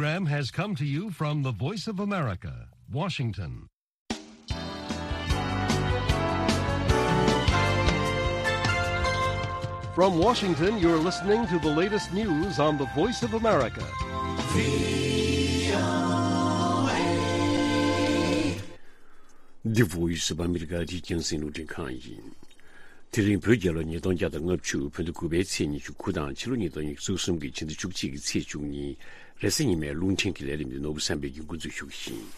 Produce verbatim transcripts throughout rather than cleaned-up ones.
Program has come to you from the Voice of America, Washington. From Washington, you're listening to the latest news on the Voice of America. The Voice of America. འདི་རྒྱང་སྲིང་རླུང་འཕྲིན་ཁང་ཡིན། དེ་རིང་བོད་རྒྱལ་ལོ་ཉིས་སྟོང་བརྒྱ་དང་ལྔ་བཅུ་བོད་ཟླ་དགུ་པའི་ཚེས་ཉི་ཤུ་དགུ་དང་ཕྱི་ལོ་ཉིས་སྟོང་ཉི་ཤུ་རྩ་གསུམ་གྱི་ཕྱི་ཟླ་བཅུ་གཅིག་གི་ཚེས་བཅུ་གཉིས། རེས་གཟའ་ཉི་མའི་རླུང་འཕྲིན་གྱི་ལས་རིམ་འདི་ནོར་བུ་བསམ་འཕེལ་གྱིས་འགོ་འཛུགས་ཞུ་གི་ཡིན།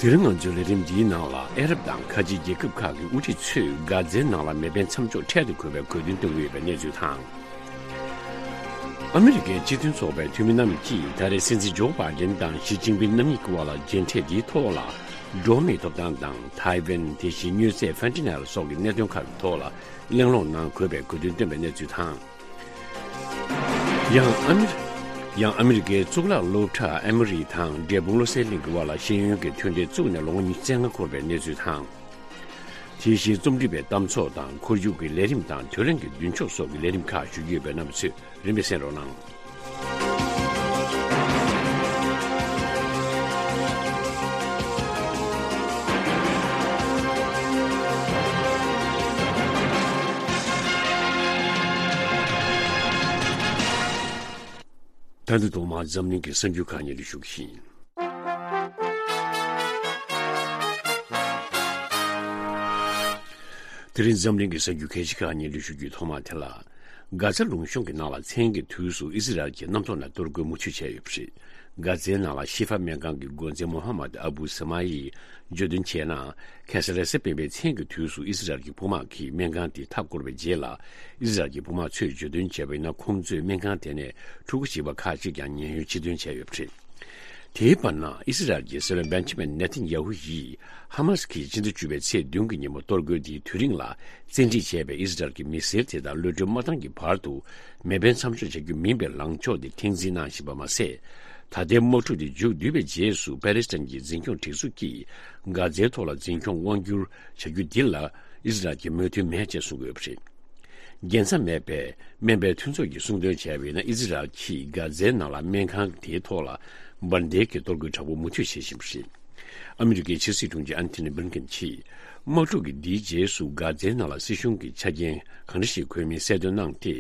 དེ་རིང་ང་ཚོའི་ལས་རིམ་འདིའི་ནང་ལ། ཨ་རབ་དང་ཁ་ཆེ་རྒྱལ་ཁབ་ཁག་གི་དབུ་ཁྲིད་ཚོས་གྷ་ཛའི་ནང་ལ་མེ་འཕེན་མཚམས་འཇོག་འཕྲལ་དུ་དགོས་པའི་དགོས་འདུན་བཏོན་གྱི་ཡོད་པའི་གནས་ཚུལ་དང་། ཨ་མི་རི་ཀའི་སྤྱི་མཐུན་ཚོགས་པའི་འཐུས་མི་རྣམས་ཀྱིས་ད་རེས་སྲིད་འཛིན་ཇོ་བྷའི་ཌེན་དང་ཞི་ཅིན་ཕིན་རྣམ་གཉིས་ཀྱི་དབར་ལ་མཇལ་འཕྲད་འདིའི་ཐོག་ལ། འགྲོ་བ་མིའི་ཐོབ་ཐང་དང་ཐའེ་ཝན། དེ་བཞིན་མྱོས་རྫས་ཧྥེན་ཏི་ནལ་སོགས་ཀྱི་གནད་དོན་ཁག་གི་ཐོག་ལ་གླེང་སློང་གནང་དགོས་པའི་དགོས་འདུན་བཏོན་པའི་གནས་ཚུལ་དང་། ཡང་ཨ་མི་རི། ཡང་ཨ་མི་རི་ཀའི་གཙུག་ལག་སློབ་གྲྭ་ཨེ་མོ་རི་དང་འབྲས་སྤུངས་བློ་གསལ་གླིང་གི་དབར་ལ་ཤེས་ཡོན་གྱི་མཐུན་འབྲེལ་བཙུགས་ནས་ལོ་ངོ་ཉི་ཤུ་རྩ་ལྔ་འཁོར་བའི་གནས་ཚུལ་དང་། དེ་བཞིན་རྩོམ་སྒྲིག་པའི་གཏམ་ཚོགས་དང་ཁོར་ཡུག་གི་ལས་རིམ་དང་། དོན་ལྷན་གྱི་མདུན་ཕྱོགས་སོགས་ཀྱི་ལས་རིམ་ཁག་ཞུ་རྒྱུ་ཡོད་པས། རྣམ་པ་ཚོས་རིམ་པས་གསན་རོགས་གནང་། ད་དུང་ཐོག་མར་འཛམ་གླིང་གི་གསར་འགྱུར་ཁག་སྙན་སྒྲོན་ཞུ་གི་ཡིན། དེ་རིང་འཛམ་གླིང་གི་གསར་འགྱུར་གལ་ཆེ་ཁག་སྙན་སྒྲོན་ཞུ་རྒྱུའི་ཐོག་མ་དེ་ལ། གྷ་ཛ་ལུང་གཤོང་གི་ནང་ལ་མཚན་གྱི་དུས་སུ་ཨི་ཟི་རལ་གྱིས་གནམ་ཐོག་ནས་གཏོར་རྒོལ་མུ་མཐུད་བྱས་ཡོད་པ་རེད། གྷ་ཛའི་ནང་ལ་ཤི་ཧྥ་སྨན་ཁང་གི་འགོ་འཛིན་མོ་ཧ་མད་ཨ་བུ་ས་མ་ཡིས་བརྗོད་དོན་བྱས་ན། ཁ་སང་རེས་གཟའ་སྤེན་པའི་མཚན་གྱི་དུས་སུ་ཨི་ཟི་རལ་གྱི་དཔུང་དམག་གིས་སྨན་ཁང་དེ་མཐའ་བསྐོར་བའི་རྗེས་ལ། ཨི་ཟི་རལ་གྱི་དཔུང་དམག་ཚོས་བརྗོད་དོན་བྱས་པ་ཡིན་ན། ཁོང་ཚོས་སྨན་ཁང་དེ་ནས་ཕྲུ་གུ་བྱིས་པ་ཁག་ཅིག་ཀྱང་ཉེན་གཡོལ་ཕྱིར་འདོན་བྱས་ཡོད་པ་རེད། དེའི་བར་ན། ཨི་སི་རལ་གྱི་སྲིད་བློན་བེན་ཇི་མིན་ནེ་ཐན་ཡ་ཧུ་ཡིས་ཧ་མ་སི་ཀྱིས་ཕྱི་ཟླ་བཅུ་པའི་ཚེས་བདུན་གྱི་ཉིན་མོ་གཏོར་རྒོལ་དེའི་དུས་རིང་ལ་བཙན་ཁྲིད་བྱས་པའི་ཨི་སི་རལ་གྱི་མི་སེར་དེ་དག་གློད་གྲོལ་མ་བཏང་གི་བར་དུ་མེ་འཕེན་མཚམས་འཇོག་བྱ་རྒྱུ་མིན་པའི་ལངས་ཕྱོགས་དེ་མཁྲེགས་འཛིན་གནང་བཞིན་པ་མ་ཟད། ད་ལྟའི་དམག་འཁྲུག་དེ་མཇུག་བསྡུས་པའི་རྗེས་སུ་པ་ལེ་སི་ཐན་གྱི་འཛིན་སྐྱོང་སྒྲིག་འཛུགས་ཀྱིས་གྷ་ཛའི་ཐོག་ལ་འཛིན་སྐྱོང་དབང་བསྒྱུར་བྱ་རྒྱུ་འདི་ལ་ཨི་སི་རལ་གྱིས་མོས་མཐུན་མེད་ཅེས་གསུངས་ཡོད་པ་རེད། རྒྱལ་མཚམས་མེད་པའི་སྨན་པའི་མཐུན་ཚོགས་ཀྱིས་གསུངས་དོན་བྱས་པ་ཡིན་ན། ཨི་ཟི་རལ་གྱིས་གྷ་ཛའི་ནང་ལ་སྨན་ཁང་དེའི་ཐོག་ལ་འབར་མདེལ་གྱི་གཏོར་རྒོལ་དྲག་པོ་མུ་མཐུད་བྱེད་བཞིན་པ་རེད། ཨ་མི་རི་ཀའི་ཕྱི་སྲིད་དྲུང་ཆེ་ཨན་ཐོ་ནི་བྷིལ་ཀིན་གྱིས། དམག་འཁྲུག་གི་འདིའི་རྗེས་སུ་གྷ་ཛའི་ནང་ལ་སྲིད་གཞུང་གི་ཆ་རྐྱེན་གང་འདྲ་ཞིག་དགོས་མིན་གསལ་སྟོན་གནང་སྟེ།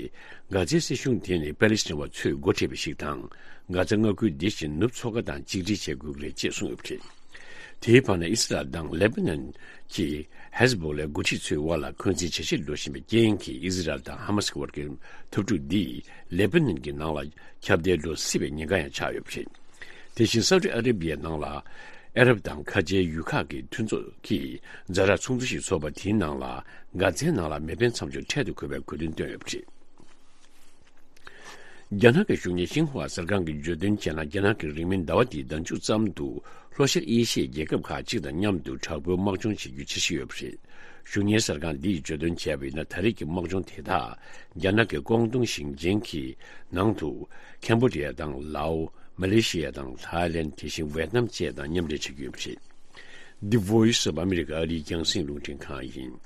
གྷ་ཛའི་སྲིད་གཞུང་དེ་ནི་པ་ལེ་སི་ཐན་པ་ཚོས་འགོ་ཁྲིད་པ་ཞིག་དང་། གྷ་ཛ་མངའ་ཁུལ་འདི་བཞིན་ནུབ་མཚོ་ཁ་དང་གཅིག་སྒྲིལ་བྱེད་དགོས་ཀྱི་རེད་ཅེས་གསུངས་ཡོད་པ་རེད། དེའི་བར་ན། ཨི་སི་རལ་དང་ལེ་པ་ནན་གྱི་ཧེ་ཟ་བྷོ་ལའི་འགོ་ཁྲིད་ཚོའི་དབར་ལ་འཁོན་འཛིན་ཇེ་ཆེར་འགྲོ་བཞིན་པའི་རྐྱེན་གྱིས། ཨི་སི་རལ་དང་ཧ་མ་སི་ཀྱི་བར་གྱི་འཐབ་འཁྲུག་འདིས་ལེ་པ་ནན་གྱི་ནང་ལ་ཁྱབ་གདལ་འགྲོ་སྲིད་པའི་ཉེན་ཁ་ཡང་ཆགས་ཡོད་པ་རེད། དེ་བཞིན་སའུ་ཏི་ཨ་རེ་བྷི་ཡའི་ནང་ལ་ཨ་རབ་དང་ཁ་ཆེའི་ཡུལ་ཁག་གི་མཐུན་ཚོགས་ཀྱིས་ཛ་དྲག་ཚོགས་འདུ་ཞིག་འཚོགས་པ་དེའི་ནང་ལ་གྷ་ཛའི་ནང་ལ་མེ་འཕེན་མཚམས་འཇོག་འཕྲལ་དུ་དགོས་པའི་དགོས་འདུན་བཏོན་ཡོད་པ་རེད། རྒྱ་ནག་གི་གཞུང་གཉེར་ཤིན་ཧྭ་གསར་ཁང་གིས་བརྗོད་དོན་བྱས་ན། རྒྱ་ནག་གི་རིང་མིན་ཟླ་བ་འདིའི་ཟླ་མཇུག་ཙམ་དུ་ལྷོ་ཤར་ཨེ་ཤི་ཡའི་རྒྱལ་ཁབ་ཁག་ཅིག་དང་མཉམ་དུ་དྲག་པོའི་དམག་སྦྱོང་བྱེད་རྒྱུའི་འཆར་གཞི་ཡོད་པ་རེད། གཞུང་གཉེར་གསར་ཁང་འདིས་བརྗོད་དོན་བྱས་པ་ཡིན་ན། ད་རེས་ཀྱི་དམག་སྦྱོང་དེ་དག་རྒྱ་ནག་གི་ཀོང་ཏུང་ཞིང་ཆེན་གྱི་ནང་དུ་ཁེམ་བྷོ་ཌི་ཡ་དང་ལའོ། མ་ལེ་ཤི་ཡ་དང་ཐའི་ལེན། དེ་བཞིན་ཝེད་ནམ་བཅས་དང་མཉམ་འབྲེལ་བྱ་རྒྱུ་ཡིན་པ་རེད། The Voice of America ཨ་རིའི་རྒྱང་སྲིང་རླུང་འཕྲིན་ཁང་ཡིན།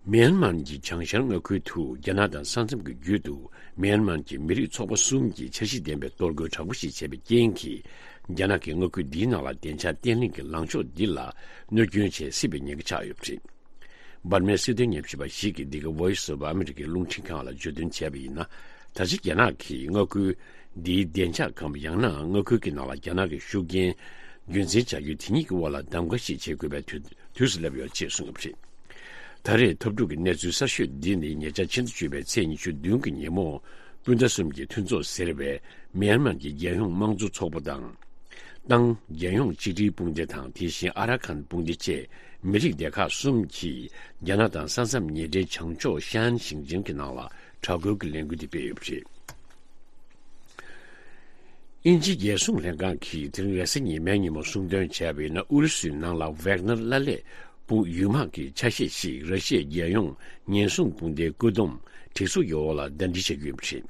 མེན་མར་གྱི་བྱང་ཤར་མངའ་ཁུལ་དུ་རྒྱ་ནག་དང་ས་མཚམས་ཀྱི་རྒྱུད་དུ་མེན་མར་གྱི་མི་རིགས་ཚོགས་པ་གསུམ་གྱིས་འཆར་གཞི་ལྡན་པའི་གཏོར་རྒོལ་དྲག་པོ་ཞིག་བྱས་པའི་རྐྱེན་གྱིས། རྒྱ་ནག་གིས་མངའ་ཁུལ་འདིའི་ནང་ལ་བདེ་འཇགས་བརྟན་ལྷིང་གི་ལངས་ཕྱོགས་འདི་ལ་གནོད་སྐྱོན་བྱེད་སྲིད་པའི་ཉེན་ཁ་ཆགས་ཡོད་པ་རེད། འབར་མའི་སྲིད་དོན་ཉམས་ཞིབ་པ་ཞིག་གིས་འདི་ག་Voice of America རླུང་འཕྲིན་ཁང་ལ་བརྗོད་དོན་བྱས་པ་ཡིན་ན། ད་ཆ་རྒྱ་ནག་གིས་མངའ་ཁུལ་འདིའི་བདེ་འཇགས་གམ། ཡང་ན་མངའ་ཁུལ་གྱི་ནང་ལ་རྒྱ་ནག་གི་ཤུགས་རྐྱེན་རྒྱུན་འཛིན་བྱ་རྒྱུ་དེ་གཉིས་ཀྱི་དབར་ལ་གདམ་ག་ཞིག་བྱེད་དགོས་པའི་དུས་དུས་སུ་སླེབས་ཡོད་ཅེས་གསུངས་ཡོད་པ་རེད། ད་རེས་འཐབ་འཁྲུག་གི་གནས་ཚུལ་གསར་ཤོས་འདི་ནི་ཉེ་ཆར་ཕྱི་ཟླ་བཅུ་པའི་ཚེས་ཉི་ཤུ་བདུན་གྱི་ཉིན་མོ། སྤུན་ཟླ་གསུམ་གྱི་མཐུན་ཚོགས་ཟེར་བའི་མེན་མར་གྱི་རྒྱལ་ཡོངས་དམངས་གཙོ་ཚོགས་པ་དང་། ཏང་རྒྱལ་ཡོངས་གཅིག་སྒྲིལ་དཔུང་སྡེ་དང་། དེ་བཞིན་ཨ་ར་ཁན་དཔུང་སྡེ་བཅས་མི་རིགས་སྡེ་ཁག་གསུམ་གྱིས་རྒྱ་ནག་དང་ས་མཚམས་ཉེ་འབྲེལ་བྱང་ཕྱོགས་ཤན་ཞིང་ཆེན་གྱི་ནང་ལ་དྲག་རྒོལ་གྱི་ལས་འགུལ་དེ་སྤེལ་ཡོད་པ་རེད། དབྱིན་ཇིའི་རྒྱལ་སྲུང་ལྷན་ཁང་གིས་དེ་རིང་རེས་གཟའ་ཉི་མའི་ཉིན་མོ་གསུངས་དོན་བྱས་པ་ཡིན་ན། ཨུ་རུ་སུའི་ནང་ལ་ཝེག་ནར་བླ་ལས་དཔུང་ཡུལ་དམག་གི་ཆ་ཤས་ཤིག་ར་ཤི་ཡའི་རྒྱལ་ཡོངས་ཉེན་སྲུང་དཔུང་སྡེའི་བཀོད་འདོམས་སྒྲིག་འཛུགས་ཀྱི་འོག་ལ་ཟླ་སྒྲིལ་བྱ་རྒྱུ་ཡིན་པ་རེད།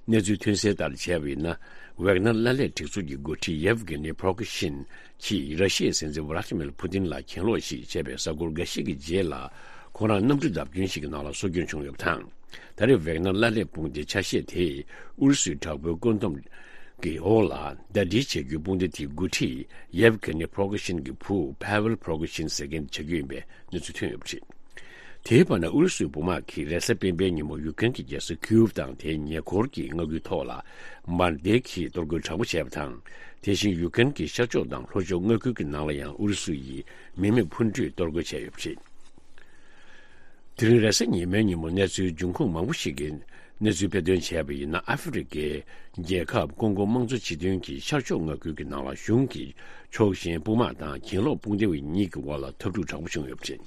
གནས་ཚུལ་ཐོན་གསལ་ལྟར་བྱས་པ་ཡིན་ན། ཝེག་ནར་བླ་ལས་སྒྲིག་འཛུགས་ཀྱི་འགོ་ཁྲིད་ཡེབ་གྷི་ནི་པྲོ་གི་ཤིན་གྱིས་ར་ཤི་ཡའི་སྲིད་འཛིན་ཝ་ལ་ཏི་མིར་ཕུ་ཏིན་ལ་གྱེན་ལོག་ཞིག་བྱས་པའི་གཟའ་འཁོར་འགའ་ཤས་ཀྱི་རྗེས་ལ། ཁོ་རང་གནམ་གྲུ་བརྡབ་སྐྱོན་ཞིག་གི་ནང་ལ་སྲོག་སྐྱོན་བྱུང་ཡོད་པ་དང་། ད་རེས་ཝེག་ནར་ལྷ་ལས་དཔུང་སྡེའི་ཆ་ཤས་དེས་ཨུ་རུ་སུའི་དྲག་པོའི་བཀོད་འདོམས་ཀྱི་འོག་ལ་ཟླ་སྒྲིལ་བྱ་རྒྱུའི་དཔུང་སྡེ་དེའི་འགོ་ཁྲིད་ཡེབ་ཀེ་ནི་པྲོ་ག་ཤིན་གྱི་བུ་ཕ་ཝེལ་པྲོ་ག་ཤིན་ཟེར་མཁན་དེ་བྱ་རྒྱུ་ཡིན་པའི་གནས་ཚུལ་ཐོན་ཡོད་པ་རེད། དེའི་བར་ན་ཨུ་རུ་སུའི་དཔུང་དམག་གིས་རེས་གཟའ་སྤེན་པའི་ཉིན་མོ་ཡུ་ཀེན་གྱི་རྒྱལ་ས་ཁིའུབ་དང་དེའི་ཉེ་འཁོར་གྱི་མངའ་ཁུལ་ཐོག་ལ་འབར་མདེལ་གྱིས་གཏོར་རྒོལ་དྲག་པོ་བྱས་པ་དང་། དེ་བཞིན་ཡུ་ཀེན་གྱི་ཤར་ཕྱོགས་དང་ལྷོ་ཕྱོགས་མངའ་ཁུལ་གྱི་ནང་ལ་ཡང་ཨུ་རུ་སུ་ཡིས་མི་མེད་འཕུར་མདེལ་གཏོར་རྒོལ་བྱས་ཡོད་པ་རེད། དེ་རིང་རེས་གཟའ་ཉི་མའི་ཉིན་མོ་གནས་ཚུལ་འབྱུང་ཁུངས་མང་པོ་ཞིག་གིས་གནས་ཚུལ་སྤེལ་དོན་བྱས་པ་ཡིན་ན། ཨ་ཧྥེ་རི་ཁའི་རྒྱལ་ཁབ་ཀོང་གོ་དམངས་གཙོ་སྤྱི་མཐུན་གྱི་ཤར་ཕྱོགས་མངའ་ཁུལ་གྱི་ནང་ལ་གཞུང་གི་ཕྱོགས་ཞེན་དཔུང་དམག་དང་གྱེན་ལོག་དཔུང་སྡེ་བ་གཉིས་ཀྱི་དབར་ལ་འཐབ་འཁྲུག་དྲག་པོ་བྱུང་ཡོད་པ་རེད།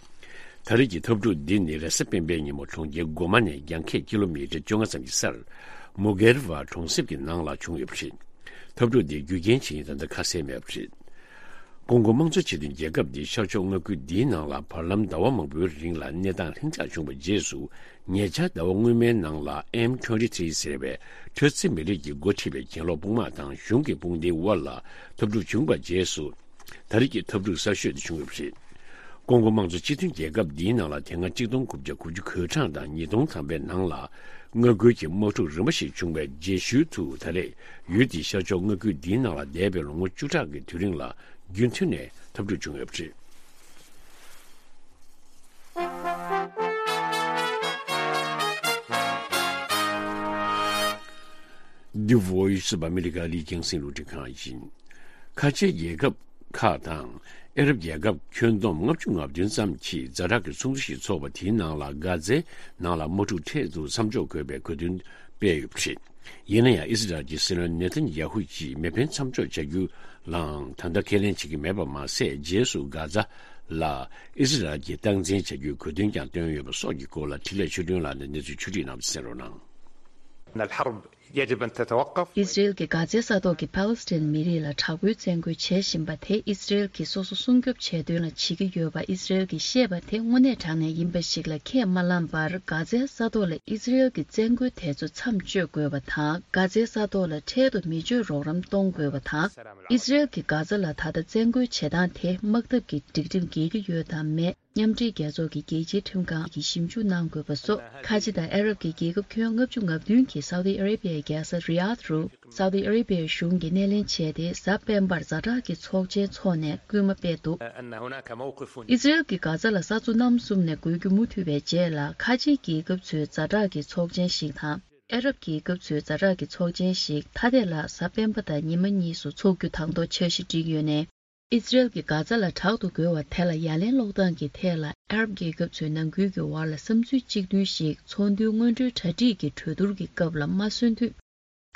ད་རེས་ཀྱི་འཐབ་འཁྲུག་འདི་ནི་རེས་གཟའ་སྤེན་པའི་ཉིན་མོ་གྲོང་ཁྱེར་གོ་མ་ནས་རྒྱང་ཁྱབ་ཀི་ལོ་མི་ཊར་བཅོ་ལྔ་ཙམ་གྱི་སར་མུ་གེར་ཝ་གྲོང་གསེབ་ཀྱི་ནང་ལ་བྱུང་ཡོད་པ་རེད། འཐབ་འཁྲུག་འདིའི་རྒྱུ་རྐྱེན་ཇི་ཡིན་ད་ལྟ་ཁ་གསལ་མེད་པ་རེད། ཀོང་གོ་དམངས་གཙོ་སྤྱི་མཐུན་རྒྱལ་ཁབ་འདིའི་ཤར་ཕྱོགས་མངའ་ཁུལ་འདིའི་ནང་ལ་བར་ལམ་ཟླ་བ་མང་པོའི་རིང་ལ་གནས་སྟངས་ལྷིང་འཇགས་བྱུང་བའི་རྗེས་སུ། ཉེ་ཆར་ཟླ་བ་སྔོན་མའི་ནང་ལ་ཨེམ་ཊུ་ཝེན་ཊི་ཐི་རི་ཟེར་བའི་ཁྲོ་ཚི་མི་རིགས་ཀྱིས་འགོ་ཁྲིད་པའི་གྱེན་ལོག་དཔུང་དམག་དང་གཞུང་གི་དཔུང་སྡེའི་དབར་ལ་འཐབ་འཁྲུག་བྱུང་བའི་རྗེས་སུ། ད་རེས་ཀྱི་འཐབ་འཁྲུག་གསར་ཤོས་དེ་བྱུང་ཡོད་པ་རེད། ཀོང་གོ་དམངས་གཙོ་སྤྱི་མཐུན་རྒྱལ་ཁབ་འདིའི་ནང་ལ་དེ་སྔ་གཅིག་སྟོང་དགུ་བརྒྱ་དགུ་བཅུ་གོ་གྲངས་དང་ཉིས་སྟོང་ཐམ་པའི་ནང་ལ་མངའ་ཁུལ་གྱི་དམག་འཁྲུག་རིམ་པ་ཞིག་བྱུང་བའི་རྗེས་ཤུལ་དུ། ད་རེས་ཡུལ་དེའི་ཤར་ཕྱོགས་མངའ་ཁུལ་འདིའི་ནང་ལ་འདས་པའི་ལོ་ངོ་བཅུ་ཕྲག་གི་དུས་རིང་ལ་རྒྱུན་མཐུད་ནས་འཐབ་འཁྲུག་བྱུང་ཡོད་པ་རེད། The Voice of America ལི་ཅང་སིན་རླུང་འཕྲིན་ཁང་ཡིན། ཁ་ཆེའི་རྒྱལ་ཁབ་ཁག་དང་ཨ་རབ་རྒྱལ་ཁབ་ཁྱོན་བསྡོམས་ལྔ་བཅུ་ང་བདུན་ཙམ་གྱིས་ཛ་དྲག་གི་ཚོགས་འདུ་ཞིག་འཚོགས་པ་དེའི་ནང་ལ་གྷ་ཛའི་ནང་ལ་དམག་འཁྲུག་འཕྲལ་དུ་མཚམས་འཇོག་དགོས་པའི་དགོས་འདུན་སྤེལ་ཡོད་པ་རེད། ཡིན་ན་ཡང་ཨི་སི་རལ་གྱི་སྲིད་བློན་ནེ་ཐན་ཡ་ཧུ་གྱིས་མེ་འཕེན་མཚམས་འཇོག་བྱ་རྒྱུ་ལའང་ད་ལྟ་ཁས་ལེན་བྱེད་ཀྱི་མེད་པ་མ་ཟད། རྗེས་སུ་གྷ་ཛ་ལ་ཨི་སི་རལ་གྱིས་སྟངས་འཛིན་བྱ་རྒྱུའི་དགོས་འདུན་ཀྱང་བཏོན་ཡོད་པ་སོགས་ཀྱི་སྐོར་ལ་འཕྲིན་ལས་ཆོས་སྒྲོན་ལགས་ནས་གནས་ཚུལ་ཕྱོགས་བསྒྲིགས་གནང་བ་གསན་རོགས་གནང་། أن الحرب يجب أن تتوقف. ཨི་སི་རེལ་གྱིས་གྷ་ཛའི་ས་ཐོག་གི་ཕཱ་ལེ་སི་ཐན་མི་རིགས་ལ་དྲག་པོའི་བཙན་རྒོལ་བྱེད་བཞིན་པ་དེ་ཨི་སི་རེལ་གྱིས་སོ་སོ་སྲུང་སྐྱོབ་བྱེད་དོན་ལ་བྱེད་ཀྱི་ཡོད་པ་ཨི་སི་རེལ་གྱིས་བཤད་པ་དེ་དངོས་གནས་དྲང་གནས་ཡིན་པ་ཞིག་ལ་ཁས་མ་བླངས་པར། གྷ་ཛའི་ས་ཐོག་ལ་ཨི་སི་རེལ་གྱི་བཙན་རྒོལ་དེ་ཚོ་མཚམས་གཅོད་དགོས་པ་དང་། གྷ་ཛའི་ས་ཐོག་ལ་འཕྲལ་དུ་མི་སྤྱོད་རོགས་རམ་གཏོང་དགོས་པ་དང་། ཨི་སི་རེལ་གྱིས་གྷ་ཛ་ལ་ད་ལྟ་བཙན་རྒོལ་བྱེད་སྟངས་དེ་དམག་འཐབ་ཀྱི་སྒྲིག་ཁྲིམས་འགལ་གྱི་ཡོད་དམ་མེད། མཉམ་འབྲེལ་རྒྱལ་ཚོགས་ཀྱི་རྒྱལ་སྤྱིའི་ཁྲིམས་ཁང་གིས་ཞིབ་འཇུག་གནང་དགོས་པ་སོགས། ཁ་ཆེ་དང་ཨ་རབ་ཀྱི་རྒྱལ་ཁབ་ཁྱོན་ལྔ་བཅུ་ང་བདུན་གྱིས་སའུ་ཏི་ཨ་རེ་བྷི་ཡའི་རྒྱལ་ས་རི་ཡཱད་རུ་སའུ་ཏི་ཨ་རེ་བྷི་ཡའི་གཞུང་གིས་སྣེ་ལེན་བྱས་ཏེ། གཟའ་སྤེན་པར་ཛ་དྲག་གི་ཚོགས་ཆེན་འཚོགས་ནས་སྐུལ་མ་སྤེལ་འདུག་ཨི་སི་རེལ་གྱིས་གྷ་ཛ་ལ་ས་མཚོ་གནམ་གསུམ་ནས་བགོ་རྒྱུ་མུ་མཐུད་པའི་རྗེས་ལ། ཁ་ཆེའི་རྒྱལ་ཁབ་ཚོས་ཛ་དྲག་གི་ཚོགས་ཆེན་ཞིག་དང་། ཨ་རབ་རྒྱལ་ཁབ་ཚོས་ཛ་དྲག་གི་ཚོགས་ཆེན་ཞིག་ཐ་དད་ལ་གཟའ་སྤེན་པ་དང་ཉི་མ་གཉིས་སུ་འཚོགས་རྒྱུ་དང་ཐོག་འཆར་གཞི་བསྒྲིགས་ཡོད་ནས། ཨི་སི་རེལ་གྱིས་གྷ་ཛ་ལ་དྲག་ཏུ་རྒོལ་བ་དེ་ལ་ཡ་ལན་སློག་སྟངས་ཀྱི་ཐད་ལ། ཨ་རབ་རྒྱལ་ཁབ་ཚོའི་ནང་ཁུལ་གྱི་བར་ལ་བསམ་ཚུལ་གཅིག་མཐུན་ཞིག་ཚོགས་འདུའི་སྔོན་འགྲོའི་གྲ་སྒྲིག་གི་གྲོས་བསྡུར་གྱི་སྐབས་ལ་མ་སོན་དུས།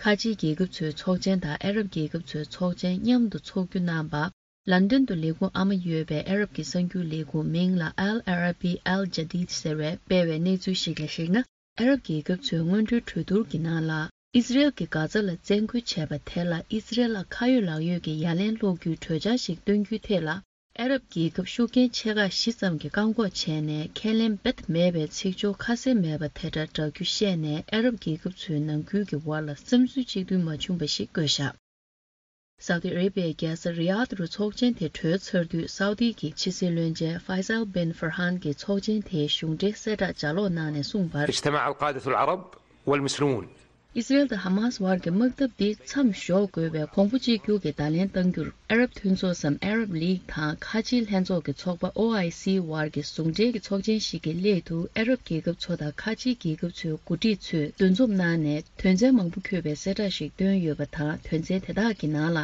ཁ་ཆེའི་རྒྱལ་ཁབ་ཚོའི་ཚོགས་ཆེན་དང་ཨ་རབ་རྒྱལ་ཁབ་ཚོའི་ཚོགས་ཆེན་མཉམ་དུ་འཚོགས་རྒྱུ་གནང་བ། ལན་ཌན་དུ་ལས་ཁུངས་ཨ་མ་ཡོད་པའི་ཨ་རབ་ཀྱི་གསར་འགྱུར་ལས་ཁུངས་མིང་ལ་Al Arabi Al Jadid ཟེར་བས་སྤེལ་བའི་གནས་ཚུལ་ཞིག་ལ་གཞིགས་ན། ཨ་རབ་རྒྱལ་ཁབ་ཚོའི་སྔོན་འགྲོའི་གྲོས་བསྡུར་གྱི་ནང་ལ། ཨི་སི་རེལ་གྱིས་གྷ་ཛ་ལ་བཙན་རྒོལ་བྱས་པ་དེ་ལ་ཨི་སི་རེལ་ལ་ཁ་ཡོད་ལག་ཡོད་ཀྱི་ཡ་ལན་སློག་རྒྱུའི་གྲོས་འཆར་ཞིག་བཏོན་རྒྱུའི་ཐད་ལ། ཨ་རབ་རྒྱལ་ཁབ་ཤུགས་རྐྱེན་ཆེ་ཁག་བཞི་ཙམ་གྱིས་བཀག་འགོག་བྱས་ནས་ཁས་ལེན་རྦད་དེ་མེད་པའི་ཚིག་སྦྱོར་ཁ་གསལ་མེད་པ་དེ་འདྲ་བསྒྲགས་རྒྱུ་བཤད་ནས། ཨ་རབ་རྒྱལ་ཁབ་ཚོའི་ནང་ཁུལ་གྱི་བར་ལ་བསམ་ཚུལ་གཅིག་མཐུན་མ་བྱུང་བ་ཞིག་བཀོད་བཞག་སའུ་ཏི་ཨ་རེ་བྷི་ཡའི་རྒྱལ་ས་རི་ཡཱད་རུ་ཚོགས་ཆེན་དེ་གྲོལ་ཚར་དུས། སའུ་ཏི་གི་ཕྱི་སྲིད་བློན་ཆེན་ཧྥའི་སལ་བིན་ཧྥ་ར་ཧན་གྱིས་ཚོགས་ཆེན་དེའི་གཞུང་འབྲེལ་གསལ་བསྒྲགས་ལྗགས་ཀློག་གནང་ནས་གསུངས་པར། اجتمع القادة العرب والمسلمون. ཨི་སི་རེལ་དང་ཧ་མཱས་བར་གྱི་དམག་འཐབ་འདི་མཚམས་འཇོག་དགོས་པའི་གོང་བུ་གཅིག་གྱུར་གྱི་བརྡ་ལན་གཏང་རྒྱུར། ཨ་རབ་མཐུན་ཚོགས་སམ་Arab League དང་ཁ་ཆེའི་ལྷན་ཚོགས་ཀྱི་ཚོགས་པ་ཨོ་ཨའི་སི་བར་གྱི་ཟུང་འབྲེལ་གྱི་ཚོགས་ཆེན་ཞིག་གི་སླད་དུ། ཨ་རབ་རྒྱལ་ཁབ་ཚོ་དང་ཁ་ཆེའི་རྒྱལ་ཁབ་ཚོའི་འགོ་ཁྲིད་ཚོས་འདུ་འཛོམས་གནང་ནས། དོན་ཚན་མང་པོ་འཁོད་པའི་གསལ་བསྒྲགས་ཤིག་བཏོན་ཡོད་པ་དང་། དོན་ཚན་དེ་དག་གི་ནང་ལ།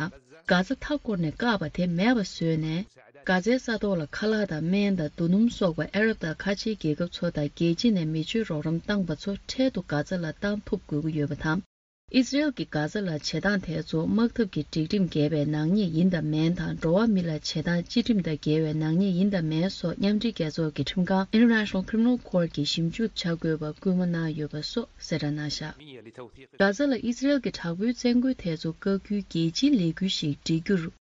གྷ་ཛ་མཐའ་བསྐོར་ནས་བཀག་པ་དེ་མེད་པ་བཟོས་ནས། གྷ་ཛའི་ས་ཐོག་ལ་ཁ་ལག་དང་སྨན་དང་རྡོ་སྣུམ་སོགས་པ་ཨ་རབ་དང་ཁ་ཆེའི་རྒྱལ་ཁབ་ཚོ་དང་རྒྱལ་སྤྱི་ནས་མི་སྤྱོད་རོགས་རམ་བཏང་པ་ཚོ་འཕྲལ་དུ་གྷ་ཛ་ལ་བཏང་ཐུབ་དགོས་ཀྱི་ཡོད་པ་དང་། ཨི་སི་རེལ་གྱིས་གྷ་ཛ་ལ་བྱེད་སྟངས་དེ་ཚོ་དམག་འཐབ་ཀྱི་སྒྲིག་ཁྲིམས་འགལ་བའི་ནག་ཉེས་ཡིན་དམ་མིན་དང་། འགྲོ་བ་མི་ལ་བྱེད་སྟངས་སྤྱི་ཁྲིམས་དང་འགལ་བའི་ནག་ཉེས་ཡིན་དམ་མིན་སོགས། མཉམ་འབྲེལ་རྒྱལ་ཚོགས་ཀྱི་ཁྲིམས་ཁང་International Criminal Court གྱིས་ཞིབ་འཇུག་བྱ་དགོས་པ་སྐུལ་མ་གནང་ཡོད་པ་སོགས་གསལ་བསྒྲགས་གནང་བཞག་གྷ་ཛ་ལ་ཨི་སི་རེལ་གྱི་དྲག་པོའི་བཙན་རྒོལ་དེ་ཚོ་བཀག་རྒྱུའི་རྒྱལ་སྤྱིའི་ལས་འགུལ་ཞིག་སྒྲིག་རྒྱུར།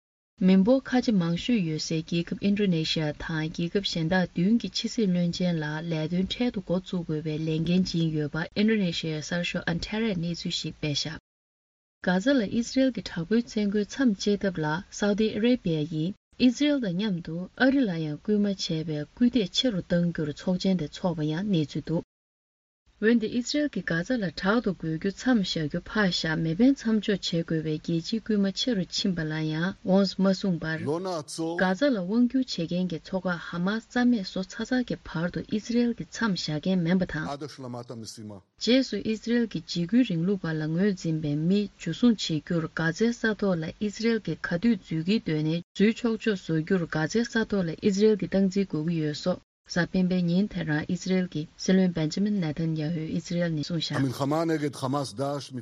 མི་འབོར་ཁ་ཆེ་མང་ཤོས་ཡོད་སའི་རྒྱལ་ཁབ་ཨིན་ཌོ་ནེ་ཤི་ཡ་དང་རྒྱལ་ཁབ་གཞན་དག་བདུན་གྱི་ཕྱི་སྲིད་བློན་ཆེན་ལ་ལས་དོན་འཕྲལ་དུ་འགོ་བཙུགས་དགོས་པའི་ལས་འགན་བྱིན་ཡོད་པ་ཨིན་ཌོ་ནེ་ཤི་ཡའི་གསར་ཤོག་ཨན་ཐེ་རའི་གནས་ཚུལ་ཞིག་སྤེལ་བཞག་གྷ་ཛ་ལ་ཨི་སི་རེལ་གྱི་དྲག་པོའི་བཙན་རྒོལ་མཚམས་གཅོད་ཐབས་ལ་སའུ་ཏི་ཨ་རེ་བྷི་ཡ་ཡིས་ ཨི་ཟི་རེལ་དང་མཉམ་དུ་ཨ་རི་ལ་ཡང་སྐུལ་མ་བྱས་པའི་སྐུལ་འདེད་ཆེ་རུ་གཏང་རྒྱུར་ཚོགས་ཆེན་དེ་འཚོགས་པ་ཡང་གནས་ཚུལ་འདུག་འོན་ཏེ་ཨི་ཟི་རེལ་གྱིས་གྷ་ཛ་ལ་དྲག་ཏུ་རྒོལ་རྒྱུ་མཚམས་བཞག་རྒྱུ་ཕར་བཞག་མེ་འཕེན་མཚམས་འཇོག་བྱེད་དགོས་པའི་རྒྱལ་སྤྱིའི་སྐུལ་མ་ཆེ་རུ་ཕྱིན་པ་ལ་ཡང་འོངས་མ་གསུངས་པར། གྷ་ཛ་ལ་དབང་སྒྱུར་བྱེད་མཁན་གྱི་ཚོགས་ཁག་ཧ་མ་སི་རྩ་མེད་བཟོ་ཚར་ཚར་གྱི་བར་དུ་ཨི་ཟི་རེལ་གྱིས་མཚམས་བཞག་མཁན་མིན་པ་དང་། རྗེས་སུ་ཨི་ཟི་རེལ་གྱི་འཇིགས་སྐུལ་རིང་ལུགས་པ་ལ་ངོས་འཛིན་པའི་མི་འཇུ་བཟུང་བྱེད་རྒྱུར་གྷ་ཛའི་ས་ཐོག་ལ་ཨི་ཟི་རེལ་གྱིས་ག་དུས་འཛུལ་གྱི་འདོད་ནའི་འཛུལ་ཆོག་ཆོག་བཟོ་རྒྱུར་གྷ་ཛའི་ས་ཐོག་ལ་ཨི་ཟི་རེལ་གྱིས་སྟངས་འཛིན་དགོས་ཀྱི་ཡོད་སོགས། གཟའ་སྤེན་པའི་ཉིན་དེ་རང་ཨི་ཟི་རེལ་གྱི་སྲིད་བློན་བེན་ཇ་མིན་ནེ་ཐན་ཡ་ཧུས་ཨི་ཟི་རེལ་ནས་གསུངས་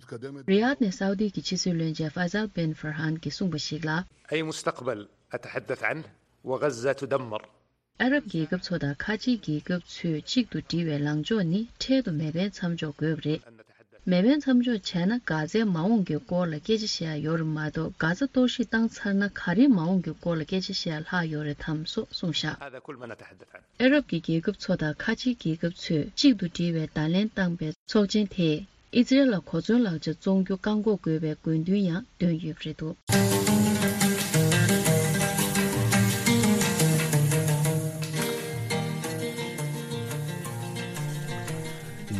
བཞག་རི་ཡཱད་ནས་སའུ་དི་གི་ཕྱི་སྲིད་བློན་ཆེན་ཧྥ་ཟལ་བེན་ཧྥར་ཧན་གྱིས་གསུངས་པ་ཞིག་ལ། أي مستقبل أتحدث عنه وغزة تدمر. ཨ་རབ་རྒྱལ་ཁབ་ཚོ་དང་ཁ་ཆེའི་རྒྱལ་ཁབ་ཚོས་གཅིག་ཏུ་སྒྲིལ་བའི་ལངས་ཕྱོགས་ནི་འཕྲལ་དུ་མེ་འཕེན་མཚམས་འཇོག་དགོས་པ་རེད། མེ་འཕེན་མཚམས་འཇོག་བྱས་ན་གྷ་ཛའི་མ་འོངས་ཀྱི་སྐོར་ལ་སྐད་ཆ་བཤད་ཡ་ཡོད་རེད་མ་གཏོགས། གྷ་ཛ་གཏོར་བཤིག་བཏང་ཚར་ན་ག་རེའི་མ་འོངས་ཀྱི་སྐོར་ལ་སྐད་ཆ་བཤད་ཡ་ལྷག་ཡོད་རེད་དམ་སོགས་གསུངས་བཞག་ཨ་རབ་ཀྱི་རྒྱལ་ཁབ་ཚོ་དང་ཁ་ཆེའི་རྒྱལ་ཁབ་ཚོས་གཅིག་ཏུ་སྒྲིལ་བའི་བརྡ་ལན་བཏང་པའི་ཚོགས་ཆེན་དེས་ཨི་ཛི་རེལ་ལ་གོ་མཚོན་ལག་ཆ་བཙོང་རྒྱུ་བཀག་འགོག་དགོས་པའི་དགོས་འདུན་ཡང་བཏོན་ཡོད་པ་རེད་འདུག་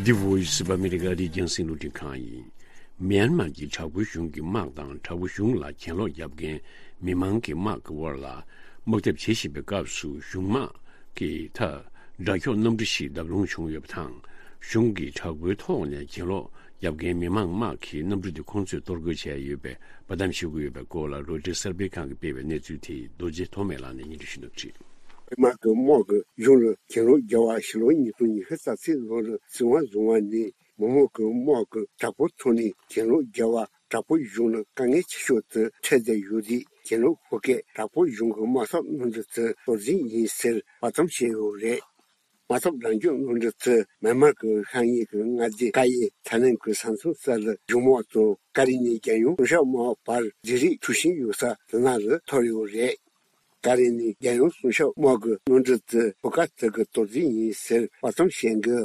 འདི་Voice of America རི་རྒྱང་སྲིང་རླུང་འཕྲིན་ཁང་ཡིན། མིའན་མར་གྱི་དྲག་པོའི་གཞུང་གི་དམག་དང་དྲག་པོའི་གཞུང་ལ་གྱེན་ལོག་བརྒྱབ་མཁན་མི་མང་གི་དམག་གི་དབར་ལ་དམག་འཐབ་བྱེད་བཞིན་པའི་སྐབས་སུ་གཞུང་དམག་གི་མཐའ་དགྲ་འཁྱོག་གནམ་གྲུ་ཞིག་བརྡབ་ལྷུང་བྱུང་ཡོད་པ་དང་། གཞུང་གི་དྲག་པོའི་ཐོག་ནས་གྱེན་ལོག་བརྒྱབ་མཁན་མི་མང་དམག་གིས་གནམ་གྲུ་དེ་ཁོང་ཚོས་གཏོར་རྒོལ་བྱས་ཡོད་པའི་བར་མཚམས་བཞག་གི་ཡོད་པའི་སྐོར་ལ་རོའི་ཊར་གསར་སྤེལ་ཁང་གིས་སྤེལ་བའི་གནས་ཚུལ་དེ་རྡོ་རྗེ་ཐོགས་མེད་ལགས་ནས་སྙན་སྒྲོན་ཞུ་གནང་གི་རེད། མི་དམངས་ཀྱི་དམག་གི་གཞུང་ལ་གྱེན་ལོག་རྒྱག་པ་ཕྱི་ལོ་ཉིས་སྟོང་ཉི་ཤུ་རྩ་གཅིག་ལོར་སྲིད་དབང་བཟུང་བ་ནས་མི་དམངས་ཀྱི་དམག་གིས་དྲག་པོའི་ཐོག་ནས་གྱེན་ལོག་རྒྱག་པ་དྲག་པོའི་གཞུང་ལ་དཀའ་ངལ་ཆེ་ཤོས་དེ་འཕྲད་བསྡད་ཡོད་དུས། གྱེན་ལོག་ཤོག་ཁག་དྲག་པོའི་གཞུང་གི་དམག་འཐབ་གནམ་གྲུ་དེ་གཏོར་རྒྱུ་ཡིན་ཟེར་བར་མཚམས་བཞག་ཡོད་རེད། དམག་འཐབ་རང་སྐྱོང་གནམ་གྲུ་དེ་མིའན་མར་གྱི་ཤར་ཉེ་གི་མངའ་སྡེ་ཀ་ཡེ་ཐ་ནན་གྱི་ས་མཚམས་སར་གཞུང་དམག་དང་ཀ་རེ་ནི་རྒྱལ་ཡོངས་སྲུང་སྐྱོབ་དམག་བར་འབྲེལ་རེས་འཁྲུག་བཞིན་ཡོད་ས་དེ་ནང་ལ་ཐོར་ཡོད་རེད། ཀ་རེ་ནི་རྒྱལ་ཡོངས་སྲུང་སྐྱོབ་དམག་གི་གནམ་གྲུ་དེ་ཤོག་ཁག་དེ་གིས་གཏོར་རྒྱུ་ཡིན་ཟེར་བར་མཚམས་བཞག་གི་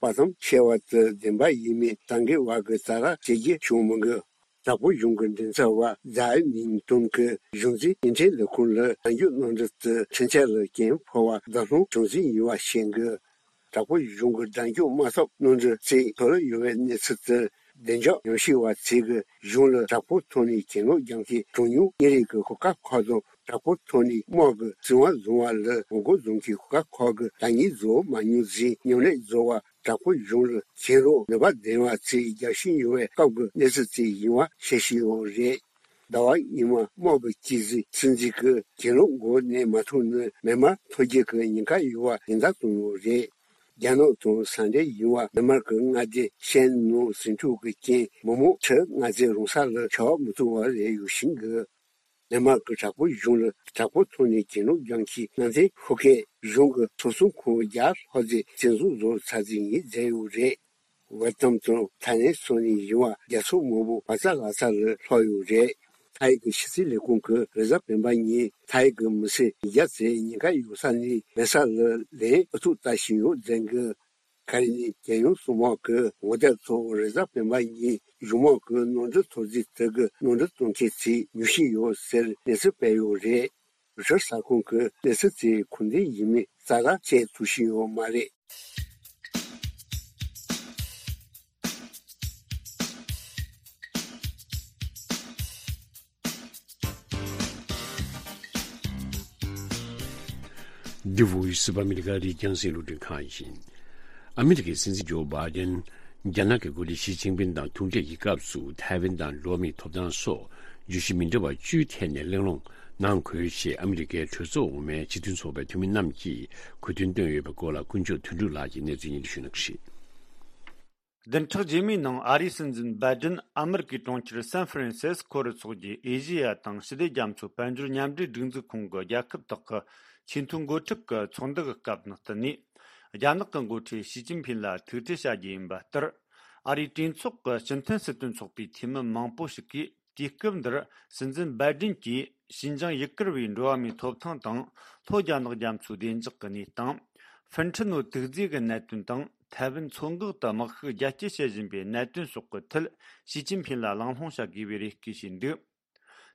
བར་མཚམས་བཞག་པ་དེ་བདེན་པ་ཡིན་མིན་ད་གིན་བར་གྱི་ཙག་ར་བྱེད་རྒྱུ་བྱུང་མི་འདུག་དྲག་པོའི་གཞུང་གི་མགྲིན་ཚབ་པ་ཛའི་མིང་ཏུང་གིས་གཞུང་འཛིན་སྐྱེལ་འདྲེན་ལས་ཁུངས་ལ་རང་སྐྱོང་གནམ་གྲུ་དེ་འཕྲིན་ཆས་ལ་རྐྱེན་ཕོག་པ་བརྡབ་ལྷུང་བྱུང་རྩིས་ཡིན་པ་བཤད་འདུག་དྲག་པོའི་གཞུང་གི་རང་སྐྱོང་དམག་འཐབ་གནམ་གྲུ་རྩིས་ཐོར་ཡོད་པའི་གནས་ཚུལ་དེར་བདེ་འཇགས་ཉམས་ཞིབ་པ་ཚོས་གཞུང་ལ་དྲག་པོའི་ཐོག་ནས་གྱེན་ལོག་རྒྱག་མཁན་གྲངས་ཉུང་གཉན་རིམ་གྱི་ཤོག་ཁག་ཁག་དང་། དྲག་པོའི་ཐོག་ནས་དམག་གི་སྲིད་དབང་བཟུང་བ་ལ་ངོ་རྒོལ་བཟོ་མཁན་ཤོག་ཁག་ཁག་གིས་ལངས་ཉེས་བཟོ་མ་མྱོང་ཞིང་མཉམ་ལས་བཟོ་བ། དྲག་པོའི་གཞུང་ལ་གྱེན་ལོག་ནུས་པ་ལྡན་པ་ཚོས་རྒྱག་བཞིན་ཡོད་པའི་སྐབས་ཀྱི་གནས་ཚུལ་ཅིག་ཡིན་པ་བཤད་བཞིན་ཡོད་རེད། ཟླ་བ་སྔོན་མ་དམག་གི་སྤྱི་ཟིན་སྲིད་འཛིན་གྱིས་གྱེན་ལོག་འགོ་ནས་མ་ཐོན་ན་མིའན་མར་ཐོར་རྒྱུ་གི་ཉེན་ཁ་ཡོད་པ་ཡང་དག་བཏོན་ཡོད་རེད། རྒྱ་ནག་དང་ས་འབྲེལ་ཡིན་པ་མིའན་མར་གྱི་མངའ་སྡེ་ཤན་ནང་ཟིང་འཁྲུག་གི་རྐྱེན་མི་མང་ཁྲི་ལྔ་ཙམ་རང་ས་ལ་བྱ་བ་མི་ཐུབ་པ་རེད་ཡོད་བཞིན་གྱི། མིའན་མར་གྱི་དྲག་པོའི་གཞུང་ལ་དྲག་པོའི་ཐོག་ནས་གྱེན་ལོག་རྒྱག་མཁན་གནམ་ཐེངས་ཤོག་ཁག་གཞུང་གི་ཚོགས་ཟུར་ཁོངས་བརྒྱ་ལྷག་ཙམ་བཙན་བཟུང་བཟོ་ཚར་རྩིས་ཡིན་བསྡད་ཡོད་རེད། ཝེ་ཏམ་དང་ཐའི་ལེན་སོགས་ནས་ཡིན་པ་རྒྱལ་ཚོགས་མང་པོ་བག་ཚ་ལག་ཚ་ལ་ལྷག་ཡོད་རེད། ཐའི་གི་ཕྱི་སྲིད་ལས་ཁུངས་ཀྱིས་རེས་གཟའ་སྤེན་པ་ཉིན་ཐའི་གི་མི་སེར་ཉིས་བརྒྱ་ཙམ་ཉེན་ཁ་ཡོད་ས་ནས་མེད་ས་ལ་ལན་ཨ་ཐུར་ལྟ་བཞིན་ཡོད་ཟེར་གི། ཁ་རི་ནི་རྒྱལ་ཡོངས་སྲུང་དམག་གི་ངོ་དེབ་ཐོག་རེས་གཟའ་སྤེན་པ་ཉིན་གཞུང་དམག་གི་གནམ་གྲུ་འཐོར་རྩིས་དེ་གི་གནམ་གྲུ་གཏོང་མཁན་ཚོས་ཉོ་བཞིན་ཡོད་ཟེར་གནས་ཚུལ་སྤེལ་ཡོད་རེད། རོའི་ཊར་གསར་ཁང་གིས་གནས་ཚུལ་དེ་གང་ཐད་ཡིན་མིན་རྩ་བ་ནས་བཤད་ཐུབ་བཞིན་ཡོད་མ་རེད། འདི་Voice of America རི་རྒྱང་སྲིང་རླུང་འཕྲིན་ཁང་ཡིན། ཨ་མི་རི་ཀའི་སྲིད་འཛིན་ཇོ་བྷའི་ཌེན། རྒྱ་ནག་གི་འགོ་ཁྲིད་ཞི་ཅིན་ཕིན་དང་ཐུག་འཕྲད་ཀྱི་སྐབས་སུ་ཐའེ་ཝན་དང་འགྲོ་བ་མིའི་ཐོབ་ཐང་སོགས་བརྗོད་གཞི་མི་འདྲ་བ་བཅུའི་ཐད་ནས་གླེང་སློང་གནང་དགོས་ཞེས་ཨ་མི་རི་ཀའི་གྲོས་ཚོགས་འོག་མའི་སྤྱི་མཐུན་ཚོགས་པའི་འཐུས་མི་རྣམས་ཀྱིས་གོ་སྟོན་བཏོན་ཡོད་པའི་སྐོར་ལ་དཀོན་མཆོག་དོན་གྲུབ་ལགས་ཀྱིས་གནས་ཚུལ་སྙན་སྒྲོན་ཞུ་གནང་གི་རེད། བདུན་ཕྲག་རྗེས་མའི་ནང་ཨ་རིའི་སྲིད་འཛིན་བྷའི་ཌེན་ཨ་མི་རི་ཀའི་གྲོང་ཁྱེར་སན་ཧྥ་རན་སིས་ཀོ་རུ་ཚོགས་ཀྱི་ཨེ་ཤེ་ཡ་དང་ཞི་བདེ་རྒྱ་མཚོ་དཔལ་འབྱོར་མཉམ་འབྲེལ་སྒྲིག་འཛུགས་ཁོངས་ཀྱི་རྒྱལ་ཁབ་དག་གི་ཆེས་མཐོའི་འགོ་ཁྲིད་ཀྱི་ཚོགས་འདུ་གི་སྐབས་ནང་བསྟུན་ནས། རྒྱ་ནག་གི་འགོ་ཁྲིད་ཞི་ཅིན་ཕིན་ལ་ཐུག་འཕྲད་བྱ་རྒྱུ་ཡིན་པ་ལྟར། ཨ་རིའི་གྲོས་ཚོགས་ཀྱི་སྤྱི་མཐུན་སྲིད་དོན་ཚོགས་པའི་འཐུས་མི་མང་པོ་ཞིག་གིས། དུས་སྐབས་འདིར་སྲིད་འཛིན་བྷའི་ཌེན་གྱིས་ཞིན་ཅང་ཡུ་གུར་བའི་འགྲོ་བ་མིའི་ཐོབ་ཐང་དང་། ལྷོ་རྒྱ་ནག་རྒྱ་མཚོའི་བདེ་འཇགས་ཀྱི་གནས་སྟངས། ཧྥིན་ཁྲི་ནོ་དུག་རྫས་ཀྱི་གནད་དོན་དང་། ཐའེ་ཝན་མཚོ་འགག་ཏུ་དམག་ཤུགས་རྒྱ་སྐྱེད་བྱེད་བཞིན་པའི་གནད་དོན་སོགས་ཀྱི་ཐད། ཞི་ཅིན་ཕིན་ལ་གླེང་སློང་བྱ་དགོས་པའི་རེ་སྐུལ་བྱས་འདུག་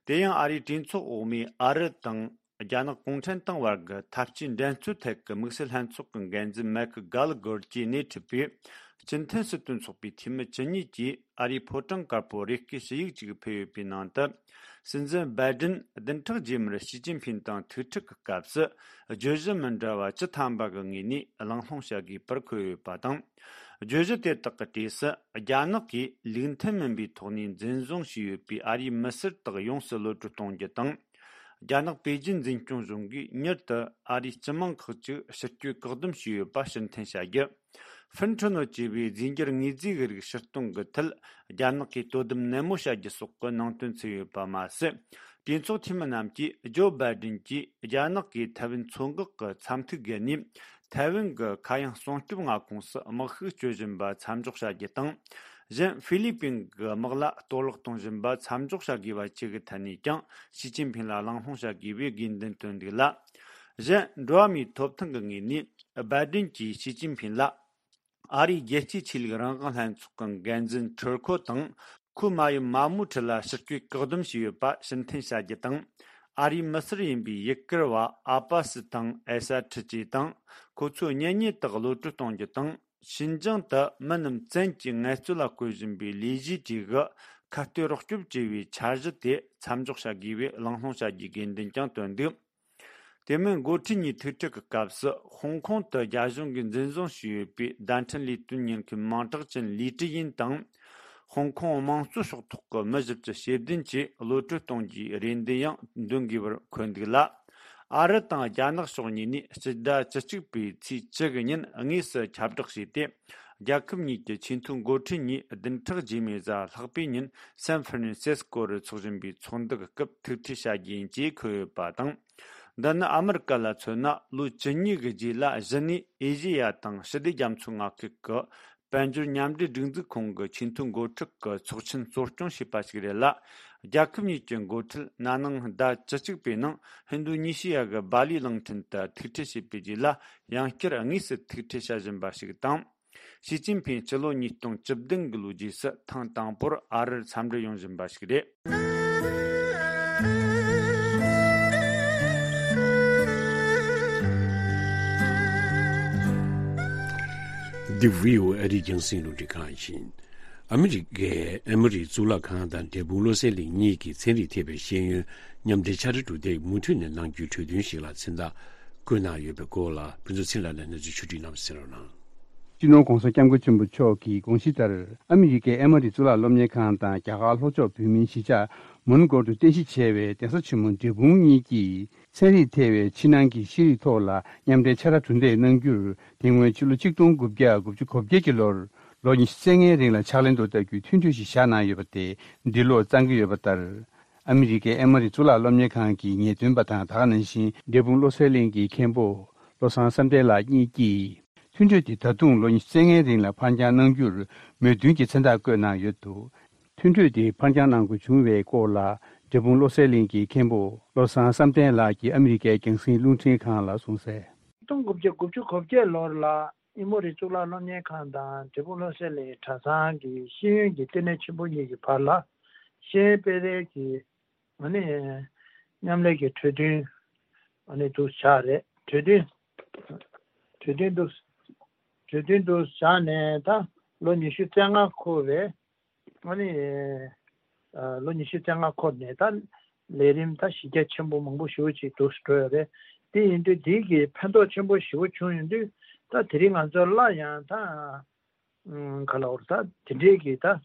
དེ་ཡང་ཨ་རིའི་གྲོས་ཚོགས་འོག་མའི་ཨ་རི་དང་ རྒྱ་ནག་གུང་ཁྲན་ཏང་བར་གྱི་འཐབ་ཇུས་འགྲན་རྩོད་ཐད་ཀྱི་དམིགས་བསལ་ལྷན་ཚོགས་ཀྱི་འགན་འཛིན་མེག་གྷ་ལ་གྷར་གྱིས་སྣེ་ཁྲིད་པའི་སྤྱི་མཐུན་སྲིད་དོན་ཚོགས་པའི་འཐུས་མི་བཅུ་གཉིས་ཀྱིས་ཨ་རིའི་ཕོ་བྲང་དཀར་པོར་རེ་སྐུལ་ཞུ་ཡིག་ཅིག་ཕུལ་ཡོད་པའི་ནང་དུ། སྲིད་འཛིན་བའི་ཌེན་བདུན་ཕྲག་རྗེས་མར་ཞི་ཅིན་ཕིན་དང་ཐུག་འཕྲད་ཀྱི་སྐབས་སུ། བརྗོད་གཞི་མི་འདྲ་བ་བཅུ་ཐམ་པ་གི་ངོས་ནས་གླེང་སློང་བྱ་དགོས་པར་འཁོད་ཡོད་པ་དང་། བརྗོད་གཞི་དེ་དག་གི་གྲས་སུ། རྒྱ་ནག་གིས་ལུགས་མཐུན་མིན་པའི་ཐོག་ནས་འཛིན་བཟུང་བྱས་ཡོད་པའི་ཨ་རིའི་མི་སེར་དག་ཡོངས་སུ་གློད་གྲོལ་གཏོང་རྒྱུ་དང་། རྒྱ་ནག་པེ་ཅིན་འཛིན་སྐྱོང་གཞུང་གིས་མྱུར་དུ་ཨ་རིའི་སྤྱི་དམངས་ཁག་ཅིག་ཕྱིར་སྐྱོད་བཀག་སྡོམ་བྱས་ཡོད་པ་ཕྱིར་འཐེན་བྱ་རྒྱུ། ཧྥིན་ཁྲོན་ནོ་ཅེས་པའི་རྫས་འགྱུར་དངོས་རྫས་ཀྱི་རིགས་ཕྱིར་གཏོང་གི་ཐད། རྒྱ་ནག་གིས་དོ་དམ་ནན་མོ་བྱ་རྒྱུ་སོགས་ཀྱི་ནང་དོན་ཚུད་ཡོད་པ་མ་ཟད། གྲོས་ཚོགས་འཐུས་མི་རྣམས་ཀྱིས་ཇོ་བྷའི་ཌེན་གྱིས་རྒྱ་ནག་གིས་ཐའེ་ཝན་མཚོ་འགག་གི་མཚམས་ཐིག་བརྒལ་ནས་ཐའེ་ཝན་གྱི་ཁ་གཡང་སྲུང་སྐྱོབ་མངའ་ཁོངས་སུ་དམག་ཤུགས་སྤྱོད་བཞིན་པ་མཚམས་འཇོག་བྱ་རྒྱུ་དང་། གཞན་ཧྥི་ལི་པིན་གྱི་དམག་ལ་གཏོར་བརླག་གཏོང་བཞིན་པ་མཚམས་འཇོག་བྱ་དགོས་པ་བཅས་ཀྱི་ཐད་ནས་ཀྱང་ཞི་ཅིན་ཕིན་ལ་གླེང་སློང་བྱ་དགོས་པའི་དགོས་འདུན་བཏོན་འདུག་ལ། གཞན་འགྲོ་བ་མིའི་ཐོབ་ཐང་གི་ངོས་ནས་བྷའི་ཌེན་གྱིས་ཞི་ཅིན་ཕིན་ལ། ཨ་རིའི་རྒྱལ་སྤྱིའི་ཆོས་ལུགས་རང་དབང་ལྷན་ཚོགས་ཀྱི་འགན་འཛིན་ཁྲིར་ཁོ་དང་། ཁོའི་མ་ཡུམ་མ་མུའུ་ཁྲི་ལ་ཕྱིར་སྐྱོད་བཀག་སྡོམ་བྱས་ཡོད་པ་ཕྱིར་འཐེན་བྱ་རྒྱུ་དང་། ཨ་རིའི་མི་སེར་ཡིན་པའི་ཡུ་གུར་བ་ཨ་པ་སི་དང་ཨེ་ས་ཁྲི་བཅས་དང་། ཁོ་ཚོའི་གཉེན་ཉེ་དག་གློད་གྲོལ་གཏོང་རྒྱུ་དང་། ཤིན་ཅང་དུ་མི་རྣམས་བཙན་གྱིས་ངལ་རྩོལ་ལ་བཀོལ་བཞིན་པའི་ལས་གཞིའི་གྲས་ཀྱི་ཁ་གཏད་རོགས་སྐྱོབ་ཅེས་པའི་འཆར་གཞི་དེ་མཚམས་འཇོག་བྱ་དགོས་པའི་གླེང་སློང་བྱ་རྒྱུའི་དགོས་འདུན་ཀྱང་བཏོན་འདུག་དེ་མིན་འགོ་ཁྲིད་གཉིས་ཐུག་འཕྲད་ཀྱི་སྐབས་སུ། ཧོང་ཀོང་དུ་རྒྱ་གཞུང་གིས་འཛིན་བཟུང་བྱས་ཡོད་པའི་བརྡ་འཕྲིན་ལས་དོན་ཉེན་ཁའི་མིང་གྲགས་ཅན་ལི་ཀྲི་ཡིན་དང་། ཧོང་ཀོང་དམངས་གཙོའི་ཕྱོགས་གཏོགས་ཀྱི་མི་བཞི་བཅུ་ཞེ་བདུན་བཅས་གློད་གྲོལ་གཏོང་རྒྱུའི་རེ་འདུན་ཡང་འདོན་དགོས་པར་འཁོད་འདུག་ལ། ཨ་རི་དང་རྒྱ་ནག་ཕྱོགས་གཉིས་ནས་སྤྱི་ཟླ་བཅུ་གཅིག་པའི་ཚེས་བཅུ་གི་ཉིན་དངོས་སུ་ཁྱབ་བསྒྲགས་བྱས་ཏེ། རྒྱལ་ཁབ་གཉིས་ཀྱི་ཆེས་མཐོའི་འགོ་ཁྲིད་གཉིས་བདུན་ཕྲག་རྗེས་མའི་གཟའ་ལྷག་པའི་ཉིན་སན་ཧྥ་རན་སིས་ཀོ་རུ་འཚོགས་བཞིན་པའི་ཚོགས་འདུ་གི་སྐབས་ཐུག་འཕྲད་བྱ་རྒྱུ་ཡིན་ཅེས་འཁོད་ཡོད་པ་དང་། འདི་ནི་ཨ་མི་རི་ཀ་ལ་མཚོན་ན་ལོ་བཅུ་གཉིས་ཀྱི་རྗེས་ལ་གཞི་ནས་ཨེ་ཤེ་ཡ་དང་ཞི་བདེ་རྒྱ་མཚོའི་མངའ་ཁུལ་གྱི་དཔལ་འབྱོར་མཉམ་འབྲེལ་སྒྲིག་འཛུགས་ཁང་གི་ཆེས་མཐོའི་འགོ་ཁྲིད་ཀྱི་ཚོགས་ཆེན་གཙོ་སྐྱོང་བྱས་པ་ཞིག་རེད་ལ། རྒྱལ་ཁབ་གཉིས་ཀྱི་འགོ་ཁྲིད་ན་ནིང་ཟླ་བཅུ་གཅིག་པའི་ནང་ཧིན་རྡུ་ཉི་ཤི་ཡ་གི་སྦ་ལི་གླིང་ཕྲན་དུ་ཐུག་འཕྲད་བྱས་པའི་རྗེས་ལ་ཡང་བསྐྱར་དངོས་སུ་ཐུག་འཕྲད་བྱ་བཞིན་པ་ཞིག་དང་། ཞི་ཅིན་ཕིང་སྤྱི་ལོ་ཉིས་སྟོང་བཅུ་བདུན་གྱི་ལོའི་རྗེས་སུ་ཐེངས་དང་པོར་ཨ་རིར་འཚམས་འདྲི་ཡོང་བཞིན་པ་ཞིག་རེད། འདི་བྷི་ཨོ་ཨེ་ཨ་རིའི་རྒྱང་སྲིང་རླུང་འཕྲིན་ཁང་ཡིན། ཨ་མི་རི་ཀའི་ཨེ་མོ་རི་གཙུག་ལག་ཁང་དང་འབྲས་སྤུངས་བློ་གསལ་གླིང་གཉིས་ཀྱི་ཚན་རིག་ཐེ་བའི་ཤེས་ཡོན་མཉམ་འབྲེལ་ཕྱག་བྲིས་གྲུབ་འབྲས་མུ་མཐུད་ནས་གནང་རྒྱུའི་གྲོས་མཐུན་ཞིག་ལ་མཚན་རྟགས་བཀོད་གནང་ཡོད་པའི་སྐོར་ལ་ཕུན་ཚོགས་ཚེ་རིང་ལགས་ནས་གནས་ཚུལ་ཕྱོགས་བསྒྲིགས་གནང་བ་གསན་རོགས་གནང་། སྤྱི་ནོར་༧གོང་ས་༧སྐྱབས་མགོན་ཆེན་པོ་མཆོག་གི་དགོངས་གཞི་ལྟར། ཨ་མི་རི་ཀའི་ཨེ་མོ་རི་གཙུག་ལག་སློབ་གཉེར་ཁང་དང་རྒྱ་གར་ལྷོ་ཕྱོགས་བོད་མིའི་གཞིས་ཆགས་མོན་གྷོ་དུ་རྟེན་གཞི་བྱས་པའི་གདན་ས་ཆེན་མོ་འབྲས་སྤུངས་གཉིས་ཀྱིས་ཚན་རིག་ཐེ་བའི་ཕྱི་ནང་གི་ཤེས་རིག་ཐོག་ལ་མཉམ་འབྲེལ་ཕྱག་ར་གྲུ་འདེགས་གནང་རྒྱུར། དེ་སྔོན་ཕྱི་ལོ་ཆིག་སྟོང་དགུ་བརྒྱ་དགུ་བཅུ་གོ་བརྒྱད་ཀྱི་ལོར་ལོ་ཉི་ཤུ་རྩ་ལྔའི་རིང་ལ་ཕྱག་ལེན་དུ་བསྟར་རྒྱུའི་མཐུན་གྲོས་ཤིག་བཞག་གནང་ཡོད་པ་དེ་འདི་ལོར་གཙང་གི་ཡོད་པ་ལྟར། ཨ་མི་རི་ཀའི་ཨེ་མོ་རི་གཙུག་ལག་སློབ་གཉེར་ཁང་གི་ངེས་སྟོན་པ་དང་། ད་ག་ནང་བཞིན་འབྲས་སྤུངས་བློ་གསལ་གླིང་གི་མཁན་པོ་བློ་བཟང་བསམ་གཏན་ལགས་གཉིས་ཀྱིས། མཐུན་གྲོས་དེ་ད་དུང་ལོ་ཉི་ཤུ་རྩ་ལྔའི་རིང་ལ་ཕར་འགྱངས་གནང་རྒྱུར་མོས་མཐུན་གྱི་མཚན་རྟགས་བཀོད་གནང་ཡོད་འདུག་མཐུན་གྲོས་དེ་ཕར་འགྱངས་གནང་དགོས་བྱུང་བའི་སྐོར་ལ། འབྲས་སྤུངས་བློ་གསལ་གླིང་གི་མཁན་པོ་བློ་བཟང་བསམ་གཏན་ལགས་ཀྱིས་ཨ་མི་རི་ཀའི་རྒྱང་སྲིང་རླུང་འཕྲིན་ཁང་ལ་གསུངས་གསལ། ཆིག་སྟོང་དགུ་བརྒྱ་དགུ་བཅུ་གོ་བརྒྱད་ལོར་ལ་ཨེ་མོ་རི་གཙུག་ལག་སློབ་གཉེར་ཁང་དང་འབྲས་སྤུངས་བློ་གསལ་གླིང་གྲྭ་ཚང་གི་ཤེས་ཡོན་གྱི་ལྟེ་གནས་ཆེན་པོ་གཉིས་ཀྱི་བར་ལ་ཤེས་ཡོན་སྤེལ་རེས་ཀྱི་ཨ་ནི་མཉམ་ལས་ཀྱི་གྲོས་མཐུན་ཨ་ནི་འདུག་བཞག་རེད། གྲོས་མཐུན་གྲོས་མཐུན་འདུག་གྲོས་མཐུན་འདུག་བཞག་ནས་ད་ལོ་ཉི་ཤུ་རྩ་ལྔ་འཁོར་བའི་ཨ་ནི་ཨ་ལོ་ཉི་ཤུ་རྩ་ལྔ་འཁོར་ནས་ད་ལས་རིམ་ད་གཞི་རྒྱ་ཆེན་པོ་མང་པོ་ཞེ་པོ་ཅིག་འདུག་འགྲོ་ཡོད་རེད། དེ་ཡིན་དུས་འདི་གི་ཕན་ཐོགས་ཆེན་པོ་ཞེ་པོ་བྱུང་ཡོང་དུས་ད་དེ་རིང་ང་ཚོ་སླར་ཡང་ད་ཨ་ག་ལ་འོར་ད་དེ་འདྲའི་གི་ད་ཨ་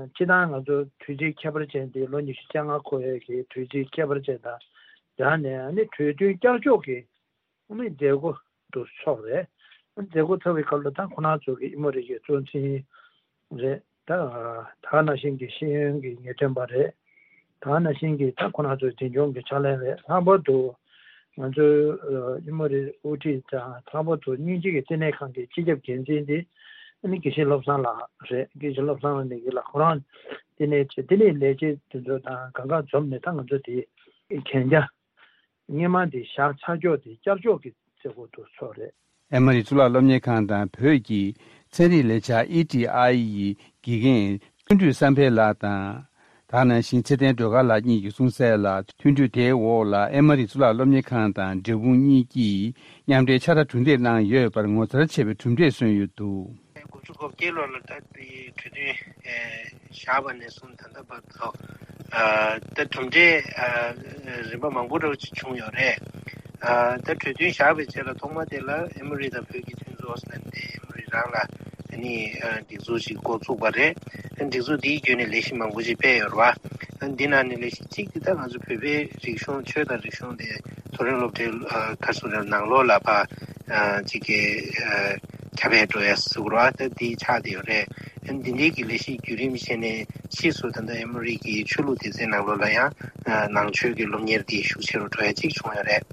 སྤྱི་བཏང་ང་ཚོ་དུས་ཚིགས་ཁྱད་པར་ཅན་དེ་ལོ་ཉི་ཤུ་རྩ་ལྔ་འཁོར་ཡས་ཀྱི་དུས་ཚིགས་ཁྱད་པར་ཅན་དང་སྦྲགས་ནས་ཨ་ནི་གྲོས་མཐུན་བསྐྱར་ཕྱོགས་ཀྱི་ཨ་ནི་མཛད་སྒོ་དུ་ཚོགས་རེད། མཛད་སྒོ་ཚོགས་པའི་སྐབས་ལ་ད་ཁོ་རང་ཚོ་གི་ཨེ་མོ་རི་ཡའི་གཙོ་འཛིན་རེད། ད་ད་ག་ནང་བཞིན་གྱི་ཤེས་ཡོན་གྱི་ངེས་སྟོན་པ་རེད། ད་ག་ནང་བཞིན་གྱི་ད་ཁོ་རང་ཚོའི་འཛིན་སྐྱོང་གི་ཕྱག་ལས་རེད། ལྷག་པར་དུ་ང་ཚོའི་ཨེ་མོ་རི་དབུ་ཁྲིད་དང་ལྷག་པར་དུ་དབྱིན་ཇི་གི་ལྟེ་གནས་ཁང་གི་སྤྱི་ཁྱབ་འགན་འཛིན་དེ་ཨ་ནི་དགེ་བཤེས་བློ་བཟང་ལགས་རེད། དགེ་བཤེས་བློ་བཟང་ལགས་ནས་ཀྱི་ལ་ཁོ་རང་ལྟེ་གནས་བྱས་དེ་ནས་ལས་བྱེད་དེ་ཚོ་དང་གང་ག་འཛོམས་ནས་ད་ང་ཚོ་དེ་གན་རྒྱ། སྔོན་མ་དེ་བཞག་ཚར་ཀྱོག་དེ་བསྐྱར་ཕྱོགས་ཀྱི་མཛད་སྒོ་དུ་ཚོགས་རེད། ཨེ་མོ་རི་གཙུག་ལག་སློབ་གཉེར་ཁང་དང་བོད་ཀྱི་ཚན་རིག་ལས་འཆར་ཨི་ཊི་ཨའི་ཡི་དགེ་རྒན་བརྩོན་འགྲུས་བསམ་འཕེལ་ལགས་དང་ ད་ནང་བཞིན་ཚེ་བརྟན་སྒྲོལ་དཀར་ལགས་གཉིས་ཀྱིས་གསུངས་གསལ་ལ། མཐུན་གྲོས་དེའི་འོག་ལ་ཨེ་མ་རི་གཙུག་ལག་སློབ་གཉེར་ཁང་དང་འབྲས་སྤུངས་གཉིས་ཀྱིས་མཉམ་འབྲེལ་ཕྱག་བྲལ་གྲུ་འདེགས་གནང་ཡོད་པར་ངོ་མཚར་ཆེ་བའི་གྲུབ་འབྲས་སོན་ཡོད་འདུག། དགུ་བཅུ་གོ་བརྒྱད་ལོ་ལ་ད་དེ་གྲོས་མཐུན་བཞག་པ་ནས་བཟུང་ད་ལྟ་བར་དུ་ད་གྲུབ་འབྲས་རིམ་པ་མང་པོ་འདྲ་བོ་ཅིག་བྱུང་ཡོད་རེད། ད་གྲོས་མཐུན་བཞག་པའི་རྗེས་ལ་ཐོག་མ་དེ་ལ་ཨེ་མོ་རི་དང་བོད་ཀྱི་མཐུན་ཚོགས་ཟེར་ནས་ཨེ་མོ་རི་རང་ལ་ཨ་ནི་སྒྲིག་འཛུགས་ཤིག་འགོ་བཙུགས་པ་རེད། སྒྲིག་འཛུགས་འདིའི་བརྒྱུད་ནས་ལས་གཞི་མང་པོ་ཞིག་སྤེལ་ཡོད་རེད་བ། འདི་ནང་ནས་ལས་གཞི་གཅིག་དེ་ད་ང་ཚོ་བོད་པའི་རིག་གཞུང་ཆོས་དང་རིག་གཞུང་དེ་མཐོ་རིམ་སློབ་གྲྭའི་ཁ་སོ་རེ་ནང་ལོགས་ལ་ཕ་ཅིག་གི་ཁྱབ་སྤེལ་འགྲོ་ཡ་ཟེར་བ་ད་འདི་ཆགས་བསྡད་ཡོད་རེད། འདི་འདྲའི་གི་ལས་གཞི་བརྒྱུད་རིམ་བྱས་ནས་ཕྱིས་སུ་ད་ལྟ་ཨེ་མོ་རི་གི་ཆོས་ལུགས་སྡེ་ཚན་ནང་ལོགས་ལ་ཡང་ནང་ཆོས་ཀྱི་སློབ་གཉེར་འདི་ཤུགས་ཆེ་རུ་འགྲོ་ཡ་གཅིག་བྱུང་ཡོད་རེད།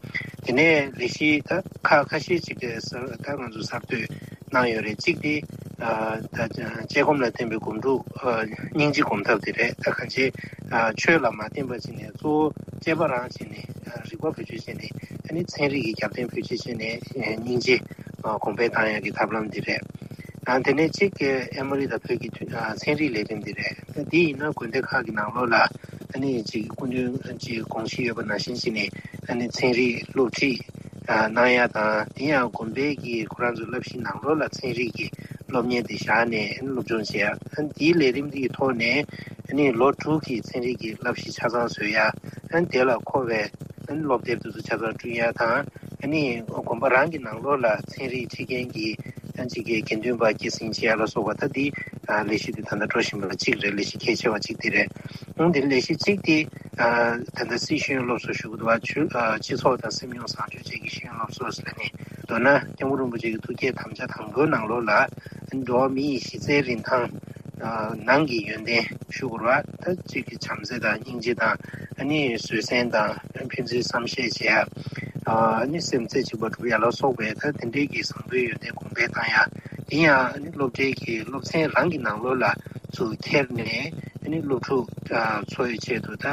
དེ་ནས་ལས་གཞི་ད་ཁ་ཁ་ཤས་ཅིག་གི་ད་ང་ཚོ་གསར་གཏོད་གནང་ཡོད་རེད། གཅིག་དེ་ད་དཔྱད་སྒོམ་ལ་བརྟེན་པའི་སྒོམ་སྒྲུབ་སྙིང་རྗེ་སྒོམ་ཐབས་དེ་རེད། ད་གང་ཅི་ཆོས་ལ་མ་བརྟེན་པ་བྱས་ནས་གཙོ་བོ་དཔྱད་པ་རང་བྱས་ནས་རིག་པ་བེད་སྤྱོད་བྱས་ནས་ཨ་ནི་ཚན་རིག་གི་རྒྱབ་རྟེན་བེད་སྤྱོད་བྱས་ནས་སྙིང་རྗེ་གོང་འཕེལ་བཏང་ཡག་གི་ཐབས་ལམ་དེ་རེད། དེ་ནས་གཅིག་གི་ཨེ་མོ་རི་དང་བོད་ཀྱི་ཚན་རིག་ལས་རིམ་དེ་རེད། འདི་ཡིན་ན་དགོན་སྡེ་ཁག་གི་ནང་ལོགས་ལ་ཨ་ནི་ཅིག་སྐུ་མདུན་ཅིག་དགོངས་གཞི་ཡོད་པ་ནང་བཞིན་བྱས་ནས་ཨ་ནི་ཚན་རིག་སློབ་ཁྲིད་གནང་ཡ་དང་། དེ་ཡང་དགོན་པའི་གི་ཁོ་རང་ཚོའི་བསླབ་གཞི་ནང་ལོགས་ལ་ཚན་རིག་གི་སློབ་གཉེར་དེ་བཞག་ནས་སློབ་སྦྱོང་བྱེད་ཡ། ཨ་ནི་དེའི་ལས་རིམ་དེའི་ཐོག་ནས་ཨ་ནི་ལོ་དྲུག་གི་ཚན་རིག་གི་བསླབ་གཞི་ཆ་ཚང་བཟོ་ཡ། ཨ་ནི་དེ་ལ་མཁོ་བའི་ཨ་ནི་སློབ་དེབ་དེ་ཚོ་ཆ་ཚང་བསྐྲུན་ཡ་དང་། ཨ་ནི་དགོན་པ་རང་གི་ནང་ལོགས་ལ་ཚན་རིག་ཁྲིད་མཁན་གྱི་ཨ་ནི་ཅིག་གི་དགེ་འདུན་པ་སྐྱེད་སྲིང་བྱེད་ཡ་ལ་སོགས་པ། ད་འདི་ལས་གཞི་དེ་ད་ལྟ་འགྲོ་བཞིན་པ་གཅིག་རེད། ལས་གཞི་གལ་ཆེ་བ་གཅིག་དེ་རེད། ཨང་། དེ་ལས་གཞི་གཅིག་དེ་ད་ལྟ་སྲིད་གཞུང་སློབ་གསོ་ཞུ་གི་འདུག་བ། ཆུ་སྤྱི་ཚོགས་དང་སེམས་མྱོང་བཟང་སྤྱོད་བཅས་ཀྱི་ཤེས་ཡོན་སློབ་གསོ་ཟེར་ནས། མདོར་ན་སྐྱབས་མགོན་རིན་པོ་ཆེ་གི་ཐུགས་བསྐྱེད་དམ་བཅའ་དང་པོའི་ནང་ལོགས་ལ་འགྲོ་བ་མི་ཡི་གཞི་རྩའི་རིན་ཐང་ནང་གི་ཡོན་ཏན་ཞུ་དགོས་རེད་བ། ད་གཅིག་གི་བྱམས་བརྩེ་དང་སྙིང་རྗེ་དང་། ཨ་ནི་བཟོད་བསྲན་དང་། ཕན་ཚུན་བསམ་ཤེས་བྱེད་ཡ། ཨ་ནི་སེམས་རྩེ་གཅིག་པ་སྒྲུབ་ཡ་ལ་སོགས་པའི་ད་དེ་འདྲའི་གི་བཟང་པོའི་ཡོན་ཏན་གོང་འཕེལ་བཏང་ཡ། དེ་ཡང་ཨ་ནི་སློབ་གྲྭའི་གི་སློབ་ཚན་རང་གི་ནང་ལོགས་ལ་ཚུར་འཁྱེར་ནས་ཨ་ནི་སློབ་ཕྲུག་ཚོ་ཡི་ཆེད་དུ་ད་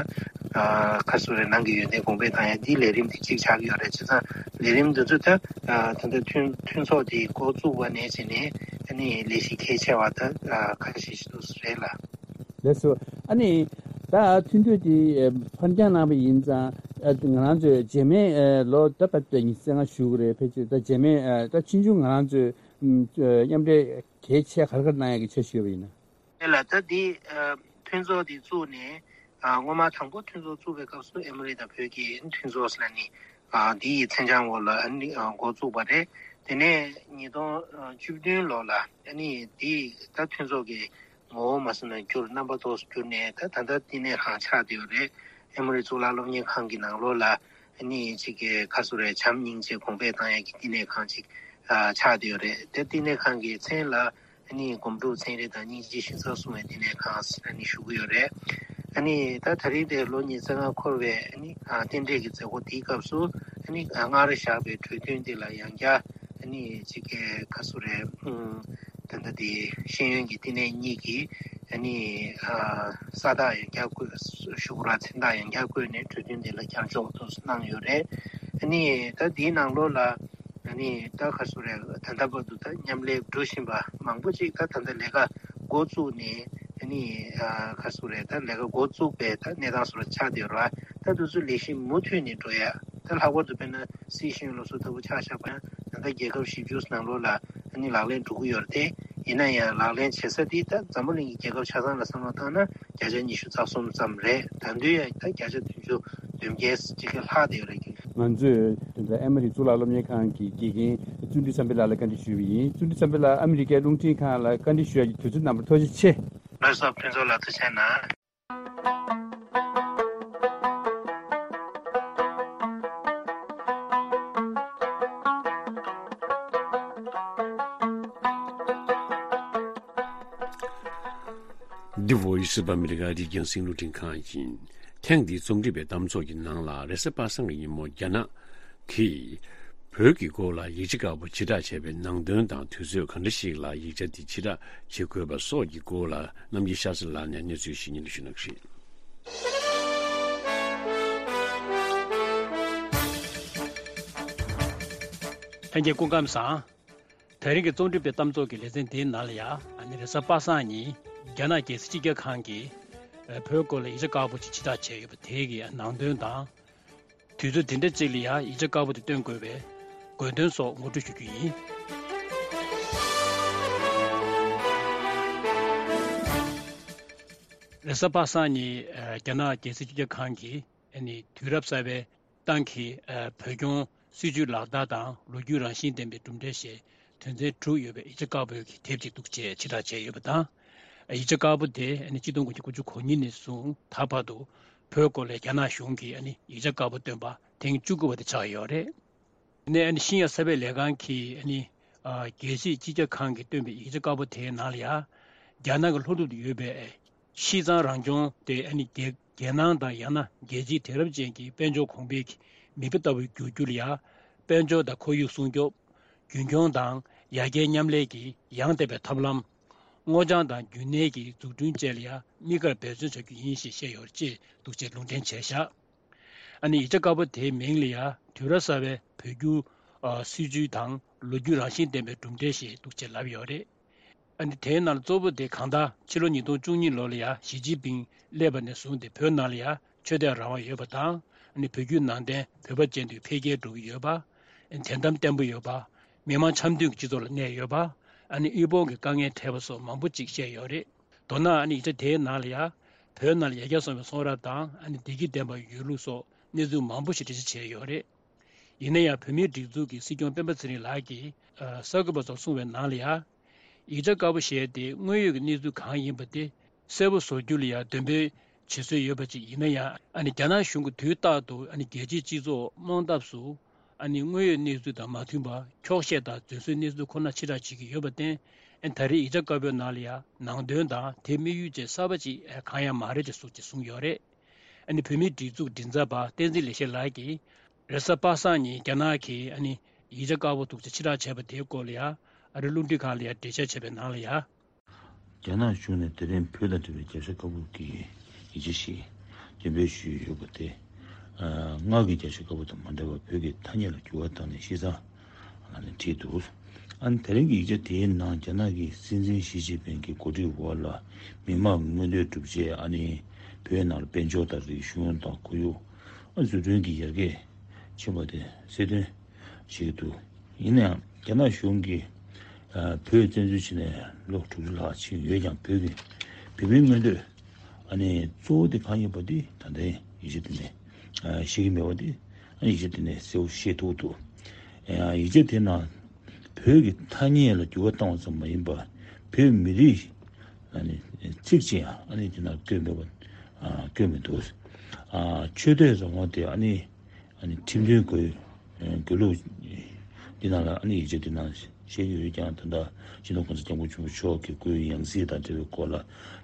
ཁ་སོ་རེ་ནང་གི་ཡོན་ཏན་གོང་འཕེལ་བཏང་ཡ་འདི་ལས་རིམ་དེ་གཅིག་ཆགས་ཀྱི་ཡོད་རེད། བྱས་ཙང་ལས་རིམ་འདི་ཚོ་ད་ད་ལྟ་མཐུན་མཐུན་ཚོགས་དེ་འགོ་བཙུགས་པ་ནས་བྱས་ནས་ཨ་ནི་ལས་གཞི་གལ་ཆེ་བ་ད་ཁ་ཤས་ཤིག་འདུག་རེད་ལ། ལགས་སོ། ཨ་ནི་ད་མཐུན་གྲོས་དེ་ཕར་འགྱངས་གནང་བ་ཡིན་ཙང་། ང་རང་ཚོས་རྗེས་མའི་ལོ་ད་ཕར་ཉི་ཤུ་རྩ་ལྔ་ཞུ་གི་རེད། ཕལ་ཆེར་ད་རྗེས་མའི་ད་ཕྱིས་འབྱུང་ང་རང་ཚོས་མཉམ་འབྲེལ་གལ་ཆེ་ག་རེ་ག་རེ་གནང་ཡག་གི་འཆར་གཞི་ཡོད་པ་ཡིན་ན། དེ་ལ་ད་འདི་མཐུན་ཚོགས་འདི་བཙུགས་ནས་སྔོན་མ་དང་པོ་མཐུན་ཚོགས་བཙུགས་པའི་སྐབས་སུ་ཨེ་མོ་རི་དང་བོད་ཀྱི་མཐུན་ཚོགས་ཟེར་ནས་འདི་ཡི་མཚན་བྱང་འོག་ལ་འགོ་བཙུགས་པ་རེད། དེ་ནས་ཉིས་སྟོང་བཅུ་བདུན་ལོ་ལ་ཨ་ནི་འདི་ད་མཐུན་ཚོགས་ཀྱི་ངོ་བོ་མ་སོང་ན་འགྱུར། རྣམ་པ་ཏོག་ཙམ་འགྱུར་ནས་ད་ད་ལྟ་བསྟི་གནས་ཁང་ཆགས་བསྡད་ཡོད་རེད། ཨེ་མོ་རི་གཙུག་ལག་སློབ་གཉེར་ཁང་གི་ནང་ལོགས་ལ་ཨ་ནི་གཅིག་གི་ཁ་སོ་རེ་བྱམས་སྙིང་རྗེ་གོང་འཕེལ་བཏང་ཡག་གི་བསྟི་གནས་ཁང་ཅིག་ཆགས་བསྡད་ཡོད་རེད། དེ་བསྟི་གནས་ཁང་གི་མཚན་ལ་ཨ་ནི་སྒོམ་སྒྲུབ་ཚན་རིག་དང་སྙིང་རྗེ་ཞིང་ས་སྲུང་བའི་བསྟི་གནས་ཁང་ཟེར་ཨ་ནི་ཞུ་གི་ཡོད་རེད། ཨ་ནི་ད་ད་རིང་དེ་ལོ་ཉི་ཤུ་རྩ་ལྔ་འཁོར་བའི་ཨ་ནི་རྟེན་འབྲེལ་གྱི་མཛད་སྒོ་དེའི་སྐབས་སུ་ཨ་ནི་སྔར་བཞག་པའི་གྲོས་མཐུན་དེ་ལ་ཡང་བསྐྱར་ཨ་ནི་གཅིག་གི་ཁ་སོ་རེ་ད་ལྟ་དེ་ཤེས་ཡོན་གྱི་བསྟི་གནས་གཉིས་ཀྱིས་ཨ་ནི་ས་རྟགས་ཡང་བསྐྱར་བཀོད། ཞུ་གུ་ར་མཚན་རྟགས་ཡང་བསྐྱར་བཀོད་ནས་གྲོས་མཐུན་དེ་ལ་བསྐྱར་འཇོག་ཏུ་གནང་ཡོད་རེད། ཨ་ནི་ད་དེའི་ནང་ལོགས་ལ་ཨ་ནི་ད་ཁ་སོ་རེ་ད་ལྟ་བར་དུ་ད་མཉམ་ལས་འགྲོ་བཞིན་པ་མང་པོ་ཅིག་ད་ད་ལྟ་ལས་ཀ་འགོ་བཙུགས་ནས་ཨ་ནི་ཁ་སོ་རེ་ད་ལས་ཀ་འགོ་བཙུགས་པའི་ད་གནས་སྟངས་སོགས་ཆགས་བསྡད་ཡོད་རེད་བ། ད་དེ་ཚོ་ལས་གཞི་མུ་མཐུད་ནས་འགྲོ་ཡ། ད་ལྷག་པར་དུ་དཔེར་ན་སྲིད་གཞུང་ལ་སོགས་ལྟ་བུ་ཆ་བཞག་པ་ཡང་ད་ལྟ་རྒྱལ་ཁབ་བཞི་བཅུ་ནང་ལོགས་ལ་ཨ་ནི་ལག་ལེན་འགྲོ་གི་ཡོད་རེད་དེ། ཡིན་ན་ཡང་ལག་ལེན་བྱེད་ས་དེ་ད་འཛམ་བུ་གླིང་གི་རྒྱལ་ཁབ་ཆ་ཚང་ལ་བསམ་བློ་བཏང་ན་བརྒྱ་ཆ་ཉི་ཤུ་རྩ་གསུམ་ཙམ་རེད། ད་དུང་ཡང་ད་བརྒྱ་ཆ་བདུན་ཅུ་བདུན་བརྒྱད་ཅིག་གི་ལྷག་བསྡད་ཡོད་རེད། ང་ཚོས་དེ་འདྲ་ཨེ་མ་རི་གཙུག་ལག་སློབ་གཉེར་ཁང་གི་དགེ་རྒན་བརྩོན་འགྲུས་བསམ་འཕེལ་ལགས་ལ་བཀའ་འདྲི་ཞུས་པ་ཡིན། བརྩོན་འགྲུས་བསམ་འཕེལ་ལགས་ཨ་མི་རི་ཀའི་རླུང་འཕྲིན་ཁང་ལ་བཀའ་འདྲི་ཞུ་ཡག་གི་དུས་ཚོད་གནང་བར་ཐུགས་རྗེ་ཆེ། ལགས་སོ། ཕུན་ཚོགས་ལགས་ཐུགས་རྗེ་གནང་། འདི་Voice of America རི་རྒྱང་སྲིང་རླུང་འཕྲིན་ཁང་ཡིན། ཐེངས་འདིའི་རྩོམ་སྒྲིག་པའི་གཏམ་ཚོགས་ཀྱི་ནང་ལ་རེས་གཟའ་པ་སངས་ཀྱི་ཉིན་མོ་རྒྱ་ནག་གིས་བོད་ཀྱི་སྐོར་ལ་ཡིག་ཆ་ཁག་པོ་ཕྱིར་བསྒྲགས་བྱས་པའི་ནང་དོན་དང་དུས་ཚོད་ག་འདྲ་ཞིག་ལ་ཡིག་ཆ་དེ་ཕྱིར་བསྒྲགས་བྱེད་དགོས་པ་སོགས་ཀྱི་སྐོར་ལ་རྣམ་རྒྱལ་ཤཱ་ཚ་ལགས་ནས་གནས་ཚུལ་ཞིག་སྙན་སྒྲོན་ཞུ་གནང་གི་རེད། ལྷན་རྒྱས་སྐུ་ཁམས་བཟང་། དེ་རིང་གི་རྩོམ་སྒྲིག་པའི་གཏམ་ཚོགས་ཀྱི་ལེ་ཚན་འདིའི་ནང་ལ་ཡང་ཨ་ནི་རེས་གཟའ་པ་སངས་ཉིན་རྒྱ་ནག་རྒྱལ་སྲིད་སྤྱི་ཁྱབ་ཁང་གིས་ བོད་སྐོར་ལ་ཡིག་ཆ་དཀར་པོ་ཅིག་ཕྱིར་བསྒྲགས་བྱས་ཡོད་པ་དེ་གི་ནང་དོན་དང་། དུས་ཚོད་དེ་འདྲ་ཅིག་ལ་ཡང་ཡིག་ཆ་དཀར་པོ་དེ་སྟོན་དགོས་པའི་དགོས་དོན་སོགས་ངོ་སྤྲོད་ཞུ་རྒྱུ་ཡིན། རེས་གཟའ་པ་སངས་ཉིན་རྒྱ་ནག་རྒྱལ་སྲིད་སྤྱི་ཁྱབ་ཁང་གིས་དུས་རབས་གསར་པའི་ཏང་གི་བོད་སྐྱོང་སྲིད་ཇུས་ལག་བསྟར་དང་ལོ་རྒྱུས་རང་བཞིན་ལྡན་པའི་གྲུབ་འབྲས་ཞེས་དོན་ཚན་དྲུག་ཡོད་པའི་ཡིག་ཆ་དཀར་པོའི་གི་དེབ་ཅིག་འདུག་ཅེས་ཕྱིར་བསྒྲགས་བྱས་ཡོད་པ་དང་། ཡིག་ཆ་དཀར་པོ་དེ་ཆིག་སྟོང་དགུ་བརྒྱ་དགུ་བཅུ་གོ་གཉིས་ནས་བཟུང་ད་བར་དུ་བོད་སྐོར་ལ་རྒྱ་ནག་གཞུང་གིས་ཡིག་ཆ་དཀར་པོ་བཏོན་པ་ཐེངས་བཅུ་དགུ་པ་དེ་ཆགས་ཡོད་རེད། དེ་ནས་ཨ་ནི་ཤིན་ཡ་གསར་སྤེལ་ལས་ཁང་གིས་ཨ་ནི་ཨ་རྒྱལ་སྲིད་སྤྱི་ཁྱབ་ཁང་གིས་བཏོན་པའི་ཡིག་ཆ་དཀར་པོ་དེའི་ནང་ལ་ཡང་རྒྱ་ནག་གི་ལྷོ་ནུབ་ཏུ་ཡོད་པའི་ཤིས་ཙང་རང་སྐྱོང་དེ་ཨ་ནི་རྒྱལ་རྒྱལ་ནང་དང་ཡང་ན་རྒྱལ་སྤྱིའི་དེང་རབས་ཅན་གྱི་དཔལ་འབྱོར་གོང་འཕེལ་གྱི་མིག་དཔེ་ལྟ་བུར་འགྱུར་རྒྱུ་ལ་ཡང་དཔལ་འབྱོར་དང་ཁོར་ཡུག་སྲུང་སྐྱོབ། རྒྱུན་འཁྱོངས་དང་ཡར་རྒྱས་མཉམ་ལས་ཀྱི་ཡང་དག་པའི་ཐབས་ལམ། སྔོ་ལྗང་དང་རྒྱུན་གནས་ཀྱི་འཛུགས་སྐྲུན་བཅས་ལ་ཡང་དམིགས་བཀར་འབད་བརྩོན་བྱ་རྒྱུ་ཡིན་ཞེས་བཤད་ཡོད་ཅེས་འདུག་ཅེས་ལུང་འདྲེན་བྱས་བཞག་ཨ་ནི་ཡིག་ཆ་དཀར་པོ་དེའི་མིང་ལ་ཡང་དུས་རབས་གསར་པའི་བོད་བསྒྱུར་ཨ་སྲིད་ཇུས་དང་ལོ་རྒྱུས་རང་བཞིན་ལྡན་པའི་གྲུབ་འབྲས་ཞེས་འདུག་ཅེས་ལབ་ཡོད་རེད། ཨ་ནི་དེའི་ནང་གཙོ་བོ་དེ་གང་ལྟར་ཕྱི་ལོ་ཉིས་སྟོང་བཅུ་གཉིས་ལོ་ལ་ཡང་ཞི་ཅིན་ཕིང་སླེབས་པ་ནས་བཟུང་སྟེ་བོད་ནང་ལ་ཡང་ཆོས་དད་རང་དབང་ཡོད་པ་དང་ཨ་ནི་བོད་བརྒྱུད་ནང་བསྟན་བོད་པ་ཅན་དུ་འཕེལ་རྒྱས་འགྲོ་གི་ཡོད་པ། དད་དམ་བརྟན་པོ་ཡོད་པ། མི་མང་འཆམ་མཐུན་གྱི་སྤྱི་ཚོགས་ལ་གནས་ཡོད་པ། ཨ་ནི་དབུལ་ཕོངས་ཀྱི་དཀའ་ངལ་འཕྲད་པ་སོགས་མང་པོ་ཅིག་བཤད་ཡོད་རེད། མདོར་ན་ཨ་ནི་ཡིག་ཆ་དེའི་ནང་ལ་ཡང་བོད་ནང་ལ་ཡར་རྒྱས་སོང་བའི་གསུང་རབ་དང་ཨ་ནི་བདེ་སྐྱིད་ལྡན་པ་ཡོད་ལུགས་སོགས་གནས་ཚུལ་མང་པོ་ཞིག་འགྲེལ་བཤད་བྱས་ཡོད་རེད། ཡིན་ན་ཡང་བོད་མིའི་སྒྲིག་འཛུགས་ཀྱི་སྲིད་སྐྱོང་སྤེན་པ་ཚེ་རིང་ལགས་ཀྱིས་ཨ་གསར་འགོད་པ་ཚོར་གསུངས་པའི་ནང་ལ་ཡང་། ཡིག་ཆ་དཀར་པོ་ཞེས་དེ་དངོས་ཡོད་ཀྱི་གནས་ཚུལ་གང་ཡིན་པ་དེ་གསལ་པོ་བཟོ་རྒྱུ་ལ་ཡང་འདོན་སྤེལ་བྱེད་སྲོལ་ཡོད་པ་ཅིག་ཡིན་ན་ཡང་ཨ་ནི་རྒྱ་ནག་གཞུང་གིས་དུས་རྟག་ཏུ་ཨ་ནི་རྒྱལ་སྤྱིའི་སྤྱི་ཚོགས་དམག་འཐབ་སུ་ཨ་ནི་དངོས་ཡོད་གནས་ཚུལ་དང་མ་མཐུན་པར་འཁྱོག་བཤད་དང་རྫུན་བཟོའི་གནས་ཚུལ་ཁོ་ན་ཕྱིར་བསྒྲགས་བྱེད་ཀྱི་ཡོད་པར་བརྟེན་ཨ་ནི་ད་རེས་ཡིག་ཆ་དཀར་པོའི་ནང་ལ་ཡང་ནང་དོན་དང་དེའི་དམིགས་ཡུལ་བཅས་གསར་པ་ཅིག་གང་ཡང་མ་རེད་ཅེས་སོགས་ཀྱིས་གསུངས་ཡོད་རེད། ཨ་ནི་བོད་མིའི་སྒྲིག་འཛུགས་མགྲིན་ཚབ་པ་བསྟན་འཛིན་ལེགས་བཤད་ལགས་ཀྱིས་རེས་གཟའ་པ་སངས་ཉིན་རྒྱ་ནག་གིས་ཨ་ནི་ཡིག་ཆ་དཀར་པོ་འདུག་ཅེས་ཕྱིར་བསྒྲགས་བྱས་པ་དེའི་སྐོར་ལ་ཡང་ཨ་རི་རླུང་འཕྲིན་ཁང་ལ་ཡང་འགྲེལ་བཤད་བྱས་པའི་ནང་ལ་ཡང་། རྒྱ་ནག་གཞུང་ནས་དེ་རིང་བོད་དང་འབྲེལ་བའི་རྒྱབ་ཤ་དཀར་པོ་གི་ཡིག་ཆ་ཞིག་འདོན་སྤེལ་ཞུས་ཡོད་པ་དེ། ཨ་སྔར་གྱི་རྒྱབ་ཤ་དཀར་པོ་དང་མ་འདྲ་བར་བོད་ཀྱི་ཐ་སྙད་ལ་འགྱུར་བ་བཏང་ནས་ཤིས་ཙང་ལ་ནས་བྲིས་འདུག་ཨ་ནི་དེ་རིང་གི་ཡིག་ཆ་དེའི་ནང་རྒྱ་ནག་གི་སྲིད་འཛིན་ཞི་ཅིན་ཕིང་གི་གོ་སྒྲིག་འོག་ལ་མི་དམངས་མངོན་འདོད་སྒྲུབ་ཆེད་ཨ་ནི་བོད་ནང་ལ་དཔལ་འབྱོར་དང་རིག་གཞུང་དང་ཁོར་ཡུག་ཨ་འཛུགས་སྐྲུན་གྱི་ཡར་རྒྱས་ཕྱིན་པ་དེ་གསལ་སྟོན་བྱེད་ཀྱི་འདུག་ཡིན་ནའང་རྒྱ་ནག་གཞུང་གིས་ཨ་བོད་བཙན་འཛུལ་བྱས་ནས་ལོ་དྲུག་ཅུ་ལྷག་ཕྱིན་ཡོད་ཀྱང་བོད་ཀྱི་བོད་མིའི་མངོན་འདོད་ཨ་ནི་གཙོ་བོ་དེ་གང་ཡིན་པ་དེ་ད་ལྟའི་ཡིག་ཆ་དེ་ནས་ཨ་ཤེས་ཀྱི་མེད་པ་དེ་ཨ་ནི་ཡིག་ཆ་དེ་ནས་གསལ་པོ་ཤེས་ཐུབ་འདུག་ཡང་ཡིག་ཆ་དེ་ནང་བོད་ཀྱི་ཐ་སྙད་ལ་འགྱུར་བ་བཏང་བ་ཙམ་མ་ཡིན་པར་བོད་མི་རིགས་ཨ་ནི་ཚིག་ཅིག་ཡང་ཨ་ནི་དེ་ནང་བཀོད་མེད་པ་ཨ་བཀོད་མི་འདུག་ཨ་ཆོས་དད་རང་དབང་དེ་ཨ་ནི་ཨ་ནི་ཁྲིམས་མཐུན་དགོས་དགོས་ལུགས་འདི་ནང་ལ་ཨ་ནི་ཡིག་ཆ་འདི་ནང་བཤད་ཀྱི་ཡོད་ཀྱང་ད་ལྟ་སྤྱི་ནོར་གོང་ས་སྐྱབས་མགོན་ཆེན་པོ་མཆོག་གི་སྐུའི་ཡང་སྲིད་དང་འབྲེལ་བའི་སྐོར་ལ་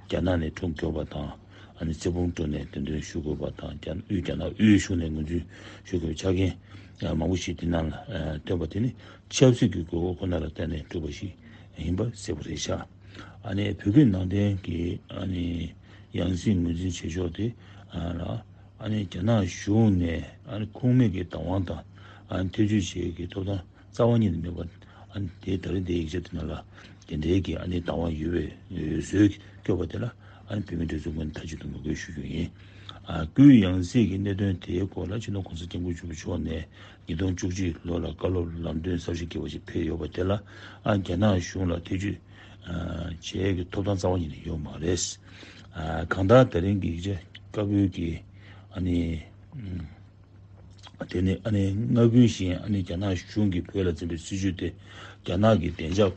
རྒྱ་ནག་ནས་ཁྲོམ་སྐྱོར་བ་དང་ཨ་ནི་རྩེ་ཕུང་སྤྲོ་ནས་གདན་འདྲེན་ཞུ་དགོས་པ་དང་རྒྱ་དབུས་རྒྱ་ནག་དབུས་གཞུང་ནས་ངོས་འཛིན་ཞུ་དགོས་པའི་ཆ་རྐྱེན་མང་པོ་ཞིག་འདི་ནང་ལ་བཏོན་པ་དེ་ནི་ཆབ་སྲིད་ཀྱི་དགོས་མཁོ་ཁོ་ན་ལ་བརྟེན་ནས་བསྒྲུབས་པ་ཞིག་ཡིན་པ་གསལ་པོ་རེད་ཤག་ཨ་ནི་བོད་བརྒྱུད་ནང་བསྟན་གྱི་ཨ་ནི་ཡང་སྲིད་ངོས་འཛིན་བྱེད་ཕྱོགས་དེ་ལ་ཨ་ནི་རྒྱ་ནག་གཞུང་ནས་ཨ་ནི་ཁུངས་མེད་ཀྱི་བདག་དབང་དང་ཨ་ནི་ཐེ་བྱུས་བྱེད་ཀྱི་ཐོབ་ཐང་རྩ་བ་ཉིད་ནས་མེད་པ་ཨ་ནི་དེ་ད་རེས་འདིའི་ཡིག་ཆ་དེ་ནང་ལ་དེ་འདྲའི་གི་ཨ་ནི་བདག་དབང་ཡོད་པའི་འོས་བཟོས་བཀོད་པ་དེ་ལ་ཨ་ནི་བོད་མིའི་སྒྲིག་འཛུགས་ངོས་ནས་མཐའ་གཅིག་ཏུ་ངོ་རྒོལ་ཞུ་རྒྱུ་ཡིན། ཨ་སྐུའི་ཡང་སྲིད་ཀྱི་གནད་དོན་དེའི་སྐོར་ལ་སྤྱི་ནོར་གོང་ས་སྐྱབས་མགོན་ཆེན་པོ་མཆོག་ནས་ཉིས་སྟོང་བཅུ་གཅིག་ལོ་ལ་བཀའ་སློབ་ལམ་སྟོན་གསར་ཞིག་བསྐྱལ་བ་ཞིག་ཕེབས་ཡོད་པ་དེ་ལ་ཨ་རྒྱ་ནག་གཞུང་ལ་ཐེ་བྱུས་ཨ་བྱེད་ཀྱི་ཐོབ་ཐང་རྩ་བ་ཉིད་ནས་ཡོད་མ་རེད། ཨ་གང་ལྟར་དེ་རིང་གི་ཡིག་ཆ་དཀར་པོའི་གི་ཨ་ནི་ཨ་དེ་ནི་ཨ་ནི་སྔ་རྒྱུན་བཞིན་ཨ་ནི་རྒྱ་ནག་གཞུང་གིས་བོད་ལ་འཛིན་པའི་སྲིད་བྱུས་དེ་རྒྱ་ནག་གི་བདེ་འཇགས་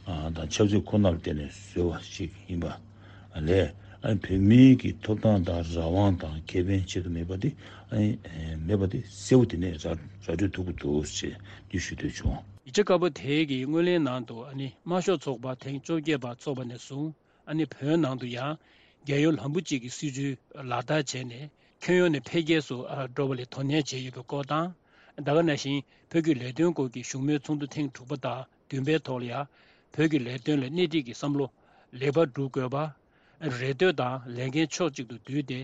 ཨ་དང་ཆབ་སྲིད་ཁོ་ནར་བརྟེན་ནས་བཟོས་པ་ཞིག་ཡིན་པ་ལས་ཨ་ནི་བོད་མིའི་གི་ཐོབ་ཐང་དང་རང་དབང་དང་ཁེ་ཕན་ཆེད་དུ་མེད་པ་དེ་ཨ་ནི་མེད་པ་དེ་གསལ་པོ་དེ་ནས་ར་ར་སྤྲོད་ཐུབ་ཀྱི་འདུག་ཅེས་འདི་ཞུ་འདོད་བྱུང་། ཡིག་ཆ་དཀར་པོ་དེའི་གི་སྔོན་གླེང་ནང་དུ་ཨ་ནི་དམར་ཤོག་ཚོགས་པ་ཐེངས་བཅོ་བརྒྱད་པ་ཚོགས་པ་ནས་བཟུང་ཨ་ནི་བོད་ནང་དུ་ཡང་རྒྱལ་ཡོངས་ལམ་བུ་གཅིག་གི་སྲིད་བྱུས་ལག་བསྟར་བྱས་ནས་ཁྱོན་ཡོངས་ནས་འཕེལ་རྒྱས་སུ་ཨ་འགྲོ་བ་ལ་དོ་ནན་བྱས་ཡོད་པའི་སྐོར་དང་། ད་ག་ནང་བཞིན་བོད་ཀྱི་ལས་དོན་སྐོར་གྱི་བཞུགས་མོལ་ཚོགས་འདུ་ཐེངས་དྲུག་པ་དང་བདུན་པའི་ཐོག་ལ་ཡང་བོད་ཀྱི་ལས་དོན་ལ་སྣེ་ཁྲིད་ཀྱི་བསམ་བློ་ལེགས་པར་སྒྲུབ་དགོས་པ། རེ་ལྟོས་དང་ལས་འགན་ཕྱོགས་གཅིག་ཏུ་བསྡུས་ཏེ།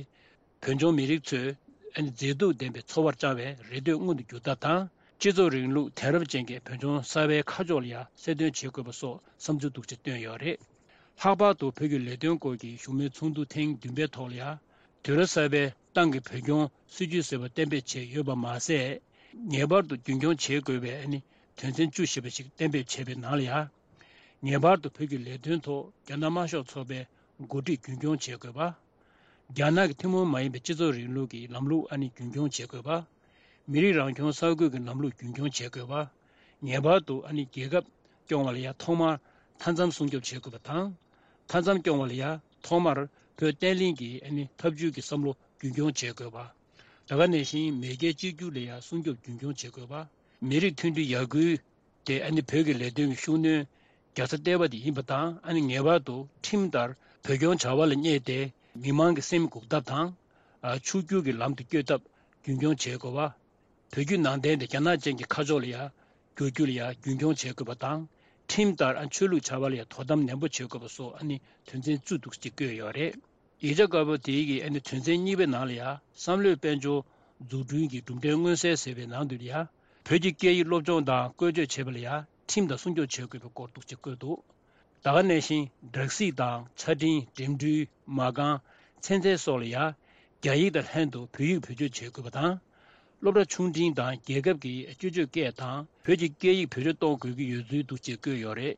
བོད་ལྗོངས་མི་རིགས་ཚོས་མཛེས་སྡུག་ལྡན་པའི་འཚོ་བར་བཅངས་པའི་རེ་ལྟོས་མངོན་དུ་འགྱུར་ཐབས་དང་། སྤྱི་ཚོགས་རིང་ལུགས་དེང་རབས་ཅན་གྱི་བོད་ལྗོངས་གསར་པའི་ཁ་ཕྱོགས་ལ་ཡང་གསལ་སྟོན་བྱེད་དགོས་པ་སོགས་བསམ་ཚུལ་འདུག་ཅེས་བཏོན་ཡོད་རེད། ལྷག་པར་དུ་བོད་ཀྱི་ལས་དོན་སྐོར་གྱི་བཞུགས་མོལ་ཚོགས་འདུ་ཐེངས་བདུན་པའི་ཐོག་ལ་ཡང་། དུས་རབས་གསར་པའི་ཏང་གི་བོད་སྐྱོང་སྲིད་ཇུས་ཟེར་བ་གཏན་འབེབས་བྱས་ཡོད་པ་མ་ཟད། ངེས་པར་དུ་རྒྱུན་འཁྱོངས་བྱེད་དགོས་པའི་ཨ་ནི་དོན་ཚན་བཅུ་ཞེས་པ་ཞིག་གཏན་འབེབས་བྱས་པའི་ནང་ལ་ཡང་། ངེས་པར་དུ་བོད་ཀྱི་ལས་དོན་ཐོག་རྒྱ་ནག་དམར་ཤོག་ཚོགས་པའི་འགོ་ཁྲིད་རྒྱུན་འཁྱོངས་བྱེད་དགོས་པ། རྒྱ་ནག་གི་ཐུན་མོང་མ་ཡིན་པའི་སྤྱི་ཚོགས་རིང་ལུགས་ཀྱི་ལམ་ལུགས་ཨ་ནི་རྒྱུན་འཁྱོངས་བྱེད་དགོས་པ། མི་རིགས་རང་སྐྱོང་ས་ཁུལ་གྱི་ལམ་ལུགས་རྒྱུན་འཁྱོངས་བྱེད་དགོས་པ། ངེས་པར་དུ་ཨ་ནི་རྒྱལ་ཁབ་སྐྱོང་བ་ལ་ཡང་ཐོག་མར་མཐའ་མཚམས་སྲུང་སྐྱོབ་བྱེད་དགོས་པ་དང་། མཐའ་མཚམས་སྐྱོང་བ་ལ་ཡང་ཐོག་མར་བོད་བརྟན་ལྷིང་གི་ཨ་ནི་འཐབ་ཇུས་ཀྱི་བསམ་བློ་རྒྱུན་འཁྱོངས་བྱེད་དགོས་པ། ད་ག་ནང་བཞིན་མེས་རྒྱལ་གཅིག་གྱུར་ལ་ཡང་སྲུང་སྐྱོབ་རྒྱུན་འཁྱོངས་བྱེད་དགོས་པ། མི་རིགས་མཐུན་སྒྲིལ་ཡར་སྐུལ་དེ་ཨ་ནི་བོད་ཀྱི་ལས་དོན་གྱི་ཤུགས་སྣོན་རྒྱག་ས་ལྟེ་བ་དེ་ཡིན་པ་དང་། ཨ་ནི་ངེས་པར་དུ་ཁྲིམས་ལྟར་བོད་སྐྱོང་བྱ་བ་ལ་གནས་ཏེ། མི་མང་གི་སེམས་འགུག་ཐབས་དང་། ཨ། ཕྱུག་འགྱུར་གྱི་ལམ་དུ་བསྐྱོད་ཐབས་རྒྱུན་འཁྱོངས་བྱེད་དགོས་པ། བོད་བརྒྱུད་ནང་བསྟན་དེ་རྒྱ་ནག་ཅན་གྱི་ཁ་ཕྱོགས་ལ་ཡང་བསྒྱུར་རྒྱུ་ལ་ཡང་རྒྱུན་འཁྱོངས་བྱེད་དགོས་པ་དང་། ཁྲིམས་ལྟར་ཨ་ཆོས་ལུགས་བྱ་བ་ལ་ཡང་དོ་དམ་ནན་པོ་བྱེད་དགོས་པ་སོགས་ཨ་ནི་དོན་ཚན་བཅུ་འདུག་ཅེས་བཀོད་ཡོད་རེད། ཡིག་ཆ་དཀར་པོ་དེའི་གི་ཨ་ནི་དོན་ཚན་གཉིས་པའི་ནང་ལ་ཡང་བསམ་བློའི་དཔལ་འབྱོར་འཛུགས་སྐྲུན་གྱི་གྲུབ་འབྲས་མངོན་གསལ་ཟེར་བའི་ནང་དུ་ཡང་། བོད་ཀྱི་སྐད་ཡིག་སློབ་སྦྱོང་དང་བཀོལ་སྤྱོད་བྱེད་པ་ལ་ཡང་ཁྲིམས་དང་སྲུང་སྐྱོབ་བྱེད་དགོས་པའི་སྐོར་འདུག་ཅེས་བཀོད་འདུག་ད་ག་ནང་བཞིན་སྦྲག་སྲིད་དང་ཆ་འཕྲིན། འགྲིམ་འགྲུལ། མ་རྐང་། ཚན་རྩལ་སོགས་ལ་ཡང་རྒྱ་ཡིག་དང་ལྷན་དུ་བོད་ཡིག་བེད་སྤྱོད་བྱེད་དགོས་པ་དང་། སློབ་གྲྭ་ཆུང་འབྲིང་དང་རྒྱལ་ཁབ་ཀྱི་སྤྱི་སྤྱོད་སྐད་དང་བོད་ཀྱི་སྐད་ཡིག་བེད་སྤྱོད་གཏོང་དགོས་ཀྱི་ཡོད་ཚུལ་འདུག་ཅེས་བཀོད་ཡོད་རེད།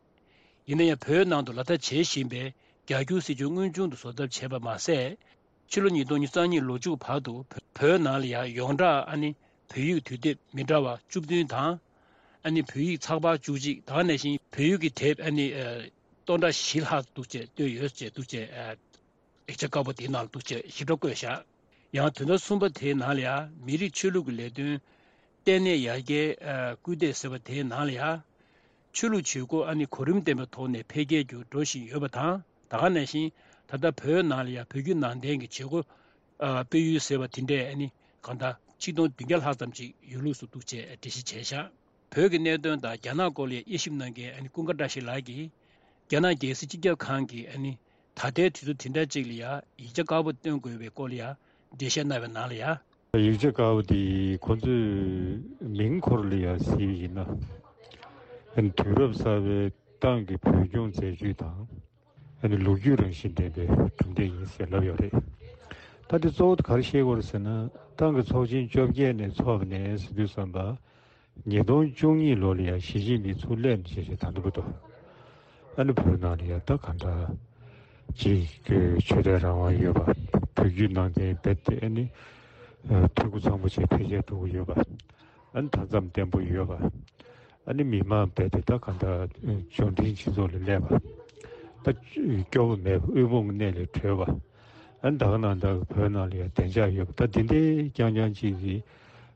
ཡིན་ན་ཡང་བོད་ནང་དུ་ལག་བསྟར་བྱེད་བཞིན་པའི་རྒྱ་སྒྱུར་སྲིད་བྱུས་དངོས་བྱུང་དུ་བཟོ་ཐབས་བྱས་པ་མ་ཟད། ཕྱི་ལོ་ཉིས་སྟོང་ཉི་ཤུ་རྩ་གཉིས་ལོ་མཇུག་བར་དུ་བོད་ནང་ལ་ཡང་ཡོངས་གྲགས་ཨ་ནི་བོད་ཡིག་དུས་དེབ་མི་འདྲ་བ་བཅུ་བདུན་དང་། ཨ་ནི་བོད་ཡིག་ཚགས་པར་བཅུ་གཅིག་ད་ག་ནང་བཞིན་བོད་ཡིག་གི་དེབ་ཨ་ནི་ཨ་སྟོང་ཕྲག་བཞི་ལྷག་འདུག་ཅེས་བཏོན་ཡོད་ཅེས་འདུག་ཅེས། ཨ་ཡིག་ཆ་དཀར་པོ་དེའི་ནང་ལ་འདུག་ཅེས་ཞིབ་ཕྲ་བཀོད་བཞག་ཡང་དོན་ཚན་གསུམ་པ་དེའི་ནང་ལ་ཡང་མི་རིགས་ཆོས་ལུགས་ཀྱི་ལས་དོན་ལྟེ་གནས་ཡར་རྒྱས་ཨ་སྐུལ་འདེད་ཟེར་བ་དེའི་ནང་ལ་ཡང་། ཆོས་ལུགས་བྱེད་སྒོ་ཨ་ནི་གོ་རིམ་ལྡན་པའི་ཐོག་ནས་འཕེལ་རྒྱས་ཀྱི་འགྲོ་བཞིན་ཡོད་པ་དང་། ད་ག་ནང་བཞིན་ད་ལྟ་བོད་ནང་ལ་ཡང་བོད་བརྒྱུད་ནང་བསྟན་གྱི་བྱེད་སྒོ་ཨ་སྤེལ་ཡུལ་ཟེར་བ་དེ་འདྲས་ཨ་ནི་གང་ལྟར་ཆིག་སྟོང་བདུན་བརྒྱ་ལྷག་ཙམ་ཅིག་ཡོད་ལུགས་སུ་འདུག་ཅེས་འགྲེལ་བཤད་བྱས་བཞག་བོད་ཀྱི་གནད་དོན་དང་རྒྱ་ནག་སྐོར་ལ་དབྱེ་ཞིབ་གནང་མཁན་ཨ་ནི་ཀུན་དགའ་བཀྲ་ཤིས་ལགས་ཀྱིས། རྒྱ་ནག་རྒྱལ་སྲིད་སྤྱི་ཁྱབ་ཁང་གིས་ཨ་ནི་ད་ལྟའི་དུས་ཚོད་དེ་འདྲ་ཅིག་ལ་ཡང་ཡིག་ཆ་དཀར་པོ་བཏོན་དགོས་པའི་སྐོར་ལ་ཡང་འགྲེལ་བཤད་གནང་བའི་ནང་ལ་ཡང་། ཡིག་ཆ་དཀར་པོ་དེ་ཁོ་ཚོས་མིང་ཁོ་རང་ལ་ཡང་གཟིགས་པ་ཡིན་ན། ཨ་ནི་དུས་རབས་གསར་པའི་ཏང་གི་བོད་སྐྱོང་མཛད་ཇུས་དང་། ཨ་ནི་ལོ་རྒྱུས་རང་བཞིན་ལྡན་པའི་གྲུབ་འབྲས་ཡིན་ཟེར་ལབ་ཡོད་རེད། ད་དེ་གཙོ་བོ་ག་རེ་བཤད་དགོས་རེད་ཟེར་ན། ཏང་གི་ཚོགས་ཆེན་བཅོ་བརྒྱད་ནས་འཚོགས་པ་ནས་ཟེར་དུས་ཙམ་པ། ཉིས་སྟོང་བཅུ་གཉིས་ལོ་ལ་ཡང་ཞི་ཅིན་ཕིང་ཚུར་སླེབས་ནས་བྱས་བྱས་ད་ལྟ་བར་དུ། ཨ་ནི་བོད་ནང་ལ་ཡང་ད་གང་འདྲ་ཅིག་གི་ཆོས་དད་རང་དབང་ཡོད་པ། བོད་བརྒྱུད་ནང་བསྟན་རྦད་དེ་ཨ་ནི་འཐུས་སྒོ་ཚང་པོ་བྱས་འཕེལ་རྒྱས་འགྲོ་གི་ཡོད་པ། ཨ་ནི་མཐའ་མཚམས་བརྟན་པོ་ཡོད་པ། ཨ་ནི་མི་མང་རྦད་དེ་ད་གང་འདྲ་འབྱོར་འབྲིང་སྤྱི་ཚོགས་ལ་སླེབས་པ། ད་སྐྱོ་པོ་མེད་པ། དབུལ་ཕོངས་གནས་ལས་གྲོལ་བ། ཨ་ནི་ད་ག་ནང་འདྲ་བོད་ནང་ལ་ཡང་བདེ་འཇགས་ཡོད་པ། ད་འདི་འདྲའི་རྐྱང་རྐྱང་ཅིག་གི་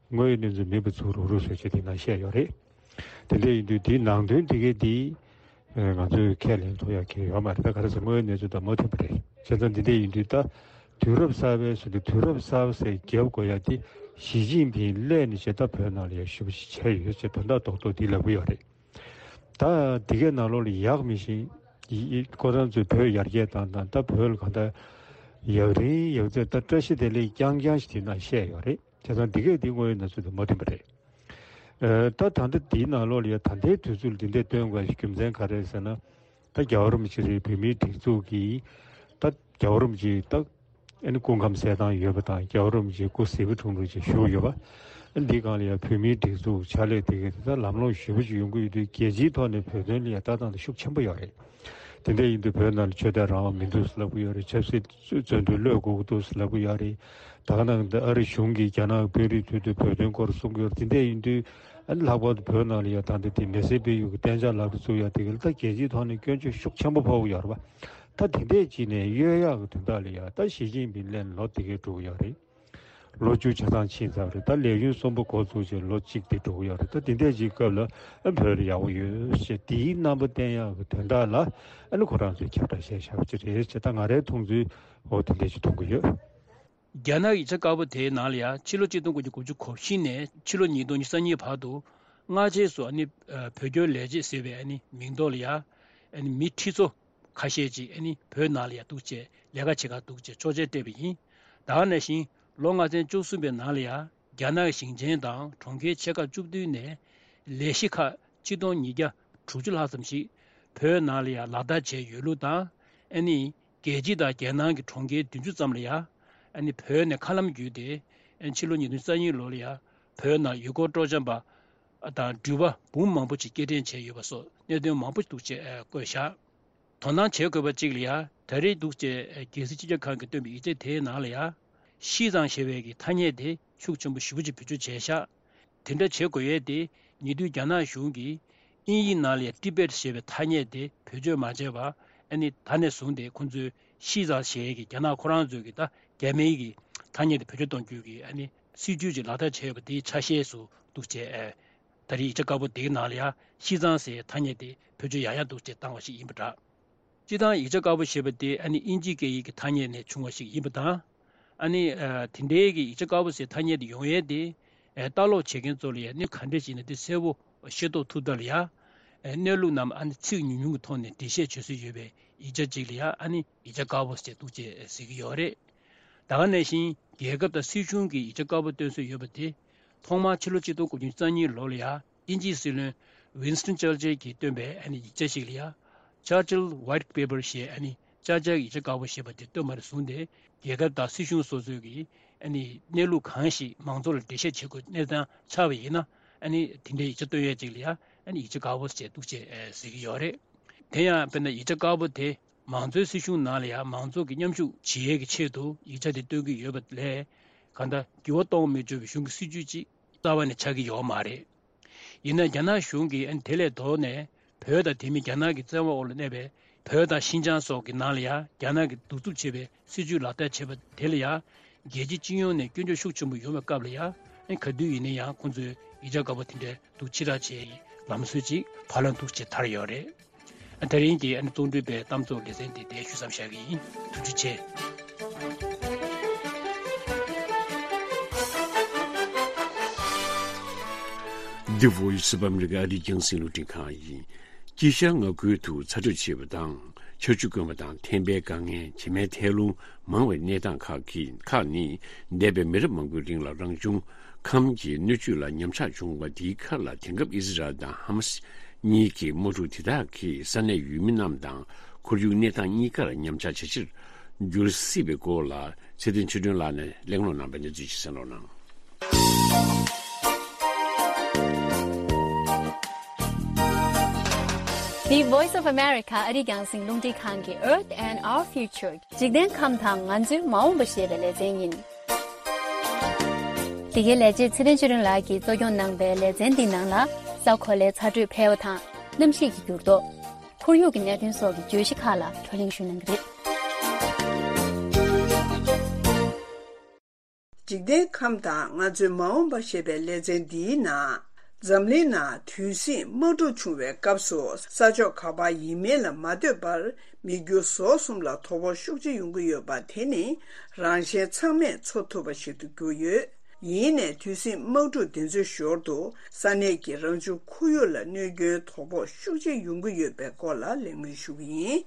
དངོས་ཡོད་གནས་ཚུལ་མིན་པ་ཚུར་རུག་རུག་བཟོས་བྱས་དེ་ནང་བཤད་ཡོད་རེད། དེ་འདྲ་ཡིན་དུས་དེའི་ནང་དོན་དེ་གའི་དེ་ང་ཚོས་ཁས་ལེན་ཐུབ་ཡག་གི་ཡོད་མ་རེད། ད་ག་རེ་ཟེར་དངོས་ཡོད་གནས་ཚུལ་དང་མ་མཐུན་པ་རེད། བྱས་ཙང་འདི་འདྲ་ཡིན་དུས་ད་དུས་རབས་གསར་པའི་ཟེར་དུས་དུས་རབས་གསར་པ་ཟེར་རྒྱབ་དགོས་ཡག་དེ་ཞི་ཅིན་ཕིང་སླེབས་ནས་བྱས་ད་བོད་ནང་ལ་ཡང་ཞེ་པོ་ཞིག་བྱས་ཡོད་ཅེས་དོན་དག་རྡོག་རྡོག་འདི་ལབ་གི་ཡོད་རེད། ད་འདི་གའི་ནང་ལོགས་ལ་ཡག་མི་ཤེས། ཡི་ཡི་ཁོ་རང་ཚོས་བོད་ཡར་རྒྱས་བཏང་སྟངས། ད་བོད་ལ་གང་ལྟར་ཡག་རིང་ཡག་རྩེ་ད་བཀྲ་ཤིས་བདེ་ལེགས་རྐྱང་རྐྱང་ཞིག་དེ་ནང་བཤད་ཡོད་རེད། བྱས་ཙང་འདི་གས་འདི་དངོས་ཡོད་གནས་ཚུལ་དང་མ་མཐུན་པ་རེད། ཨ་ད་ད་ལྟ་འདིའི་ནང་ལོགས་ལ་ཡ་ད་ལྟའི་དུས་ཚོད་ལ་འདི་འདྲས་སྟོན་དགོས་ཀྱི་རྒྱུ་མཚན་ག་རེ་རེད་ཟེར་ན། ད་རྒྱལ་བ་རིན་པོ་ཆེ་རེད། བོད་མིའི་སྒྲིག་འཛུགས་ཀྱིས་ད་རྒྱལ་བ་རིན་པོ་ཆེ་ད་ཨ་ནི་སྐུ་ཁམས་གསལ་ཐང་ཡོད་པ་དང་། རྒྱལ་བ་རིན་པོ་ཆེ་སྐུ་གཟི་བརྗིད་ཐོག་ནས་ཅིག་བཞུགས་ཡོད་པ། ཨ་ནི་འདིའི་སྒང་ལ་ཡང་བོད་མིའི་སྒྲིག་འཛུགས་ཕྱག་ལས་དེ་གའི་དེ་ད་ལམ་ལྷོང་ཞེ་པོ་ཅིག་ཡོང་གི་ཡོད་དུས། རྒྱལ་སྤྱིའི་ཐོག་ནས་བོད་དོན་ལ་ཡང་ལྟ་སྟངས་དེ་ཤུགས་ཆེན་པོ་ཡོད་རེད། དེ་འདྲ་ཡིན་དུས་བོད་ནང་ལ་ཆོས་དད་རང་དབང་མི་འདུག་ཟེར་ལབ་ཀྱི་ཡོད་རེད། ཆབ་སྲིད་བཙོན་དུ་གློད་དགོས་ཀྱི་འདུག་ཟེར་ལབ་ཀྱི་ཡོད་རེད། ད་ག་ནང་བཞིན་ཨ་རི་གཞུང་གིས་རྒྱ་ནག་གི་དཔོན་རིགས་མཐུད་དུ་བོད་དོན་སྐོར་གསུང་གི་ཡོད་རེད། དེ་འདྲ་ཡིན་དུས་ཨ་ནི་ལྷག་པར་དུ་བོད་ནང་ལ་ཡང་ད་ལྟ་དེ་མི་སེར་སྤེལ་ཡུལ་གྱི་གཏན་འཇགས་ལག་ཏུ་བཙུགས་ཡག་དེ་ག་ལ་ད་རྒྱལ་སྤྱིའི་ཐོག་ནས་སྐྱོན་བརྗོད་ཤུགས་ཆེན་པོ་ཕོག་གི་ཡོད་རེད་པ། ད་དེ་འདྲས་བྱས་ནས་གཡོལ་ཡག་གི་དོན་དག་ལ་ཡང་ད་ཞི་ཅིན་ཕིང་སླེབས་ནས་ལོ་དེ་གས་འགྲོ་གི་ཡོད་རེད། ལོ་བཅུ་ཆ་ཚང་ཕྱིན་ཚར་བ་རེད། ད་ལས་ཡུན་གསུམ་པ་འགོ་བཙུགས་བྱས་ལོ་གཅིག་དེ་འགྲོ་གི་ཡོད་རེད། ད་དེ་འདྲས་ཅིག་སྐབས་ལ་ཨ་བོད་ལ་ཡག་པོ་ཡོད་ཞེས་དེའི་རྣམ་པ་བསྟན་ཡག་གི་དོན་དག་ལ་ཨ་ནི་ཁོ་རང་ཚོས་ཁྱབ་བསྒྲགས་བྱས་བཞག་པ་ཅིག་རེད་ཅེས་ད་ང་རའི་མཐོང་ཚུལ་འོ་དེ་འདྲས་ཅིག་མཐོང་གི་ཡོད། རྒྱ་ནག་ཡིག་ཆ་དཀར་པོ་དེའི་ནང་ལ་ཡང་ཕྱི་ལོ་གཅིག་སྟོང་དགུ་བརྒྱ་དགུ་བཅུ་གོ་བཞི་ནས་ཕྱི་ལོ་ཉིས་སྟོང་ཉི་ཤུ་རྩ་གཉིས་བར་དུ་སྔ་རྗེས་སུ་ཨ་ནི་ཨ་བོད་སྐྱོར་ལས་བྱེད་ཟེར་བའི་ཨ་ནི་མིང་ཐོག་ལ་ཡང་ཨ་ནི་མི་ཁྲི་ཚོ་ཁ་ཤས་ཅིག་ཨ་ནི་བོད་ནང་ལ་ཡང་འདུག་ཅེས་ལས་ཀ་བྱེད་གར་འདུག་ཅེས་ཆོག་མཆན་སྤྲད་པ་ཡིན། ད་ག་ནང་བཞིན་ལོ་ལྔ་ཚན་བཅུ་གསུམ་པའི་ནང་ལ་ཡང་རྒྱ་ནག་གི་ཞིང་ཆེན་དང་གྲོང་ཁྱེར་ཆེ་ཁག་བཅུ་བདུན་ནས་ལས་གཞི་ཁག་ཆིག་སྟོང་ཉིས་བརྒྱ་དྲུག་ཅུ་ལྷག་ཙམ་ཞིག་བོད་ནང་ལ་ཡང་ལག་བསྟར་བྱས་ཡོད་ལུགས་དང་ ཨ་ནི་རྒྱལ་སྤྱི་དང་རྒྱལ་ནང་གི་གྲོང་ཁྱེར་བདུན་ཅུ་ཙམ་ལ་ཡ། ཨ་ནི་བོད་ནས་མཁའ་ལམ་བརྒྱུད་དེ། ཨ་ནི་ཕྱི་ལོ་ཉིས་སྟོང་ཉེར་གཉིས་ལོ་ལ་ཡ། བོད་ནང་ཡུལ་སྐོར་སྤྲོ་འཆམ་པ་དང་འགྲུལ་པ་འབུམ་མང་པོ་ཅིག་སྐྱེལ་འདྲེན་བྱས་ཡོད་པ་སོགས་གནད་དོན་མང་པོ་འདུག་ཅེས་བཀོད་བཞག་དོ་སྣང་བྱེད་དགོས་པ་གཅིག་ལ་ཡ། ད་རེས་འདུག་ཅེས་རྒྱལ་སྲིད་སྤྱི་ཁྱབ་ཁང་གིས་བཏོན་པའི་ཡིག་ཆ་དེའི་ནང་ལ་ཡ། ཤིས་ཙང་ཞེས་པའི་གི་ཐ་སྙད་དེ་ཤུགས་ཆེན་པོ་ཞེ་པོ་ཅིག་བེད་སྤྱོད་བྱས་ཤག་དེ་འདྲ་བྱེད་དགོས་ཡས་དེ་ཉེ་དུས་རྒྱ་ནག་གཞུང་གིས་དབྱིན་ཡིག་ནང་ལ་ཡ་ཏི་བེད་ཞེས་པའི་ཐ་སྙད་དེ་བེད་སྤྱོད་མ་བྱས་པ། ཨ་ནི་ད་ནས་བཟུང་སྟེ་ཁོང་ཚོས་ཤིས་ཙང་ཞེས་ཀྱི་རྒྱ་ནག་ཁོ་རང་ཚོའི་གི་ད་རྒྱ་མིའི་གི་ཐ་སྙད་དེ་བེད་སྤྱོད་གཏོང་རྒྱུ་གི་ཨ་ནི་སྲིད་ཇུས་ཅིག་ལག་བསྟར་བྱས་པ་དེའི་ཆ་ཤས་སུ་འདུག་ཅེས། ད་རེས་ཡིག་ཆ་དཀར་པོ་དེའི་ནང་ལ་ཡང་ཤིས་ཙང་ཟེར་ཐ་སྙད་དེ་བེད་སྤྱོད་ཡང་ཡང་འདུག་ཅེས་བཏང་བ་ཞིག་ཡིན་པ་འདྲ། སྤྱིར་བཏང་ཡིག་ཆ་དཀར་པོ་ཞེས་པ་དེ་ཨ་ནི་དབྱིན་ཇིའི་སྐད་ཡིག་གི་ཐ་སྙད་ནས་བྱུང་བ་ཞིག་ཡིན་པ་དང་། ཨ་ནི་ཨ་དེ་འདྲའི་གི་ཡིག་ཆ་དཀར་པོ་ཟེར་ཐ་སྙད་དེ་ཡོང་ཡས་དེ། ཨ་ལྟ་ཀློག་བྱེད་མཁན་ཚོ་ལ་ཡང་གནད་ག་འདྲས་ཞིག་ན་དེ་གསལ་པོ་ཤེས་རྟོགས་ཐུབ་ཐབས་ལ་ཡ། ཨ་གནས་ལུགས་རྣམས་ཨ་ནི་ཚིག་ཉུང་ཉུང་གི་ཐོག་ནས་འགྲེལ་བཤད་བྱེད་སྲོལ་ཡོད་པའི་ཡིག་ཆ་གཅིག་ལ་ཡ་ཨ་ནི་ཡིག་ཆ་དཀར་པོ་ཟེར་འདུག་ཅེས་ཟེར་གྱི་ཡོད་རེད། ད་ག་ནང་བཞིན་རྒྱལ་ཁབ་དང་སྲིད་གཞུང་གི་ཡིག་ཆ་དཀར་པོ་བཏོན་སྲོལ་ཡོད་པ་དེ། ཐོག་མར་ཕྱི་ལོ་ཆིག་སྟོང་དགུ་བརྒྱ་རྩ་གཉིས་ལོ་ལ་ཡ་དབྱིན་ཇིའི་སྲིད་བློན་ཝིན་སི་ཊོན་ཅར་ཅིལ་གྱིས་བཏོན་པའི་ཨ་ནི་ཡིག་ཆ་ཞིག་ལ་ཡ། Churchill White Paper ཞེས་ཨ་ནི་ཅར་ཅིལ་ཡིག་ཆ་དཀར་པོ་ཞེས་པ་དེ་བཏོན་པ་ནས་བཟུང་སྟེ་རྒྱལ་ཁབ་དང་སྲིད་གཞུང་སོ་སོའི་གི་ཨ་ནི་གནས་ལུགས་གང་ཞིག་མང་ཚོགས་ལ་འགྲེལ་བཤད་བྱེད་དགོས་གནས་སྟངས་ཆགས་པ་ཡིན་ན། ཨ་ནི་དེ་འདྲའི་ཡིག་ཆ་བཏོན་ཡས་ཅིག་ལ་ཡ་ཨ་ནི་ཡིག་ཆ་དཀར་པོ་ཞེས་འདུག་ཅེས་ཟེར་གྱི་ཡོད་རེད། དེ་ཡང་དཔེར་ན་ཡིག་ཆ་དཀར་པོ་དེ་མང་གཙོའི་སྲིད་གཞུང་ནང་ལ་ཡང་མང་ཚོགས་ཀྱི་མཉམ་ཞུགས་བྱེད་ཡས་ཀྱི་ཆེད་དུ་ཡིག་ཆ་དེ་བཏོན་གྱི་ཡོད་པ་ལས། གང་ལྟར་འགྱུར་བ་གཏོང་མི་ཆོག་པའི་གཞུང་གི་སྲིད་ཇུས་ཅིག་རྩ་བ་ནས་ཆགས་ཀྱི་ཡོད་མ་རེད། ཡིན་ན་རྒྱ་ནག་གཞུང་གིས་ཨ་ནི་དེ་ལས་ལྡོག་ནས་བོད་དང་དེ་མིན་རྒྱ་ནག་གི་བཙན་དབང་འོག་ལ་གནས་པའི་བོད་དང་ཤིན་ཅང་སོགས་ཀྱི་ནང་ལ་ཡང་རྒྱ་ནག་གིས་གདུག་རྩུབ་ཆེ་བའི་སྲིད་ཇུས་ལག་བསྟར་བྱས་པ་དེ་ལ་ཡང་རྒྱལ་སྤྱི་སྤྱི་ཡོངས་ནས་སྐྱོན་བརྗོད་ཤུགས་ཆེན་པོ་ཡོང་བའི་སྐབས་ལ་ཡང་ཨ་ནི་ག་དུས་ཡིན་ན་ཡང་ཁོང་ཚོས་ཡིག་ཆ་དཀར་པོ་དེ་འདྲའི་འདུག་ཕྱིར་བསྒྲགས་བྱས་ཡི་ལམ་སྲོལ་ཅིག་བར་ལ་འདུག་ཅེས་དར་ཡོད་རེད། ཨ་དེ་རིང་གི་ཨ་ནི་གཙོ་འགྲེལ་པའི་གཏམ་ཚོགས་ལེ་ཚན་འདི་དེ་ཞུ་མཚམས་བཞག་གི་ཡིན། ཐུགས་རྗེ་ཆེ། The Voice of America ཨ་རིའི་རྒྱང་སྲིང་རླུང་འཕྲིན་ཁང་ཡིན། དཀྱིལ་ཤར་མངའ་ཁུལ་དུ་ཚ་དྲོད་ཆེ་བ་དང་ཆར་ཆུ་དཀོན་པ་དང་ཐན་པའི་དཀའ་ངལ། བྱེ་མའི་ཐལ་རླུང་མང་བའི་གནས་སྟངས་ཁག་གི་ཁག་ནི་འདས་པའི་མི་རབས་མང་པོའི་རིང་ལ་རང་བྱུང་ཁམས་ཀྱི་སྣོད་བཅུད་ལ་ཉམས་ཆག་བྱུང་བ་དེའི་ཁར་ལ། དེང་སྐབས་ཨི་ཟི་རལ་དང་ཧ་མ་སི་གཉིས་ཀྱི་དམག་འཁྲུག་དེ་དག་གིས་ས་གནས་ཡུལ་མི་རྣམས་དང་ཁོར་ཡུག་གནས་སྟངས་གཉིས་ཀར་ཉམས་ཆག་ཇེ་ཆེར་འགྱུར་སྲིད་པའི་སྐོར་ལ་ཚེ་བརྟན་ཆོས་སྒྲོན་ལགས་ནས་གླེང་སློང་གནང་བའི་གནས་ཚུལ་ཞིག་གསན་རོགས་གནང་། The Voice of America ཨ་རིའི་རྒྱང་སྲིང་རླུང་འཕྲིན་ཁང་གི Earth and Our Future འཇིག་རྟེན་ཁམས་དང་ང་ཚོའི་མ་འོངས་པ་ཞེས་པའི་ལེ་ཚན་ཡིན། འདི་གའི་ལས་བྱེད་ཚེ་བརྟན་ཆོས་སྒྲོན་ལགས་ཀྱིས་གཙོ་སྐྱོང་གནང་པའི་ལེ་ཚན་འདིའི་ནང་ལ། ས་གོ་ལའི་ཚ་དྲོད་འཕེལ་བ་དང་གནམ་གཤིས་ཀྱི་འགྱུར་ལྡོག་ཁོར་ཡུག་གི་གནད་དོན་སོགས་ཀྱི་བརྗོད་གཞི་ཁག་ལ་བགྲོ་གླེང་ཞུ་གནང་གི་རེད། འཇིག་རྟེན་ཁམས་དང་ང་ཚོའི་མ་འོངས་པ་ཞེས་པའི་ལེ་ཚན་འདིའི་ནང་། འཛམ་གླིང་ནང་དུས་ཟིང་དམག་འཁྲུག་བྱུང་བའི་སྐབས་སུ་ས་ཕྱོགས་ག་པར་ཡིན་མིན་ལ་མ་ལྟོས་པར་མི་རྒྱུ་ཟོག་གསུམ་ལ་དོ་ཕོག་ཤུགས་ཆེ་ཡོང་གི་ཡོད་པ་དེ་ནི་རང་གཞན་ཚང་མས་འཚོ་ཐུབ་པ་ཞིག་ཏུ་གྱུར་ཡོད། ཡིན་ནའི་དུས་ཟིང་དམག་འཁྲུག་དེ་ཚོའི་ཞོར་དུ་ས་གནས་ཀྱི་རང་བྱུང་ཁོར་ཡུག་ལ་གནོད་སྐྱོན་དོ་ཕོག་ཤུགས་ཆེ་ཡོང་གི་ཡོད་པའི་སྐོར་ལ་གླེང་མོལ་ཞུ་གི་ཡིན།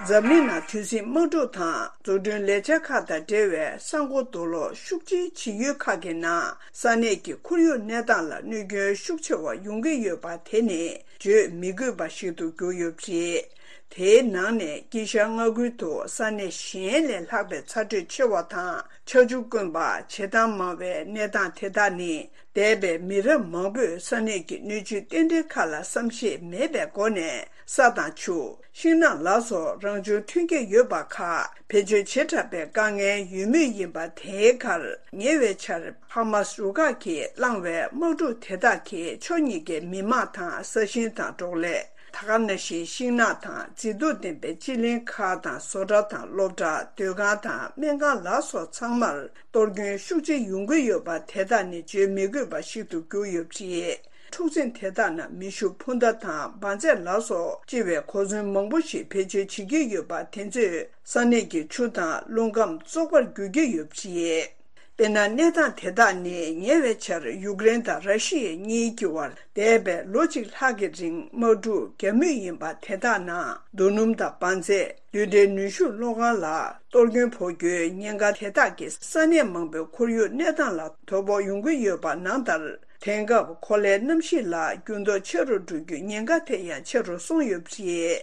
འཛམ་གླིང་ནང་དུས་ཟིང་དམག་འཁྲུག་དང་འཛུགས་སྐྲུན་ལས་འཆར་ཁག་དང་འབྲེལ་བའི་ས་འགོ་རྡོ་སློག་ཤུགས་ཆེ་བྱེད་ཡུལ་ཁག་གི་ནང་ས་གནས་ཀྱི་ཁོར་ཡུག་གནས་སྟངས་ལ་གནོད་སྐྱོན་ཤུགས་ཆེ་བ་ཡོང་གི་ཡོད་པ་དེ་ནི་བརྗོད་མི་དགོས་པ་ཞིག་ཏུ་གྱུར་ཡོད་པ་རེད། དེའི་ནང་ནས་དཀྱིལ་ཤར་མངའ་ཁུལ་དུ་ས་གནས་གཞན་ལས་ལྷག་པའི་ཚ་དྲོད་ཆེ་བ་དང་ཆར་ཆུ་དཀོན་པ། བྱེ་ཐང་མང་བའི་གནས་སྟངས་དེ་དག་ནི་འདས་པའི་མི་རབས་མང་པོས་ས་གནས་ཀྱི་སྣོད་བཅུད་རྟེན་འབྲེལ་ཁག་ལ་བསམ་ཤེས་མེད་པའི་སྒོ་ནས་ས་དང་ཆུ། ཤིང་ནགས་ལ་སོགས་རང་བྱུང་ཐོན་སྐྱེད་ཡོད་པ་ཁག་བེད་སྤྱོད་བྱེ་བྲག་པའི་དཀའ་ངལ་ཡོད་མུས་ཡིན་པ་དེའི་ཁར། ཉེ་བའི་ཆར་ཧ་མ་སི་རུ་ཁག་གིས་བསླངས་བའི་དམག་འཁྲུག་དེ་དག་གིས་ཕྱོགས་གཉིས་ཀའི་མི་དམངས་དང་ས་ཞིང་དང་འབྲོག་ལས། ད་ག་ནང་བཞིན་ཤིང་ནགས་དང་མཛེས་སྡུག་ལྡན་པའི་སྤྱི་གླིང་ཁག་དང་བཟོ་གྲྭ་དང་སློབ་གྲྭ། སྡོད་ཁང་དང་སྨན་ཁང་ལ་སོགས་ཚང་མར་གཏོར་སྐྱོན་ཤུགས་ཆེ་ཡོང་གི་ཡོད་པ་དེ་དག་ནི་བརྗོད་མི་དགོས་པ་ཞིག་ཏུ་གྱུར་ཡོད་པ་རེད། འཁྲུག་འཛིང་དེ་དག་ནང་མེ་ཤུགས་འཕུར་མདའ་དང་འབར་རྫས་ལ་སོགས་ལྕི་བའི་གོ་མཚོན་མང་པོ་ཞིག་བེད་སྤྱོད་བྱེད་ཀྱི་ཡོད་པ་དེ་ཚོས་ས་གནས་ཀྱི་ཆུ་དང་རླུང་ཁམས་བཙོག་པར་འགྱུར་གྱི་ཡོད་པ་རེད། དཔེར་ན། གནས་སྟངས་དེ་དག་ནི་ཉེ་བའི་ཆར་ཡུཀ་རེན་དང་ར་ཤི་ཡ་གཉིས་ཀྱི་བར་འདས་པའི་ལོ་གཅིག་ལྷག་གི་རིང་དམག་འཁྲུག་བརྒྱབ་མུས་ཡིན་པ་དེ་དག་ནང་རྡོ་སྣུམ་དང་འབར་རྫས། རྡུལ་ཕྲན་ནུས་ཤུགས་གློག་ཁང་ལ་གཏོར་སྐྱོན་ཕོག་རྒྱུའི་ཉེན་ཁ་དེ་དག་གིས་ས་གནས་མང་པོའི་ཁོར་ཡུག་གནས་སྟངས་ལ་དོ་ཕོག་ཡོང་གི་ཡོད་པ་ནང་ལྟར། དེང་སྐབས་གོ་ལའི་གནམ་གཤིས་ལ་འགྱུར་ལྡོག་ཆེ་རུ་འགྲོ་རྒྱུའི་ཉེན་ཁ་དེ་ཡང་ཆེ་རུ་སོང་ཡོད་པ་རེད།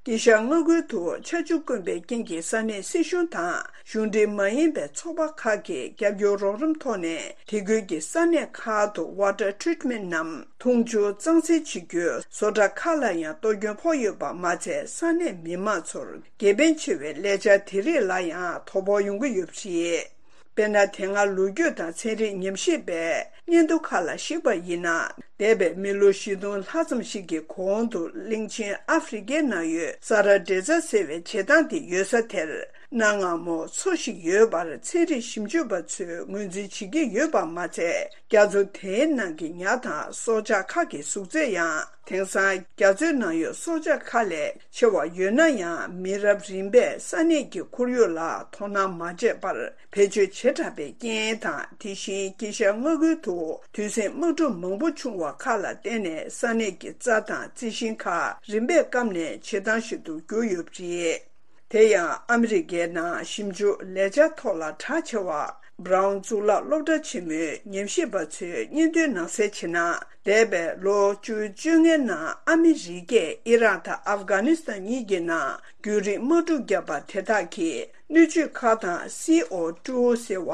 དཀྱིལ་ཤར་མངའ་ཁུལ་དུ་ཆར་ཆུ་དཀོན་པའི་རྐྱེན་གྱིས་ས་གནས་སྲིད་གཞུང་དང་གཞུང་འབྲེལ་མ་ཡིན་པའི་ཚོགས་པ་ཁག་གིས་རྒྱབ་སྐྱོར་རོགས་རམ་ཐོག་ནས་དེ་ཁུལ་གྱི་ས་གནས་ཁག་ཏུ་water treatment ནམ་འཐུང་ཆུ་གཙང་སེལ་བྱེད་རྒྱུའི་བཟོ་གྲྭ་ཁག་ལ་ཡང་གཏོར་སྐྱོན་ཕོག་ཡོད་པ་མ་ཚད། ས་གནས་མི་མང་ཚོར་དགེ་ཕན་ཆེ་བའི་ལས་འཆར་དེ་རིགས་ལ་ཡང་དོ་ཕོག་ཡོང་གི་ཡོད་པ་རེད། དཔེར་ན། དེ་སྔ་ལོ་རྒྱུས་དང་ཚན་རིག་ཉམས་ཞིབ་པས་སྙན་ཐོ་ཁག་ལ་གཞིགས་པ་ཡིན་ན། འདས་པའི་མི་ལོ་བཞི་སྟོང་ལྷག་ཙམ་ཞིག་གི་གོང་དུ་གླིང་ཆེན་ཨ་ཧྥེ་རི་ཁའི་ནང་ཡོད་ས་ར་ཌེ་ཛ་ཟེར་བའི་བྱེ་ཐང་དེ་ཡོད་ས་དེར། གནའ་སྔ་མོ་མཚོ་ཞིག་ཡོད་པར་ཚན་རིག་ཞིབ་འཇུག་པ་ཚོས་ངོས་འཛིན་བྱེད་ཀྱི་ཡོད་པ་མ་ཚད། རྒྱ་མཚོ་དེའི་ནང་གི་ཉ་དང་སྲོག་ཆགས་ཁག་གི་གཟུགས་ཚད་ཡང་། དེང་སང་རྒྱ་མཚོའི་ནང་ཡོད་སྲོག་ཆགས་ཁག་ལས་ཆེ་བ་ཡོད་ན་ཡང་། མི་རབས་རིམ་པས་ས་གནས་ཀྱི་ཁོར་ཡུག་ལ་དོ་སྣང་མ་བྱས་པར་བེད་སྤྱོད་བྱེ་བྲག་པའི་རྐྱེན་དང་། དེ་བཞིན་དཀྱིལ་ཤར་མངའ་ཁུལ་དུ་དུས་ཟིང་དམག་འཁྲུག་མང་པོ་བྱུང་བ་ཁག་ལ་བརྟེན་ནས། ས་གནས་ཀྱི་རྩྭ་དང་རྩི་ཤིང་ཁག་རིམ་པས་སྐམ་ནས་བྱེ་ཐང་ཞིག་ཏུ་གྱུར་ཡོད་པ་རེད། དེ་ཡང་ཨ་མི་རི་ཀའི་ནང་ཞིབ་འཇུག་ལས་འཆར་ཐོག་ལ་གྲགས་ཆེ་བ། Brown གཙུག་ལག་སློབ་གྲྭ་ཆེན་མོའི་ཉམས་ཞིབ་པ་ཚོས་སྙན་ཐོའི་ནང་གསལ་བྱས་ན། འདས་པའི་ལོ་བཅུ་བཅོ་ལྔའི་ནང་ཨ་མི་རི་ཀས་ཨི་རག་དང་ཨབ་གྷ་ནི་སི་ཐན་གཉིས་ཀྱི་ནང་རྒྱུན་རིང་དམག་འཁྲུག་བརྒྱབ་པ་དེ་དག་གིས། སྣོད་བཅུད་ཁག་དང་སི་ཨོ་ཊུ་ཟེར་བ་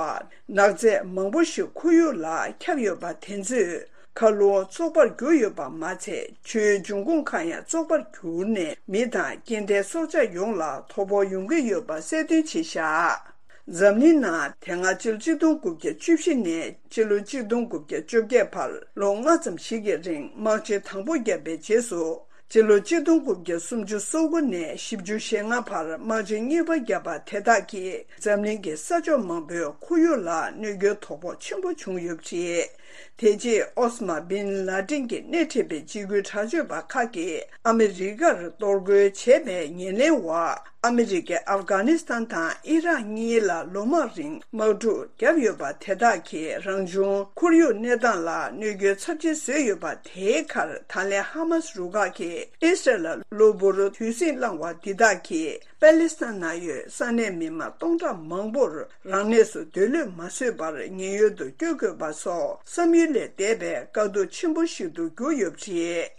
ནག་རྫས་མང་པོ་ཞིག་ཁོར་ཡུག་ལ་ཁྱབ་ཡོད་པ་དེ་ཚོས། མཁའ་རླུང་བཙོག་པར་གྱུར་ཡོད་པ་མ་ཚད། ཆུའི་འབྱུང་ཁུངས་ཁག་ཡང་བཙོག་པར་གྱུར་ནས། མི་དང་སྐྱེ་ལྡན་སྲོག་ཆགས་ཡོངས་ལ་དོ་ཕོག་ཡོང་གི་ཡོད་པ་གསལ་སྟོན་བྱས་བཞག་འཛམ་གླིང་ནང་དེ་སྔ་ཕྱི་ལོ་ཆིག་སྟོང་དགུ་བརྒྱ་བཅུ་བཞི་ནས་ཕྱི་ལོ་ཆིག་སྟོང་དགུ་བརྒྱ་བཅོ་བརྒྱད་བར་ལོ་ལྔ་ཙམ་ཞིག་གི་རིང་དམག་ཆེན་དང་པོ་བརྒྱབ་པའི་རྗེས་སུ། ཕྱི་ལོ་ཆིག་སྟོང་དགུ་བརྒྱ་སུམ་ཅུ་སོ་དགུ་ནས་བཞི་བཅུ་ཞེ་ལྔ་བར་དམག་ཆེན་གཉིས་པ་བརྒྱབ་པ་དེ་དག་གིས་འཛམ་གླིང་གི་ས་ཕྱོགས་མང་པོའི་ཁོར་ཡུག་ལ་གནོད་སྐྱོན་དོ་ཕོག་ཆེན་པོ་བྱུང་ཡོད་པ་རེད། དེ་རྗེས་ཨོ་ས་མ་བིན་ལ་ཏིན་གྱིས་སྣེ་ཁྲིད་པའི་འཇིགས་སྐུལ་དྲག་སྤྱོད་པ་ཁག་གིས་ཨ་མི་རི་ཀར་གཏོར་རྒོལ་བྱས་པའི་ཉེར་ལེན་འོག་ཨ་མི་རི་ཀས་ཨབ་གྷ་ནི་སི་ཐན་དང་ཨི་རག་གཉིས་ལ་ལོ་མང་རིང་དམག་འཁྲུག་བརྒྱབ་ཡོད་པ་དེ་དག་གིས་རང་བྱུང་ཁོར་ཡུག་གནས་སྟངས་ལ་གནོད་སྐྱོན་ཚབས་ཆེན་བཟོས་ཡོད་པ། དེའི་ཁར་ད་ལན་ཧ་མ་སི་རུ་ཁག་གིས་ཨི་སི་རལ་ལ་གློ་བུར་དུས་ཟིང་བསླངས་བ་འདི་དག་གིས་པ་ལི་སི་ཐན་ནང་ཡོད་ས་གནས་མི་མང་སྟོང་ཕྲག་མང་པོར་རང་གནས་སུ་སྡོད་ལུགས་མ་བཟོད་པར་ཉེན་གཡོལ་དུ་བསྐྱོད་དགོས་པ་སོགས་བསམ་ཡུལ་ལས་འདས་པའི་དཀའ་སྡུག་ཆེན་པོ་ཞིག་ཏུ་གྱུར་ཡོད་པ་རེད།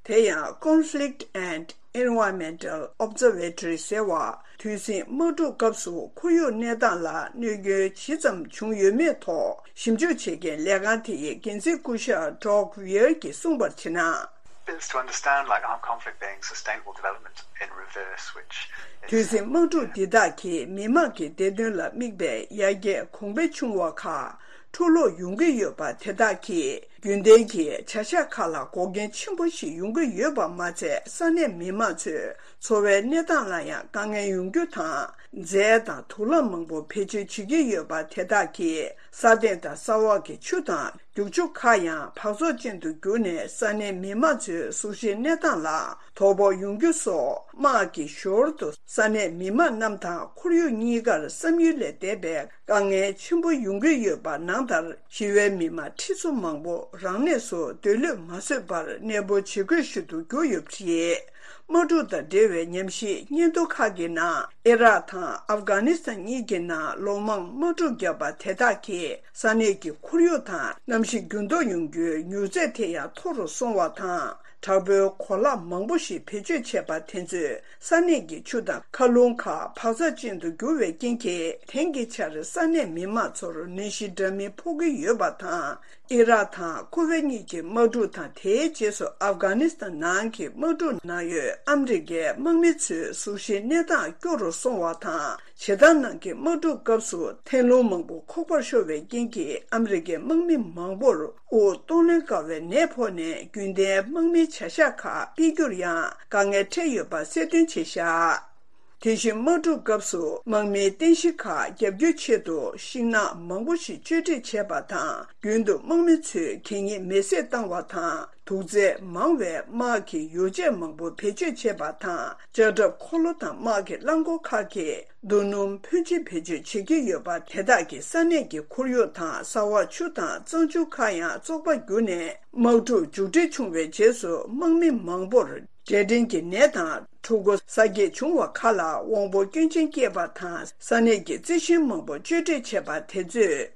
དེ་ཡང་Conflict and Environmental Observatory ཟེར་བ། དུས་ཟིང་དམག་འཁྲུག་སྐབས་སུ་ཁོར་ཡུག་གནས་སྟངས་ལ་གནོད་སྐྱོན་ཇི་ཙམ་བྱུང་ཡོད་མེད་ཐོག་ཞིབ་འཇུག་བྱེད་མཁན་ལས་ཁང་དེའི་འགན་འཛིན་སྐུ་ཞབས་Doug Weir གྱིས་གསུངས་པར་བྱས་ན། It's to understand, like, armed conflict being sustainable development in reverse, which is དུས་ཟིང་དམག་འཁྲུག་འདི་དག་གིས་མི་དམངས་ཀྱི་བདེ་དོན་ལ་དམིགས་པའི་ཡར་རྒྱས་གོང་འཕེལ་བྱུང་བ་ཁག་འཕྲོ་བརླག་ཡོང་གི་ཡོད་པ་དེ་དག་གིས། རྒྱུན་ལྡན་གྱི་བྱ་གཞག་ཁག་ལ་འགོག་རྐྱེན་ཆེན་པོ་ཞིག་ཡོང་གི་ཡོད་པ་མ་ཚད། ས་གནས་མི་མང་ཚོའི་འཚོ་བའི་གནས་སྟངས་ལ་ཡང་དཀའ་ངལ་ཡོང་རྒྱུ་དང་། རྫས་དང་དུག་རླངས་མང་པོ་བེད་སྤྱོད་བྱེད་ཀྱི་ཡོད་པ་དེ་དག་གིས། ས་སྟེང་དང་ས་འོག་གི་ཆུ་དང་རྒྱུག་ཆུ་ཁག་ཡང་འབག་བཙོག་ཅན་དུ་གྱུར་ནས། ས་གནས་མི་མང་ཚོའི་གཟུགས་གཞིའི་གནས་སྟངས་ལ་དོ་ཕོག་ཡོང་རྒྱུ་སོགས། དམག་གི་ཞོར་དུ་ས་གནས་མི་མང་རྣམས་དང་ཁོར་ཡུག་གཉིས་ཀར་བསམ་ཡུལ་ལས་འདས་པའི་དཀའ་ངལ་ཆེན་པོ་ཡོང་གི་ཡོད་པ་ནང་ལྟར། ཞི་བའི་མི་མང་ཁྲི་ཚོ་མང་པོ་རང་གནས་སུ་སྡོད་ལུགས་མ་བཟོད་པར་གནས་སྤོ་བྱེད་དགོས་ཞུ་དུ་གྱུར་ཡོད་པ་རེད། དམག་འཁྲུག་དང་འབྲེལ་བའི་ཉམས་ཞིབ་སྙན་ཐོ་ཁག་གི་ནང་། ཨི་རག་དང་ཨབ་གྷ་ནི་སི་ཐན་གཉིས་ཀྱི་ནང་ལོ་མང་དམག་འཁྲུག་བརྒྱབ་པ་དེ་དག་གིས་ས་གནས་ཀྱི་ཁོར་ཡུག་དང་གནམ་གཤིས་འགྱུར་ལྡོག་ཡོང་རྒྱུའི་མྱུར་ཚད་དེ་ཡང་མཐོ་རུ་སོང་བ་དང་། དྲག་པོའི་གོ་ལག་མང་པོ་ཞིག་བེད་སྤྱོད་བྱས་པ་དེ་ཚོས་ས་གནས་ཀྱི་ཆུ་དང་མཁའ་རླུང་ཁག་འབག་བཙོག་ཅན་དུ་གྱུར་བའི་རྐྱེན་གྱིས། དེང་གི་ཆར་ས་གནས་མི་མང་ཚོར་ནད་གཞི་འདྲ་མིན་ཕོག་གི་ཡོད་པ་དང་། ཨི་རག་དང་ཁུ་ཝེ་གཉིས་ཀྱི་དམག་འཁྲུག་དང་། དེའི་རྗེས་སུ་ཨབ་གྷ་ནི་སི་ཐན་ནང་གི་དམག་འཁྲུག་ནང་ཡོད་ཨ་མི་རི་ཀའི་དམག་མི་ཚོའི་གཟུགས་གཞིའི་གནས་སྟངས་སྐྱོ་རུ་སོང་བ་དང་། བྱེ་ཐང་ནང་གི་དམག་འཁྲུག་སྐབས་སུ་ཐན་རླུང་མང་པོ་ཁོག་པར་ཤོར་བའི་རྐྱེན་གྱིས། ཨ་མི་རི་ཀའི་དམག་མི་མང་པོར་དབུགས་གཏོང་ལེན་དཀའ་བའི་ནད་ཕོག་ནས། རྒྱུན་ལྡན་དམག་མིའི་བྱ་གཞག་ཁག་སྤེལ་རྒྱུར་ཡང་དཀའ་ངལ་འཕྲད་ཡོད་པ་གསལ་སྟོན་བྱས་བཞག་དེ་བཞིན་དམག་འཁྲུག་སྐབས་སུ་དམག་མིའི་རྟེན་གཞི་ཁག་བརྒྱབ་བསྒྱུར་ཆེད་དུ་ཤིང་ནགས་མང་པོ་ཞིག་གཅོད་འབྲེག་བྱས་པ་དང་། རྒྱུན་དུ་དམག་མི་ཚོས་གད་སྙིགས་མེ་བསྲེགས་བཏང་བ་དང་། དུག་རྫས་མང་བའི་དམག་གི་ཡོ་བྱད་མང་པོ་བེད་སྤྱོད་བྱས་པ་དང་། ལྕགས་ཁྲབ་འཁོར་ལོ་དང་དམག་གི་རླངས་འཁོར་ཁག་གིས་རྡོ་སྣུམ་ཕོན་ཆེ་བེད་སྤྱོད་བྱེད་ཀྱི་ཡོད་པ་དེ་དག་གིས་ས་གནས་ཀྱི་ཁོར་ཡུག་དང་། ས་འོག་ཆུ་དང་གཙང་ཆུ་ཁག་ཡང་བཙོག་པ་གྱུར་ནས། དམག་འཁྲུག་མཇུག་སྒྲིལ་བྱུང་བའི་རྗེས་སུ་དམག་མི་མང་པོར་འབྲས་སྐྲན་གྱི་ནད་དང་ ཕྲུ་གུ་གསར་སྐྱེས་བྱུང་བ་ཁག་ལ་དབང་པོ་སྐྱོན་ཅན་སྐྱེས་པ་དང་ས་གནས་ཀྱི་རྩི་ཤིང་མང་པོ་གཅོད་འབྲེག་བྱས་པ་དེ་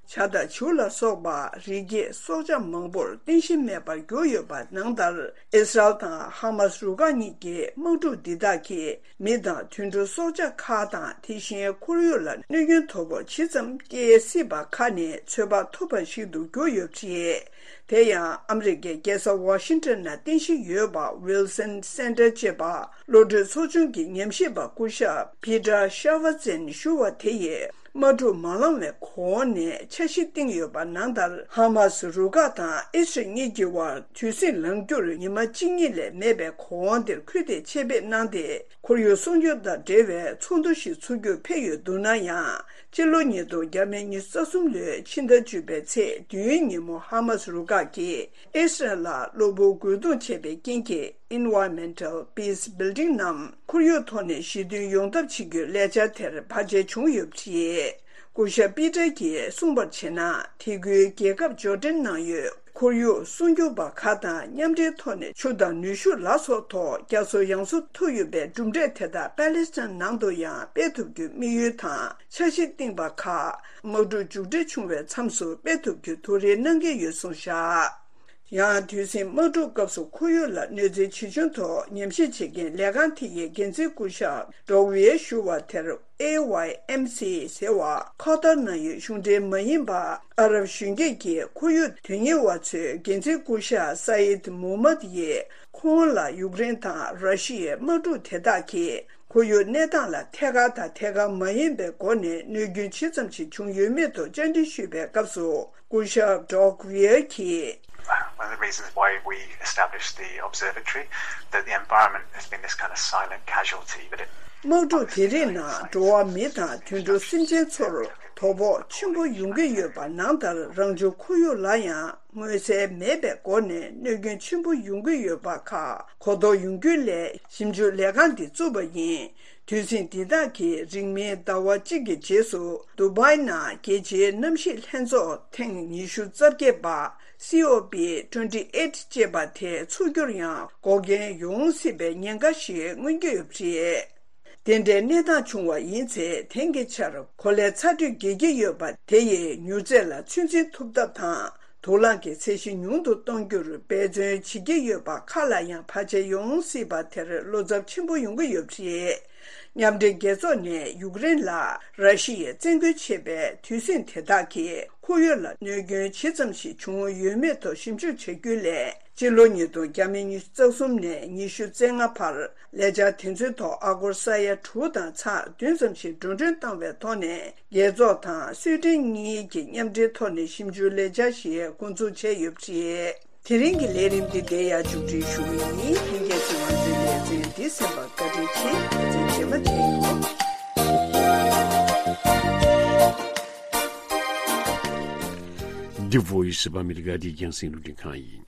ཚོས་བྱ་དང་བྱིའུ་ལ་སོགས་པ་རི་སྐྱེས་སྲོག་ཆགས་མང་པོར་རྟེན་གཞི་མེད་པར་གྱུར་ཡོད་པ་ནང་ལྟར། ཨི་སི་རལ་དང་ཧ་མ་སི་རུ་ཁག་གཉིས་ཀྱི་དམག་འཁྲུག་འདི་དག་གིས་མི་དང་དུད་འགྲོ་སྲོག་ཆགས་ཁག་དང་དེ་བཞིན་ཁོར་ཡུག་ལ་གནོད་སྐྱོན་དོ་ཕོག་ཇི་ཙམ་སྐྱེ་སྲིད་པ་ཁག་ནས་ཚོད་དཔག་ཐུབ་པ་ཞིག་ཏུ་གྱུར་ཡོད་པ་རེད། དེ་ཡང་ཨ་མི་རི་ཀའི་རྒྱལ་ས་ཝ་ཤིང་ཊོན་ན་རྟེན་གཞི་ཡོད་པ་Wilson Center ཅེས་པ་གློད་གྲོལ་ཚོགས་ཆུང་གི་ཉམས་ཞིབ་པ་སྐུ་ཞབས་Peter Schaffhausen ཞུ་བ་དེ་ཡིས། དམག་འཁྲུག་མ་ལངས་བའི་གོང་ནས་འཆར་གཞི་བཏིང་ཡོད་པ་ནང་ལྟར། ཧ་མ་སི་རུ་ཁག་དང་ཨི་སི་རལ་གཉིས་ཀྱི་དབར་དུས་ཟིང་ལངས་རྒྱུར་ཉི་མ་གཅིག་གཉིས་ལས་མེད་པའི་གོང་དེར་ཁུལ་དེ་ཆེད་ཕེབས་གནང་སྟེ། ཁོར་ཡུག་སྲུང་སྐྱོབ་དང་འབྲེལ་བའི་ཚོགས་འདུ་ཞིག་ཚུགས་རྒྱུར་ཕེབས་ཡོད་འདུག་ན་ཡང་། སྤྱི་ལོ་ཉིས་སྟོང་ཉི་ཤུ་རྩ་གསུམ་ལོའི་ཕྱི་ཟླ་བཅུ་པའི་ཚེས་བདུན་ཉིན་མོ་ཧ་མ་སི་རུ་ཁག་གིས་ཨི་སི་རལ་ལ་གློ་བུར་རྒོལ་རྡུང་བྱས་པའི་རྐྱེན་གྱིས། Environmental Peace Building ནམ་ཁོར་ཡུག་ཐོག་ནས་ཞི་མཐུན་ཡོང་ཐབས་བྱེད་རྒྱུའི་ལས་འཆར་དེར་བར་ཆད་བྱུང་ཡོད་པ་རེད། སྐུ་ཞབས་པི་ཏར་གྱིས་གསུངས་པར་བྱས་ན། དེ་ཁུལ་རྒྱལ་ཁབ་འབྱོར་འབྲིང་ནང་ཡོད་ཁོར་ཡུག་སྲུང་སྐྱོབ་པ་ཁག་དང་མཉམ་འབྲེལ་ཐོག་ནས་ཆུ་དང་ནུས་ཤུགས་ལ་སོགས་ཐོག་རྒྱ་མཚོ་ཡང་སུ་ཐུག་ཡོད་པའི་གྲུབ་འབྲས་དེ་དག་པེ་ལེ་སི་ཐན་ནང་དུ་ཡང་སྤེལ་ཐུབ་རྒྱུའི་དམིགས་ཡུལ་དང་འཆར་གཞི་བཏིང་པ་ཁག་དམག་འཁྲུག་མཇུག་སྒྲིལ་བྱུང་བའི་མཚམས་སུ་སྤེལ་ཐུབ་རྒྱུ་དོ་རེ་གནང་གི་ཡོད་གསུངས་བཞག་ཡང་དུས་ཟིང་དམག་འཁྲུག་སྐབས་སུ་ཁོར་ཡུག་ལ་གནོད་འཚེ་ཇི་བྱུང་ཐོག་ཉམས་ཞིབ་བྱེད་མཁན་ལས་ཁང་དེ་ཡི་འགན་འཛིན་སྐུ་ཞབས་ཌོག་ཝི་ཡེ་ཞུ་བ་དེར། ཨེ་ཝའི་ཨེམ་སི་ཟེར་བ་ཁ་ཐར་ནང་ཡོད་གཞུང་འབྲེལ་མ་ཡིན་པ་ཨ་རབ་གཞོན་སྐྱེས་ཀྱི་ཁོར་ཡུག་དོན་གཉེར་བ་ཚོའི་འགན་འཛིན་སྐུ་ཞབས་སཱ་ཡིད་མུ་ཧམ་མད་ཡིས། ཁོང་ལ་ཡུཀ་རེན་དང་ར་ཤི་ཡའི་དམག་འཁྲུག་དེ་དག་གིས་ཁོར་ཡུག་གནས་སྟངས་ལ་ཐད་ཀར་དང་ཐད་ཀར་མ་ཡིན་པའི་སྒོ་ནས་གནོད་སྐྱོན་ཇི་ཙམ་ཞིག་བྱུང་ཡོད་མེད་ཐོག་བཅར་འདྲི་ཞུས་པའི་སྐབས་སུ། སྐུ་ཞབས་ཌོག་ཝི་ཡེ་གིས། One of the reasons why we established the observatory, that the environment has been this kind of silent casualty, but it དམག་འཁྲུག་དེ་རིགས་ནང་འགྲོ་བ་མི་དང་དུད་འགྲོ་སེམས་ཅན་ཚོར་དོ་ཕོག་ཆེན་པོ་ཡོང་གི་ཡོད་པ་ནང་ལྟར། རང་བྱུང་ཁོར་ཡུག་ལ་ཡང་མངོན་གསལ་མེད་པའི་སྒོ་ནས་གནོད་སྐྱོན་ཆེན་པོ་ཡོང་གི་ཡོད་པ་ཁག་གོ་རྟོགས་ཡོང་རྒྱུ་སླད་ཞིབ་འཇུག་ལས་ཁང་འདི་བཙུགས་པ་ཡིན། དུས་ཟིང་འདི་དག་གིས་རིང་མིན་ཟླ་བ་གཅིག་གི་རྗེས་སུ་དུ་བྷའི་ནང་རྒྱལ་སྤྱིའི་གནམ་གཤིས་ལྷན་ཚོགས་ཐེངས་ཉི་ཤུ་རྩ་བརྒྱད་པ། སི་ཨོ་པི་ཊུ་ཝེན་ཊི་ཨེ་ཊི་ཅེས་པ་དེ་ཚུགས་རྒྱུར་ཡང་འགོག་རྐྱེན་ཡོང་སྲིད་པའི་ཉེན་ཁ་ཞིག་མངོན་གྱི་ཡོད་པ་རེད། དེ་འདྲའི་གནས་སྟངས་བྱུང་བ་ཡིན་ཚེ། དེང་གི་ཆར་གོ་ལའི་ཚ་དྲོད་རྒྱས་ཀྱི་ཡོད་པ་དེ་ཡིས་མྱུར་ཚད་ལ་ཚོད་འཛིན་ཐུབ་ཐབས་དང་། དུག་རླངས་ཀྱི་ཚད་གཞི་ཉུང་དུ་གཏོང་རྒྱུར་འབད་བརྩོན་བྱེད་ཀྱི་ཡོད་པ་ཁག་ལ་ཡང་བར་ཆད་ཡོང་སྲིད་པ་དེར་བློ་འཚབ་ཆེན་པོ་ཡོང་གི་ཡོད་པ་རེད། མཉམ་འབྲེལ་རྒྱལ་ཚོགས་ནས་ཡུཀ་རེན་ལ་ར་ཤི་ཡས་བཙན་རྒོལ་བྱས་པའི་དུས་ཟིང་དེ་དག་གིས་ཁོར་ཡུག་ལ་གནོད་སྐྱོན་ཇི་ཙམ་ཞིག་བྱུང་ཡོད་མེད་ཐོག་ཞིབ་འཇུག་བྱ་རྒྱུའི་སླད། སྤྱི་ལོ་ཉིས་སྟོང་ཉི་ཤུ་རྩ་གསུམ་ནས་ཉི་ཤུ་རྩ་ལྔ་བར་ལས་འཆར་དེ་ཚོའི་ཐོག་ཨ་སྒོར་ས་ཡ་དྲུག་དང་ཚེག་བདུན་ཙམ་ཞིག་འགྲོ་གྲོན་བཏང་བའི་ཐོག་ནས། རྒྱལ་ཚོགས་དང་སུའེ་ཏེན་གཉིས་ཀྱིས་མཉམ་འབྲེལ་ཐོག་ནས་ཞིབ་འཇུག་ལས་འཆར་ཞིག་འགོ་འཛུགས་བྱས་ཡོད་པ་རེད། དེ་རིང་གི་ལས་རིམ་འདི་འདིར་ཡང་མཇུག་སྒྲིལ་ཞུ་གི་ཡིན། ལྷན་རྒྱས་ཚོས་ང་ཚོའི་ལེ་ཚན་འདི་གསན་པར་བཀའ་དྲིན་ཆེ། ལེ་ཚན་རྗེས་མ་མཇལ་ཡོང་། འདི་Voice of America འདི་རྒྱང་སྲིང་རླུང་འཕྲིན་ཁང་ཡིན།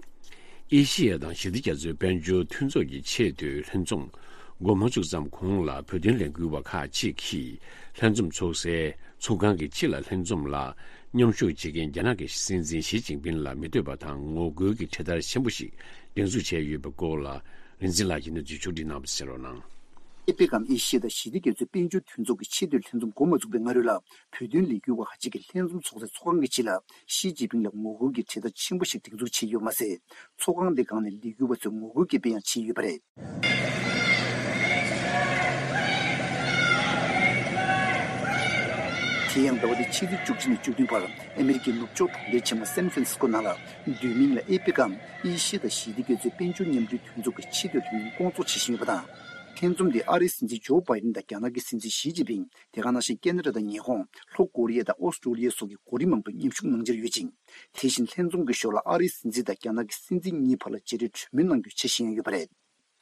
ཨེ་ཤི་ཡ་དང་ཞི་བདེ་རྒྱ་མཚོའི་དཔལ་འབྱོར་མཐུན་ཚོགས་ཀྱི་ཆེས་མཐོའི་ལྷན་འཛོམས་འགོ་མ་ཚུགས་ཙམ་གོང་ལ། བོད་དོན་ལས་འགུལ་བ་ཁག་ཅིག་གིས་ལྷན་འཛོམས་ཚོགས་སའི་ཚོགས་ཁང་གི་ཕྱི་ལ་ལྷན་འཛོམས་ལ་མཉམ་ཞུགས་བྱེད་མཁན་རྒྱ་ནག་གི་སྲིད་འཛིན་ཞི་ཅིན་ཕིན་ལ་མི་འདོད་པ་དང་ངོ་རྒོལ་གྱི་འཕྲེད་དར་ཆེན་པོ་ཞིག་སྒྲེང་འཛུགས་བྱས་ཡོད་པའི་སྐོར་ལ། རིག་འཛིན་ལགས་ཀྱིས་གནས་ཚུལ་ཕྱོགས་སྒྲིག་གནང་བ་གསན་རོགས་གནང་། ཨེ་པེག་གམ་ཨེ་ཤི་ཡ་དང་ཞི་བདེ་རྒྱ་མཚོའི་དཔལ་འབྱོར་མཐུན་ཚོགས་ཀྱི་ཆེས་མཐོའི་ལྷན་འཛོམས་འགོ་མ་ཚུགས་པའི་སྔ་རོལ་ལ། བོད་དོན་ལས་འགུལ་བ་ཁག་ཅིག་གིས་ལྷན་འཛོམས་ཚོགས་སའི་ཚོགས་ཁང་གི་ཕྱི་ལ་ཞི་ཅིན་ཕིང་ལ་ངོ་རྒོལ་གྱི་འཕྲེད་དར་ཆེན་པོ་ཞིག་སྒྲེང་འཛུགས་བྱས་ཡོད་མ་ཟད། ཚོགས་ཁང་དེ་སྒང་ནས་ལས་འགུལ་བ་ཚོས་ངོ་རྒོལ་གྱི་དཔེ་ཡང་མཆེད་ཡོད་པ་རེད། དེ་ཡང་ཟླ་བ་འདིའི་ཕྱི་ཚེས་བཅུ་གཅིག་ནས་བཅུ་བདུན་བར་ཨ་མེ་རི་ཀའི་ནུབ་ཕྱོགས་གྲོང་ཁྱེར་ཆེན་མོ་སན་ཧྥ་རན་སི་ཀོ་ནང་ལ། བསྡུས་མིང་ལ་ཨེ་པེག་གམ་ཨེ་ཤི་ཡ་དང་ཞི་བདེ་རྒྱ་མཚོའི་དཔལ་འབྱོར་མཉམ་འབྲེལ་མཐུན་ཚོགས་ཀྱི་ཆེས་མཐོའི་ལྷན་འཛོམས་སྐོང་ཚོགས་བྱེད་བཞིན་ཡོད་པ་དང་། ལྷན་འཛོམས་དེ་ཨ་རིའི་སྲིད་འཛིན་ཇོ་བྷའི་ཌེན་དང་རྒྱ་ནག་གི་སྲིད་འཛིན་ཞི་ཅིན་ཕིང་། དེ་ག་ནང་བཞིན་ཁེ་ན་ཌ་དང་ཉི་ཧོང་། ལྷོ་ཀོ་རི་ཡ་དང་ཨོ་སི་ཀྲོ་ལི་ཡ་སོགས་ཀྱི་འགོ་རིམ་མང་པོས་མཉམ་ཞུགས་གནང་འཆར་ཡོད་ཅིང་། དེ་བཞིན་ལྷན་འཛོམས་ཀྱི་ཞོར་ལ་ཨ་རིའི་སྲིད་འཛིན་དང་རྒྱ་ནག་གི་སྲིད་འཛིན་གཉིས་བར་ལ་མཇལ་འཕྲད་གྲོས་མོལ་གནང་རྒྱུའི་འཆར་གཞི་ཡང་ཡོད་པ་རེད།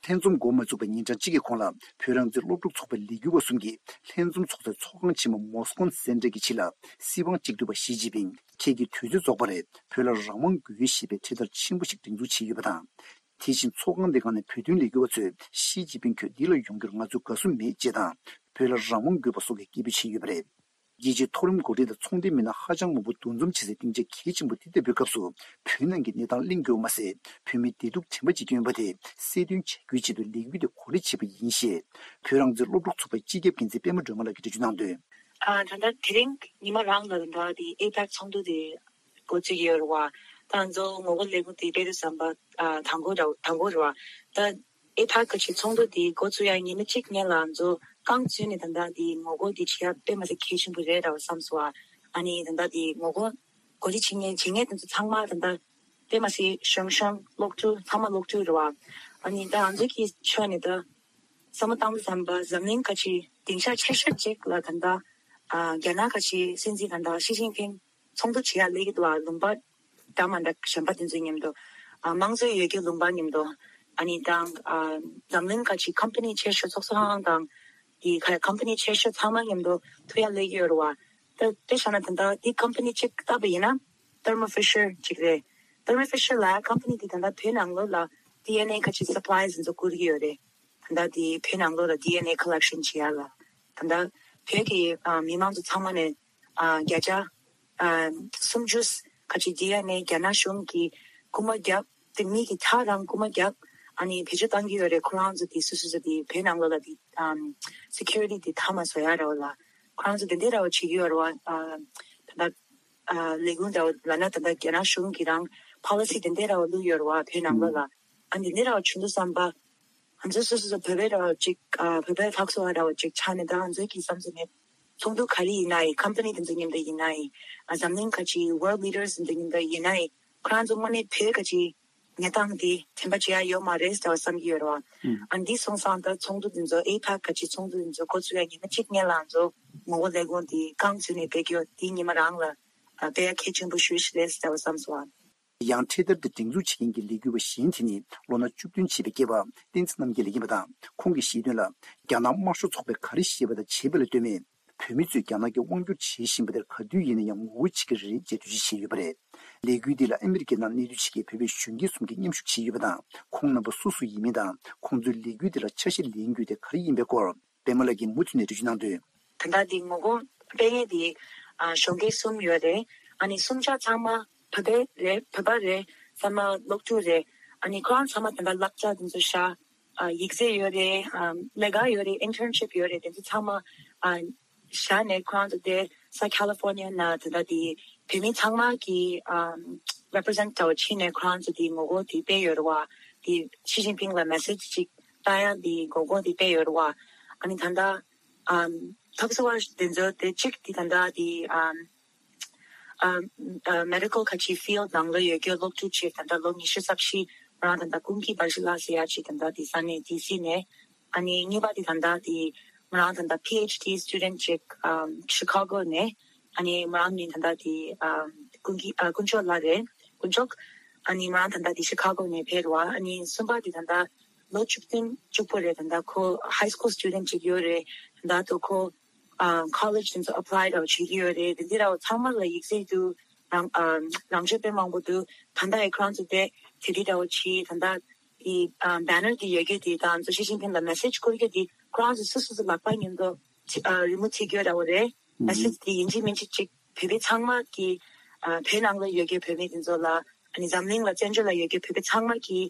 ལྷན་འཛོམས་འགོ་མ་ཚུགས་པའི་ཉིན་གྲངས་གཅིག་གི་གོང་ལ། བོད་རང་བཙན་སློབ་ཕྲུག་ཚོགས་པའི་ལས་འགུལ་བ་གསུམ་གྱིས་ལྷན་འཛོམས་ཚོགས་སའི་ཚོགས་ཁང་ཆེན་མོ་མོ་སི་ཀོན་སེན་ཊར་གྱི་ཕྱི་ལ། སྲིད་དབང་གཅིག་སྡུད་པ་ཞི་ཅིན་ཕིང་ཁྱེད་ཀྱི་དུས་ཚོད་རྫོགས་པ་རེད། བོད་ལ་རང་དབང་དགོས་ཞེས་པའི་འཕྲེད་དར་ཆེན་པོ་ཞིག་སྒྲེང་འཛུགས་བྱས་ཡོད་པ་དང་། དེ་བཞིན་ཚོགས་ཁང་དེ་སྒང་ནས་བོད་དོན་ལས་འགུལ་བ་ཚོས་ཞི་ཅིན་ཕིང་ཁྱོད་འདི་ལ་ཡོང་རྒྱུར་ང་ཚོས་དགའ་བསུ་མེད་ཅེས་དང་། བོད་ལ་རང་དབང་དགོས་པ་སོགས་ཀྱི་སྐད་འབོད་བྱས་ཡོད་པ་རེད། རྒྱལ་སྤྱིའི་མཐོ་རིམ་འགོ་ཁྲིད་དང་ཚོང་དོན་མི་སྣ་ཧ་ཅང་མང་པོ་འདུ་འཛོམས་བྱེད་སའི་སྡིངས་ཆ་གལ་ཆེན་པོ་འདི་ལྟ་བུའི་སྐབས་སུ། བོད་ནང་གི་གནས་སྟངས་གླེང་རྒྱུ་མ་ཟད། བོད་མིའི་བདེ་སྡུག་དྲན་པ་བྱེད་ཀྱི་ཡོད་པ་དེ་གསལ་སྟོན་བྱ་རྒྱུའི་ཆེད་དུ་ལས་འགུལ་དེ་གོ་སྒྲིག་བྱས་པ་ཡིན་ཞེས། བོད་རང་བཙན་སློབ་ཕྲུག་ཚོགས་པའི་སྤྱི་ཁྱབ་འགན་འཛིན་པད་མ་སྒྲོལ་མ་ལགས་ཀྱིས་འགྲེལ་བརྗོད་གནང་དོན། ཨ། ད་ལྟ་དེ་རིང་ཉི་མ་རང་ལ་ད་ལྟ་དེ་ཨེ་པེག་ཚོགས་འདུ་དེ་འགོ་བཙུགས་ཡོད་རེད་བ། ད་ང་ཚོ་ངོ་རྒོལ་ལས་འགུལ་དེ་སྤེལ་དུས་ཙམ་པ། ཨ། དང་པོ་ར་དང་པོ་རེད་བ། ད་ཨེ་པེག་གི་ཆེད་ཚོགས་འདུ་དེ་འགོ་བཙུགས་ཡ་ཉི་མ་གཅིག་སྔོན་ལ་ང་ཚོ་རྐང་བཙུགས་ནས་ད་ལྟ་དེ་ངོ་རྒོལ་དེ་བྱེད་ཡ་དཔེ་མ་སྲིད་གལ་ཆེན་པོ་རེད་འདྲ་བ་བསམ་སོང་བ། ཨ་ནི་ད་ལྟ་དེ་ངོ་རྒོལ་གོ་སྒྲིག་བྱེད་མཁན་བྱེད་མཁན་དེ་ཚོ་ཚང་མ་ད་ལྟ་དཔེ་མ་སྲིད་གཞོན་གཞོན་སློབ་ཕྲུག་ཚང་མ་སློབ་ཕྲུག་རེད་བ། ཨ་ནི་ད་ང་ཚོ་གི་ཕྱོགས་ནས་ད་བསམ་བློ་བཏང་དུས་ཙམ་པ་འཛམ་གླིང་ག་ཅིག་སྡིངས་ཆ་ཆེ་ཤོས་ཅིག་ལ་ད་ལྟ། ཨ། རྒྱ་ནག་ག་ཅིག་སྲིད་འཛིན་ད་ལྟ་ཞི་ཅིན་ཕིང་ཚོགས་འདུ་བྱེད་ཡ་སླེབས་ཀྱི་འདུག་བ། ལུང་པ་འདྲ་མ་འདྲ་གཞན་པ་དེ་ཚོའི་མཉམ་དུ། ཨ། དམངས་གཙོ་ཡོད་རྒྱུ་ལུང་པ་མཉམ་དུ། ཨ་ནི་དང་། ཨ། འཛམ་གླིང་ག་ཅིག་ཀམ་པ་ནི་ཆེ་ཤོས་ཚོགས་གཙོ་ཁང་དང་། དེ་ག་ཀམ་པ་ནི་ཆེ་ཤོས་ཚང་མ་མཉམ་དུ་ཐུག་ཡ་སླེབས་ཀྱི་ཡོད་རེད་བ། ད་དཔེ་བཞག་ན་ད་ལྟ་དེ་ཀམ་པ་ནི་གཅིག་བལྟས་པ་ཡིན་ན་Thermo Fisher་གཅིག་རེད། Thermo Fisher་ལ་ཀམ་པ་ནི་དེ་ད་ལྟ་བོད་ནང་ལོགས་ལ་ཌི་ཨེན་ཨེ་ག་ཅིག་སབ་ལའི་དེ་ཚོ་བསྐུར་གྱི་ཡོད་རེད། ད་ལྟ་དེ་བོད་ནང་ལོགས་ལ་ཌི་ཨེན་ཨེ་ཁོ་ལེག་ཤན་བྱེད་ཡ་ལ། ད་ལྟ་བོད་ཀྱི་ཨ་མི་མང་ཚོ་ཚང་མ་ནས་ཨ་བརྒྱ་ཆ་ཨ་སུམ་ཅུ་ཁ་ཅིག་ཌི་ཨེན་ཨེ་རྒྱ་ནག་གཞུང་གིས་རྐུ་མ་བརྒྱབ། དེ་མི་གི་ཁྲག་རང་རྐུ་མ་བརྒྱབ། ཨ་ནི་བེད་སྤྱོད་བཏང་གི་ཡོད་རེད། ཁོ་རང་ཚོ་དེ་སུ་སུ་ཚོ་དེ་བོད་ནང་ལོགས་ལ་དེ་ཨམ་སི་ཁུ་རི་ཊི་དེ་མཐའ་མ་བཟོ་ཡ་ར་བ་ལ། ཁོ་རང་ཚོ་དེ་འདྲ་ར་བ་བྱེད་ཀྱི་ཡོད་རེད་བ། ཨ་ད་ལྟ་ཨ་ལས་ཁུངས་འདྲ་བ་ལབ་ན་ད་ལྟ་རྒྱ་ནག་གཞུང་གི་རང་ཕོ་ལི་སི་དེ་འདྲ་ར་བ་བླུགས་ཡོད་རེད་བ་བོད་ནང་ལོགས་ལ། ཨ་འདི་འདྲ་ར་བ་བྱུང་དུས་ཙམ་པ། ང་ཚོ་སོ་སོ་སོ་བོད་པའི་ར་བ་ཅིག་ཨ་བོད་པའི་ལྷག་བསམ་ར་བ་ཅིག་ཆགས་ནས་ད་ང་ཚོའི་གི་བསམ་ཚུལ་ནས་ཚོགས་འདུ་ག་རེ་ཡིན་ན་ཡིན། ཀམ་པ་ནི་དེ་ཚོ་མཉམ་དུ་ཡིན་ན་ཡིན། ཨ་འཛམ་གླིང་ཁ་ཅིག་world leaders་དེ་ཚོ་མཉམ་དུ་ཡིན་ན་ཡིན། ཁོ་རང་ཚོ་དངོས་གནས་བོད་ཁ་ཅིག་གནས་སྟངས་འདི་དྲན་པ་བརྗེད་ཡ་ཡོད་མ་རེད་ཟེར་བ་བསམ་གྱི་ཡོད་རེད་བ། ཨ་འདི་སོང་ཙང་ད་ཚོགས་འདུ་འདི་ཚོ་ཨེ་པེག་ག་ཅིག་ཚོགས་འདུ་འདི་ཚོ་འགོ་ཚུགས་ཡ་ཉི་མ་གཅིག་སྔོན་ལ་ང་ཚོ་ངོ་རྒོལ་ལས་འགུལ་འདི་རྐང་བཙུགས་ནས་སྤེལ་གྱི་ཡོད། འདི་ཉི་མ་རང་ལ་ཨ་སྤེལ་ཡ་གལ་ཆེན་པོ་ཞེ་པོ་ཞིག་རེད་ཟེར་བ་བསམ་སོང་བ། ཡང་འཕྲེད་དར་འདི་སྒྲེང་འཛུགས་བྱེད་མཁན་གྱི་ལས་འགུལ་བ་གཞན་དེ་ནི་ལོ་ན་བཅུ་བདུན་བྱས་པའི་སྐྱེས་པ་བསྟན་འཛིན་རྣམ་རྒྱལ་ཡིན་པ་དང་། ཁོང་གིས་བཤད་དོན་ལ། རྒྱ་ནག་དམར་ཤོག་ཚོགས་པས་ག་རེ་བཤད་པ་དང་བྱས་པ་ལ་ལྟོས་མེད། བོད་མི་ཚོས་རྒྱ་ནག་གིས་དབང་སྒྱུར་བྱེད་བཞིན་པ་དེར་ག་དུས་ཡིན་ན་ཡང་ངོ་རྒོལ་བྱེད་ཀྱི་རེད་ཅེས་འགྲེལ་བརྗོད་བྱས་ཡོད་པ་རེད། ལས་འགུལ་འདི་ལ་ཨ་མི་རི་ཀའི་ནང་གནས་སྡོད་བྱེད་མཁན་བོད་པའི་གཞོན་སྐྱེས་གསུམ་གྱིས་མཉམ་ཞུགས་བྱས་ཡོད་པ་དང་། ཁོང་རྣམ་པ་སུ་སུ་ཡིན་མིན་དང་། ཁོང་ཚོས་ལས་འགུལ་འདི་ལ་ཆ་ཤས་ལེན་རྒྱུ་དེ་ག་རེ་ཡིན་པའི་སྐོར། པད་མ་ལགས་ཀྱིས་མུ་མཐུད་ནས་འགྲེལ་བརྗོད་གནང་དོན། ད་ལྟ་འདི་ངོ་རྒོལ་སྤེལ་མཁན་འདི་ཨ་གཞོན་སྐྱེས་གསུམ་ཡོད་རེད། ཨ་ནི་གསུམ་ཆ་ཚང་མ་བོད་པ་རེད། བོད་པ་རེད། ཚང་མ་སློབ་ཕྲུག་རེད། ཨ་ནི་ཁོ་རང་ཚང་མ་ད་ལྟ་བསླབ་བྱ་འདི་ཚོ་བཞག་ཨ་ཡིག་ཚད་ཡོད་རེད། ཨ་ལས་ཀ་ཡོད་རེད། ཨིན་ཊརན་ཤིབ་ཡོད་རེད། དེ་ཚོ་ཚང་མ་ཨ་བཞག་ནས་ཁོ་རང་ཚོ་དེ་ས་ཁ་ལི་ཧྥོར་ནི་ཡ་ནང་ད་ལྟ་དེ་བོད་མི་ཚང་མ་གི་ཨ་རེ་པི་རི་ཟེན་ཊི་འདྲ་བོ་བྱས་ནས་ཁོ་རང་ཚོ་དེ་ངོ་རྒོལ་དེ་སྤེལ་ཡོད་རེད་བ། དེ་ཞི་ཅིན་ཕིང་ལ་མེ་སེ་ཇི་ཅིག་བཏང་ཡ་དེ་ངོ་རྒོལ་དེ་སྤེལ་ཡོད་རེད་བ། ཨ་ནི་ད་ལྟ་ཨམ་ཐབས་བཟོ་བ་དེ་ཚོ་དེ་གཅིག་དེ་ད་ལྟ་དེ་ཨམ་ཨམ་ཨ་མེ་ཌི་ཀལ་ཁ་ཆེ་ཕིལ་ཌི་ནང་ལ་ཡོད་རྒྱུ་སློབ་ཕྲུག་ཅིག་ད་ལྟ་ལོ་ཉི་ཤུ་རྩ་བཞི་ང་རང་ད་ལྟ་ཀུན་མཁྱེན་བྷར་ཇི་ལགས་ཟེར་ཡ་ཅིག་ད་ལྟ་དེ་ས་གནས་ཌི་སི་ནས། ཨ་ནི་གཉིས་པ་དེ་ད་ལྟ་དེ་ང་རང་ད་ལྟ་པི་ཨེཆ་ཌི་སི་ཊུ་ཌེན་ཊི་ཅིག་ཨམ་ཤི་ཁ་གོ་ནས། ཨ་ནི་ང་རང་ནི་ད་ལྟ་དེ་ཨམ་ཀུན་མཁྱེན་ཨ་དཀོན་མཆོག་ལགས་རེད། དཀོན་མཆོག་ཨ་ནི་ང་རང་ད་ལྟ་དེ་ཤི་ཁ་གོ་ནས་ཕེབས་རེད་བ། ཨ་ནི་གསུམ་པ་དེ་ད་ལྟ་ལོ་བཅུ་བདུན་བཅུ་དགུ་རེད། ད་ལྟ་ཁོ་ཧའི་སི་ཀུལ་སི་ཊུ་ཌེན་ཊི་ཅིག་ཡོད་རེད། ད་ལྟ་དུ་ཁོ་ཨ་ཀོ་ལེཇ་དེ་ཚོ་ཨེབ་ལའི་འདྲ་བོ་བྱེད་ཀྱི་ཡོད་རེད། དེ་འདི་འདྲ་བོ་ཚང་མ་ལ་ཡིག་ཚད་དུ་རང་ཨ་རང་ཆོས་དཔེ་མང་པོ་འདུག་ད་ལྟ་ཨེ་ཁོ་རང་ཚོ་དེ་དེ་འདྲ་བོ་བྱེད། ད་ལྟ་དེ་ཨ་བེ་ནར་དེ་ཡོད་རྒྱུ་དེ་དང་ཚོ་ཞི་ཅིན་ཕིང་ལ་མེ་སེ་ཇི་བསྐུར་རྒྱུ་དེ་ཁོ་རང་ཚོ་སོ་སོ་སོ་ལག་པ་ཉིད་དུ་ཨ་རི་མོ་བྱེད་ཀྱི་ཡོད་འདྲ་བོ་རེད། མེ་སེ་ཇི་དེ་ཡིན་གཅིག་མིན་གཅིག་ཅིག་བོད་པའི་ཚང་མ་གི་ཨ་བོད་ནང་ལ་ཡོད་རྒྱུ་བོད་མི་དེ་ཚོ་ལ་ཨ་ནི་འཛམ་གླིང་ལ་བཙན་བྱོལ་ལ་ཡོད་རྒྱུ་བོད་པའི་ཚང་མ་གི་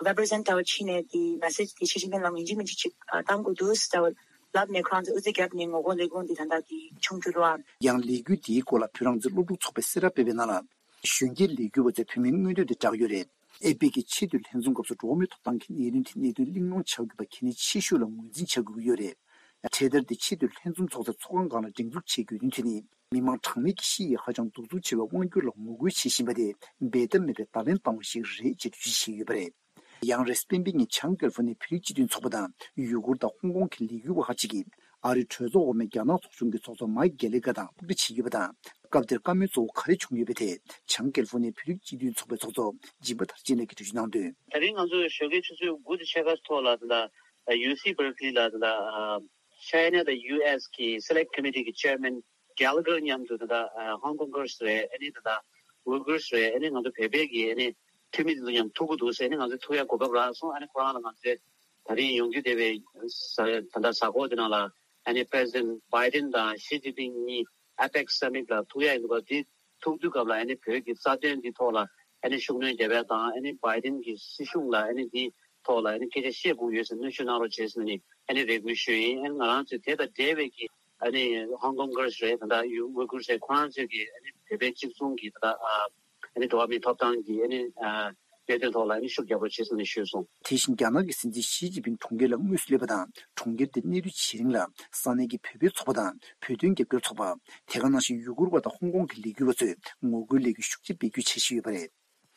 རེ་པི་རི་ཟེན་ཊི་འདྲ་བོ་བྱས་ནས་དེ་མེ་སེ་ཇི་དེ་ཞི་ཅིན་ཕིང་ལ་ཡིན་གཅིག་མིན་གཅིག་ཅིག་ཨ་བཏང་དགོས་འདུག་ཟེར་འདྲ་བོ་ལབ་ནས་ཁོ་རང་ཚོ་དབུ་འཛུགས་བརྒྱབ་ནས་ངོ་རྒོལ་ལས་འགུལ་འདི་ད་ལྟ་དེ་བྱུང་གི་རེད་བ། ཡང་ལས་འགུལ་འདིའི་སྐོར་ལ་བོད་རང་བཙན་སློབ་ཕྲུག་ཚོགས་པས་གསལ་བསྒྲགས་སྤེལ་བའི་ནང་ལ། གཞོན་སྐྱེས་ལས་འགུལ་བ་ཚོས་བོད་མིའི་མངོན་འདོད་དེ་བསྒྲགས་ཡོད་རེད། ཨེ་པེག་གི་ཆེས་མཐོའི་ལྷན་འཛོམས་སྐབས་སུ་འགྲོ་བ་མིའི་ཐོབ་ཐང་གི་གནད་དོན་དེ་གནད་དོན་གླེང་སློང་བྱ་དགོས་པ་གལ་གནད་ཆེ་ཤོས་ལ་ངོས་འཛིན་བྱ་དགོས་ཀྱི་ཡོད་རེད། འཕྲེད་དར་དེ་ཆེས་མཐོའི་ལྷན་འཛོམས་ཚོགས་སའི་ཚོགས་ཁང་སྒང་ལ་སྒྲེང་འཛུགས་བྱེད་དགོས་དོན་དེ་ནི། མི་མང་གྲངས་མེད་ཀྱིས་ཤི་ཡིས་ཧ་ཅང་གདུག་རྩུབ་ཆེ་བའི་དབང་སྒྱུར་ལ་ངོ་རྒོལ་བྱེད་བཞིན་པ་དེ་འབད་ཐབས་མེད་པའི་བརྡ་ལན་བཏང་བ་ཞིག་རེད་ཅེས་འགྲེལ་བརྗོད་བྱས་ཡོད་པ་རེད། ཡང་རེས་སྤེན་པའི་ཉིན་བྱང་ཀེ་ལི་ཧྥོ་ནི་ཡའི་བོད་རིགས་སྤྱི་མཐུན་ཚོགས་པ་དང་ཡུ་གུར་དང་ཧོང་ཀོང་གི་ལས་འགུལ་བ་ཁག་ཅིག་གིས་ཨ་རིའི་གྲོས་ཚོགས་འོག་མའི་རྒྱ་ནག་ཚོགས་ཆུང་གི་ཚོགས་གཙོ་མའིག་གྷེ་ལི་གྷེར་དང་ཐུག་འཕྲད་བྱས་ཡོད་པ་དང་། སྐབས་དེར་བཀའ་མོལ་གཙོ་བོ་ག་རེ་བྱུང་ཡོད་པའི་ཐད་བྱང་ཀེ་ལི་ཧྥོ་ནི་ཡའི་བོད་རིགས་སྤྱི་མཐུན་ཚོགས་པའི་ཚོགས་གཙོ་སྦྱིན་པ་མཐར་ཕྱིན་ལགས་ཀྱིས་འགྲེལ་བརྗོད་གནང་དོན། ད་རིང་ང་ཚོ་ཞོགས་ཀའི་ཆུ་ཚོད་དགུ་དང་ཕྱེད་ཀ་ཐོག་ལ་ད་ལྟ་ཡུ་སི་བྷར་ཀ་ལི་ལ་ད་ལྟ་ཆའི་ན་དང་ཡུ་ཨེས་ཀྱི་སེ་ལེག་ཊི་ཀོ་མི་ཊི་གི་ཅེར་མེན་གྷེ་ལི་གྷེར་མཉམ་དུ་ད་ལྟ་ཧོང་ཀོང་གྷེར་སི་རེད། ཨ་ནི་ད་ལྟ་ཝུ་གྷེར་སི་རེད། ཨ་ནི་ང་ཚོ་བོད་པའི་གི་ཨ་ནི་འཐུས་མི་དེ་ཚོ་མཉམ་ཐུག་གི་འདུག་ཟེར། ཨ་ནི་ང་ཚོ་ཐུག་ཡ་གོ་སྐབས་རག་སོང་། ཨ་ནི་ཁོ་རང་ལ་ང་ཚོས་ད་རིང་ཡོང་རྒྱུ་བསྡད་པའི་ས་ད་ལྟ་གཟའ་འཁོར་དེ་ནང་ལ་ཨ་ནི་པི་རེ་སི་ཌེན་ཊི་བྷའི་ཌེན་དང་ཞི་ཅིན་ཕིང་གཉིས་ ཨ་པེག་སི་སམ་མིཊ་ལ་ཐུག་ཡ་ཡིན་འདུག་ག་དེ་ཐུག་དུས་སྐབས་ལ་ཨ་ནི་བོད་ཀྱི་རྩ་དོན་འདི་ཐོག་ལ་ཨ་ནི་ཤུགས་སྣོན་རྒྱབ་ཡ་དང་། ཨ་ནི་བྷའི་ཌེན་གྱི་སྲིད་གཞུང་ལ་ཨ་ནི་འདི་ཐོག་ལ་ཨ་ནི་སྐད་ཆ་བཤད་དགོས་ཡོད་ཟེར་གནོན་ཤུགས་གནང་རོགས་བྱེད་ཟེར་ནས་ཨ་ནི་རེ་སྐུལ་ཞུས་ཡིན། ཨ་ནི་ང་རང་ཚོས་དེ་དང་འབྲེལ་བའི་གི་ཨ་ནི་ཧོང་ཀོང་གར་རེད། ད་ལྟ་ཡུ་ཝུ་གུར་རེད། ཁོ་རང་ཚོས་ཀྱི་ཨ་ནི་བོད་པའི་གཅིག་མཚུངས་ཀྱི་ད་ལྟ་ཨ་ནི་འགྲོ་བ་མིའི་ཐོབ་ཐང་གི་ཨ་ནི་ཨ་གནད་དོན་ཐོག་ལ་ཨ་ནི་ཤུགས་རྒྱག་རོགས་བྱེད་ཟེར་ནས་ཞུས་སོང་། དེ་བཞིན་རྒྱ་ནག་གི་སྲིད་འཛིན་ཞི་ཅིན་ཕིང་གྲོང་ཁྱེར་ལ་དངོས་སུ་སླེབས་པ་དང་། གྲོང་ཁྱེར་དེར་གནས་སྡོད་བྱེད་རིང་ལ་ས་གནས་ཀྱི་བོད་པའི་ཚོགས་པ་དང་བོད་དོན་རྒྱབ་སྐྱོར་ཚོགས་པ། དེ་ག་ནང་བཞིན་ཡུ་གུར་བ་དང་ཧོང་ཀོང་གི་ལས་འགུལ་བ་ཚོས་ངོ་རྒོལ་ལས་འགུལ་ཤུགས་ཆེ་སྤེལ་རྒྱུའི་འཆར་གཞི་ཡོད་པ་རེད།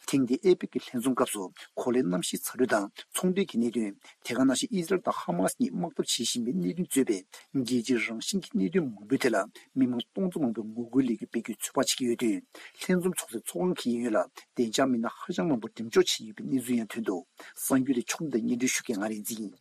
ཐེངས་འདིའི་ཨེ་པེག་གི་ལྷན་འཛོམས་སྐབས་སུ་གོ་ལའི་གནམ་གཤིས་ཚ་དྲོད་དང་ཚོང་འབྲེལ་གྱི་གནད་དོན། དེ་ག་ནང་བཞིན་ཨི་ཟི་རལ་དང་ཧ་མ་སི་གཉིས་དམག་འཐབ་བྱེད་བཞིན་པའི་གནད་དོན་གཙོས་པའི་རྒྱལ་སྤྱིའི་རང་བཞིན་གྱི་གནད་དོན་མང་པོའི་ཐད་ལ་མི་མང་སྟོང་ཚོ་མང་པོས་ངོ་རྒོལ་ལས་འགུལ་སྤེལ་རྒྱུའི་ཚོད་དཔག་བྱེད་ཀྱི་ཡོད་དུས། ལྷན་འཛོམས་ཚོགས་སའི་ཚོགས་ཁང་གི་གཡས་གཡོན་ལ་བདེ་འཇགས་མི་སྣ་ཧ་ཅང་མང་པོ་འགྲེམས་འཇོག་བྱས་ཡོད་པའི་གནས་ཚུལ་ཡང་ཐོན་འདུག་གསར་འགྱུར་དེ་ཕྱོགས་སྒྲིག་དང་སྙན་སྒྲོན་ཞུ་མཁན་ང་རིག་འཛིན་ཡིན།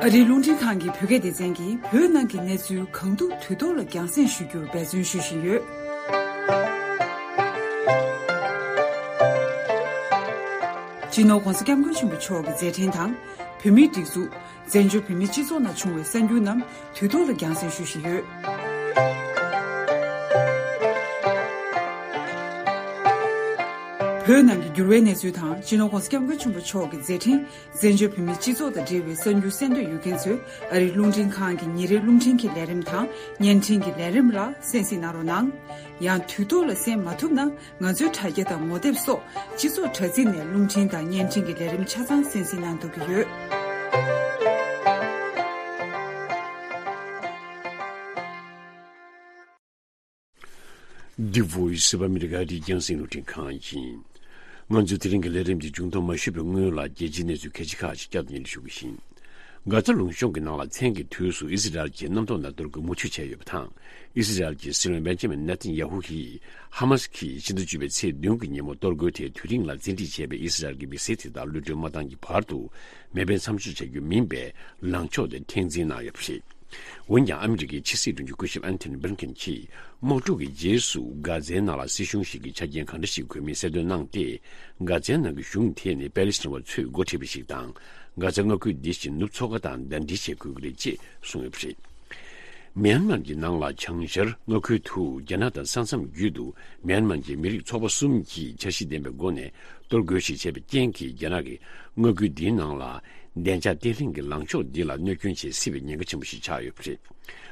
ཨ་རིའི་རླུང་འཕྲིན་ཁང་གི་བོད་སྐད་སྡེ་ཚན་གྱིས་བོད་ནང་གི་གནས་ཚུལ་གང་ཐུབ་དུས་ཐོག་ལ་རྒྱང་སྲིང་ཞུ་རྒྱུར་འབད་བརྩོན་ཞུ་བཞིན་ཡོད། སྤྱི་ནོར་༸གོང་ས་༸སྐྱབས་མགོན་ཆེན་པོ་མཆོག་གི་མཛད་འཕྲིན་དང་། བོད་མིའི་སྒྲིག་འཛུགས། བཙན་བྱོལ་བོད་མིའི་སྤྱི་ཚོགས་ནང་བྱུང་བའི་གསར་འགྱུར་རྣམས་དུས་ཐོག་ལ་རྒྱང་སྲིང་ཞུ་བཞིན་ཡོད། བོད་ནང་གི་འགྱུར་བའི་གནས་ཚུལ་དང་། སྤྱི་ནོར་༸གོང་ས་༸སྐྱབས་མགོན་ཆེན་པོ་མཆོག་གི་མཛད་འཕྲིན། བཙན་བྱོལ་བོད་མིའི་སྤྱི་ཚོགས་དང་འབྲེལ་བའི་གསར་འགྱུར་གསན་འདོད་ཡོད་མཁན་ཚོས་ཨ་རིའི་རླུང་འཕྲིན་ཁང་གི་ཉིན་རེའི་རླུང་འཕྲིན་གྱི་ལས་རིམ་དང་བརྙན་འཕྲིན་གྱི་ལས་རིམ་ལ་གསན་གཟིགས་གནང་རོགས་གནང་། ཡང་དུས་ཐོག་ལ་གསན་མ་ཐུབ་ན། ང་ཚོའི་དྲ་རྒྱ་དང་ངོ་དེབ་སོགས་སྤྱི་ཚོགས་དྲ་ཚིགས་ནས་རླུང་འཕྲིན་དང་བརྙན་འཕྲིན་གྱི་ལས་རིམ་ཆ་ཚང་གསན་གཟིགས་གནང་ཐུབ་ཀྱི་ཡོད། འདི་བོ་ཡི་སི་ཨོཕ་ཨ་མི་རི་ཀ་ཨ་རིའི་རྒྱང་སྲིང་རླུང་འཕྲིན་ཁང་ཡིན། ང་ཚོའི་དེ་རིང་གི་ལས་རིམ་འདི་མཇུག་སྡོམ་མ་ཞུས་པའི་སྔོན་ལ་རྒྱལ་སྤྱིའི་གནས་ཚུལ་ཁ་ཤས་ཁག་ཅིག་བསྐྱར་དུ་སྙན་སྒྲོན་ཞུ་གི་ཡིན། གྷ་ཛ་ལུང་གཤོང་གི་ནང་ལ་མཚན་གྱི་དུས་སུ་ཨི་ཟི་རལ་གྱིས་གནམ་ཐོག་ནས་གཏོར་རྒོལ་མུ་མཐུད་བྱས་ཡོད་པ་དང་། ཨི་ཟི་རལ་གྱི་སྲིད་བློན་བེན་ཇ་མིན་ནེ་ཐན་ཡ་ཧུ་ཡིས་ཧ་མ་སི་ཀྱིས་ཕྱི་ཟླ་བཅུ་པའི་ཚེས་བདུན་གྱི་ཉིན་མོ་གཏོར་རྒོལ་དེའི་དུས་རིང་ལ་རྩིས་འགྲིག་བྱས་པའི་ཨི་ཟི་རལ་གྱི་མི་སེར་དེ་དག་གློད་གྲོལ་མ་བཏང་གི་བར་དུ་མེ་འཕེན་མཚམས་འཇོག་བྱ་རྒྱུ་མིན་པའི་ལངས་ཕྱོགས་དེ་མཁྲེགས་འཛིན་གནང་ཡོད་པ་རེད། འོན་ཀྱང་ཨ་མི་རི་ཀའི་ཕྱི་སྲིད་དྲུང་ཆེ་སྐུ་ཞབས་ཨན་ཐོ་ནི་བྷི་ལིན་ཀེན་གྱིས་དམག་འཁྲུག་གི་རྗེས་སུ་གྷ་ཛའི་ནང་ལ་སྲིད་གཞུང་ཞིག་གི་ཆ་རྐྱེན་གང་འདྲ་ཞིག་དགོས་མིན་གསལ་སྟོན་གནང་སྟེ། གྷ་ཛའི་ནང་གི་གཞུང་དེ་ནི་པེ་ལེ་སི་ཐན་པ་ཚོས་འགོ་ཁྲིད་པ་ཞིག་དང་། གྷ་ཛ་མངའ་ཁུལ་འདི་བཞིན་ནུབ་མཚོ་ཁ་དང་ཟླ་སྒྲིལ་བྱེད་དགོས་ཀྱི་རེད་ཅེས་གསུངས་ཡོད་པ་རེད། མིའན་མཱར་གྱི་ནང་ལ་བྱང་ཤར་མངའ་ཁུལ་དུ་རྒྱ་ནག་དང་ས་མཚམས་བརྒྱུད་དུ་མིའན་མཱར་གྱི་མི་རིགས་ཚོགས་པ་གསུམ་གྱིས་འཆར་གཞི་ལྡན་པའི་སྒོ་ནས་གཏོར་རྒོལ་ཞིག་བྱས་པའི་རྐྱེན་གྱིས། རྒྱ་ནག་གིས་མངའ་ཁུལ་འདིའི་ནང་ལ་བདེ་འཇགས་བརྟན་ལྷིང་གི་ལངས་ཕྱོགས་འདི་ལ་གནོད་སྐྱོན་བྱེད་སྲིད་པའི་ཉེན་ཁ་ཆེན་པོ་ཞིག་ཆགས་ཡོད་པ་རེད།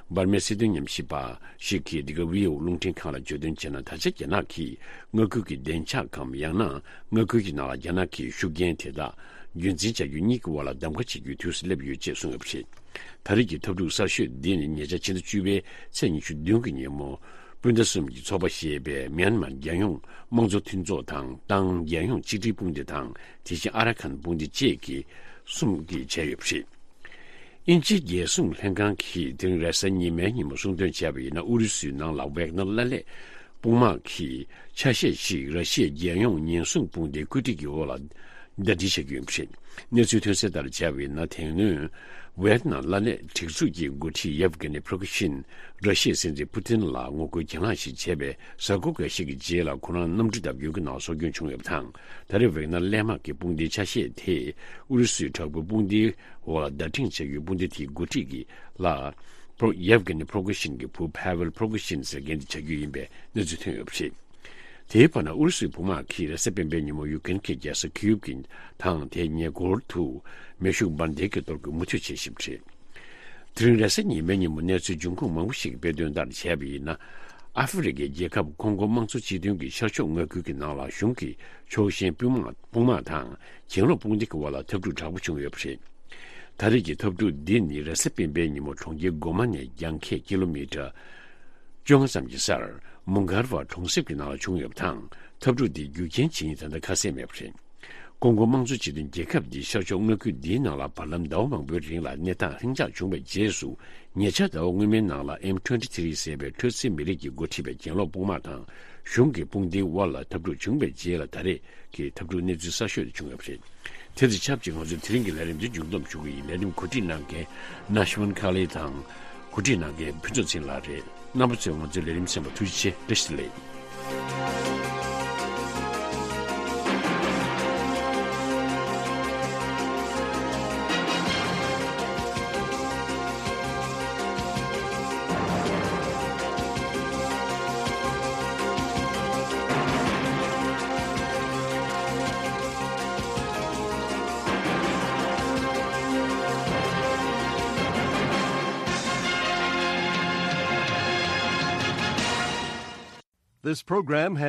འབར་མའི་སྲིད་དོན་ཉམས་ཞིབ་པ་ཞིག་གིས་འདི་ག་ཝི་ཨོ་རླུང་འཕྲིན་ཁང་ལ་བརྗོད་དོན་བྱས་ན། ད་ཆ་རྒྱ་ནག་གིས་མངའ་ཁུལ་གྱི་བདེ་འཇགས་གམ། ཡང་ན་མངའ་ཁུལ་གྱི་ནང་ལ་རྒྱ་ནག་གི་ཤུགས་རྐྱེན་དེ་དག་རྒྱུན་འཛིན་བྱ་རྒྱུ་གཉིས་ཀྱི་དབར་ལ་གདམ་ག་བྱེད་རྒྱུའི་དུས་སུ་སླེབས་ཡོད་ཅེས་གསུངས་ཡོད་པ་རེད། ད་རེས་ཀྱི་འཐབ་འཁྲུག་གསར་ཤོས་འདི་ནི་ཉེ་ཆར་ཕྱི་ཟླ་བཅུ་པའི་ཚེས་ཉི་ཤུ་བདུན་གྱི་ཉིན་མོ། སྤུན་ཟླ་གསུམ་གྱི་ཚོགས་པ་ཞེས་པའི་མིའན་མཱར་རྒྱལ་ཡོངས་དམངས་གཙོ་མཐུན་ཚོགས་དང་། ཏང་རྒྱལ་ཡོངས་གཅིག་སྒྲིལ་དཔུང་སྡེ་དང་། དེ་བཞིན་ཨ་ར་ཁན་དཔུང་སྡེ་བཅས་ཀྱི་གསུམ་གྱིས་བྱས་ཡོད་པ་རེད། དབྱིན་ཇིའི་རྒྱལ་སྲུང་ལྷན་ཁང་གིས་དེ་རིང་རེས་གཟའ་ཉི་མའི་ཉིན་མོ་གསུངས་དོན་བྱས་པ་ཡིན་ན། ཨུ་རུ་སུའི་ནང་ལ་ཝེག་ནར་བླ་ལྷད་དཔུང་དམག་གི་ཆ་ཤས་ཤིག་ར་ཤི་ཡའི་རྒྱལ་ཡོངས་ཉེན་སྲུང་དཔུང་སྡེའི་བཀོད་སྒྲིག་གི་འོག་ལ་ཟླ་སྒྲིལ་བྱ་རྒྱུ་ཡིན་པ་རེད། གནས་ཚུལ་ཐོན་གསལ་ལྟར་བྱས་པ་ཡིན་ན། དེ་སྔོན་ཝེག་ནར་བླ་ལྷད་སྒྲིག་འཛུགས་ཀྱི་འགོ་ཁྲིད་ཡེབ་གྷི་ནི་པྲོ་གི་ཤིན་ར་ཤི་ཡའི་སྲིད་འཛིན་པུ་ཏིན་ལ་ངོ་རྒོལ་གྱེན་ལངས་ཤིག་བྱས་པའི་གཟའ་འཁོར་འགའ་ཤས་ཀྱི་རྗེས་ལ་ཁོ་རང་གནམ་གྲུ་བརྡབས་སྐྱོན་གྱི་ནང་སྲོག་སྐྱོན་བྱུང་ཡོད་པ་དང་། ད་རེས་ཝེག་ནར་གླས་དམག་གི་དཔུང་སྡེའི་ཆ་ཤས་དེ་ཨུ་རུ་སུའི་དྲག་པོའི་དཔུང་སྡེའི་འོག་ལ་བརྡ་འཕྲིན་བྱ་རྒྱུའི་དཔུང་སྡེ་དེའི་འགོ་ཁྲིད་ཀྱི་ལག་པྲོ་ཡེབ་གྷི་ནི་པྲོ་གི་ཤིན་གྱི་བུ་ཕ་ཝེལ་པྲོ་གི་ཤིན་ཟེར་མཁན་དེ་བྱ་རྒྱུ་ཡིན་པའི་གནས་ཚུལ་ཐོན་ཡོད་པ་རེད། དེའི་བར་ན་ཨུ་རུ་སུའི་དཔུང་དམག་གིས་རེས་གཟའ་སྤེན་པའི་ཉིན་མོ་ཡུ་ཀེ་རེན་གྱི་རྒྱལ་ས་ཁིའུབ་ཀྱི་དང་དེའི་ཉེ་འཁོར་དུ་མེ་ཤུགས་འབར་མདེལ་གྱི་གཏོར་རྒོལ་མུ་མཐུད་བྱེད་བཞིན་པ་རེད། དེ་རིང་རེས་གཟའ་ཉི་མའི་ཉིན་མོ་གནས་ཚུལ་འབྱུང་ཁུངས་མང་པོ་ཞིག་གིས་སྤེལ་དོན་ལྟར་བྱས་པ་ཡིན་ན། ཨ་ཧྥེ་རི་ཁའི་རྒྱལ་ཁབ་ཀོང་གོ་དམངས་གཙོ་སྤྱི་མཐུན་གྱི་ཤར་ཕྱོགས་མངའ་ཁུལ་གྱི་ནང་ལ་གཞུང་གི་ཕྱོགས་ཞེན་དཔུང་དམག་དཔུང་དམག་དང་གྱེན་ལོག་དཔུང་སྡེ་གི་དབར་ལ་འཐབ་འཁྲུག་དྲག་པོ་བྱུང་ཡོད་པ་རེད། ད་རེས་ཀྱི་འཐབ་འཁྲུག་འདི་ནི་རེས་གཟའ་སྤེན་པའི་ཉིན་མོ་གྲོང་ཁྱེར་གོ་མ་ནས་རྒྱང་ཁྱེར་ཀི་ལོ་མི་ཊར་བཅོ་ལྔ་ཙམ་གྱི་སར་མུ་གར་བ་གྲོང་གསེབ་ཀྱི་ནང་ལ་བྱུང་ཡོད་པ་དང་། འཐབ་འཁྲུག་འདི་རྒྱུ་རྐྱེན་ཇི་ཡིན་ད་ལྟ་ཁ་གསལ་མེད་པ་རེད། ཀོང་གོ་དམངས་གཙོ་སྤྱི་མཐུན་རྒྱལ་ཁབ་འདིའི་ཤར་ཕྱོགས་མངའ་ཁུལ་འདིའི་ནང་ལ་བར་ལམ་ཟླ་བ་མང་པོའི་རིང་ལ་གནས་སྟངས་ལྷིང་འཇགས་བྱུང་བའི་རྗེས་སུ། ཉེ་ཆར་ཟླ་བ་སྔོན་མའི་ནང་ལ་ཨེམ་ཊུ་ཝེན་ཊི་ཐི་རི་ཟེར་བའི་ཁྲོ་ཚི་མི་རིགས་ཀྱིས་འགོ་ཁྲིད་པའི་གྱེན་ལོག་དཔུང་དམག་དང་གཞུང་གི་དཔུང་སྡེའི་དབར་ལ་འཐབ་འཁྲུག་བྱུང་བའི་རྗེས་ལ་ད་རེས་ཀྱི་འཐབ་འཁྲུག་གནས་ཚུལ་གསར་ཤོས་དེ་བྱུང་ཡོད་པ་རེད། དེ་དང་ཆབས་ཅིག་ང་ཚོའི་དེ་རིང་གི་ལས་རིམ་འདི་མཇུག་བསྡོམས་ཞུ་གི་ཡིན། ལས་རིམ་གོ་སྒྲིག་གནང་མཁན་ན་ཤི་ཝན་ཁ་ལེ་དང་། གོ་སྒྲིག་གནང་མཁན་ཕུན་ཚོགས་ཚེ་རིང་ལགས་རེད། རྣམ་པ་ཚོས་ང་ཚོའི་ལས་རིམ་གསན་པར་ཐུགས་རྗེ་ཆེ། བཀྲ་ཤིས་བདེ་ལེགས། This program has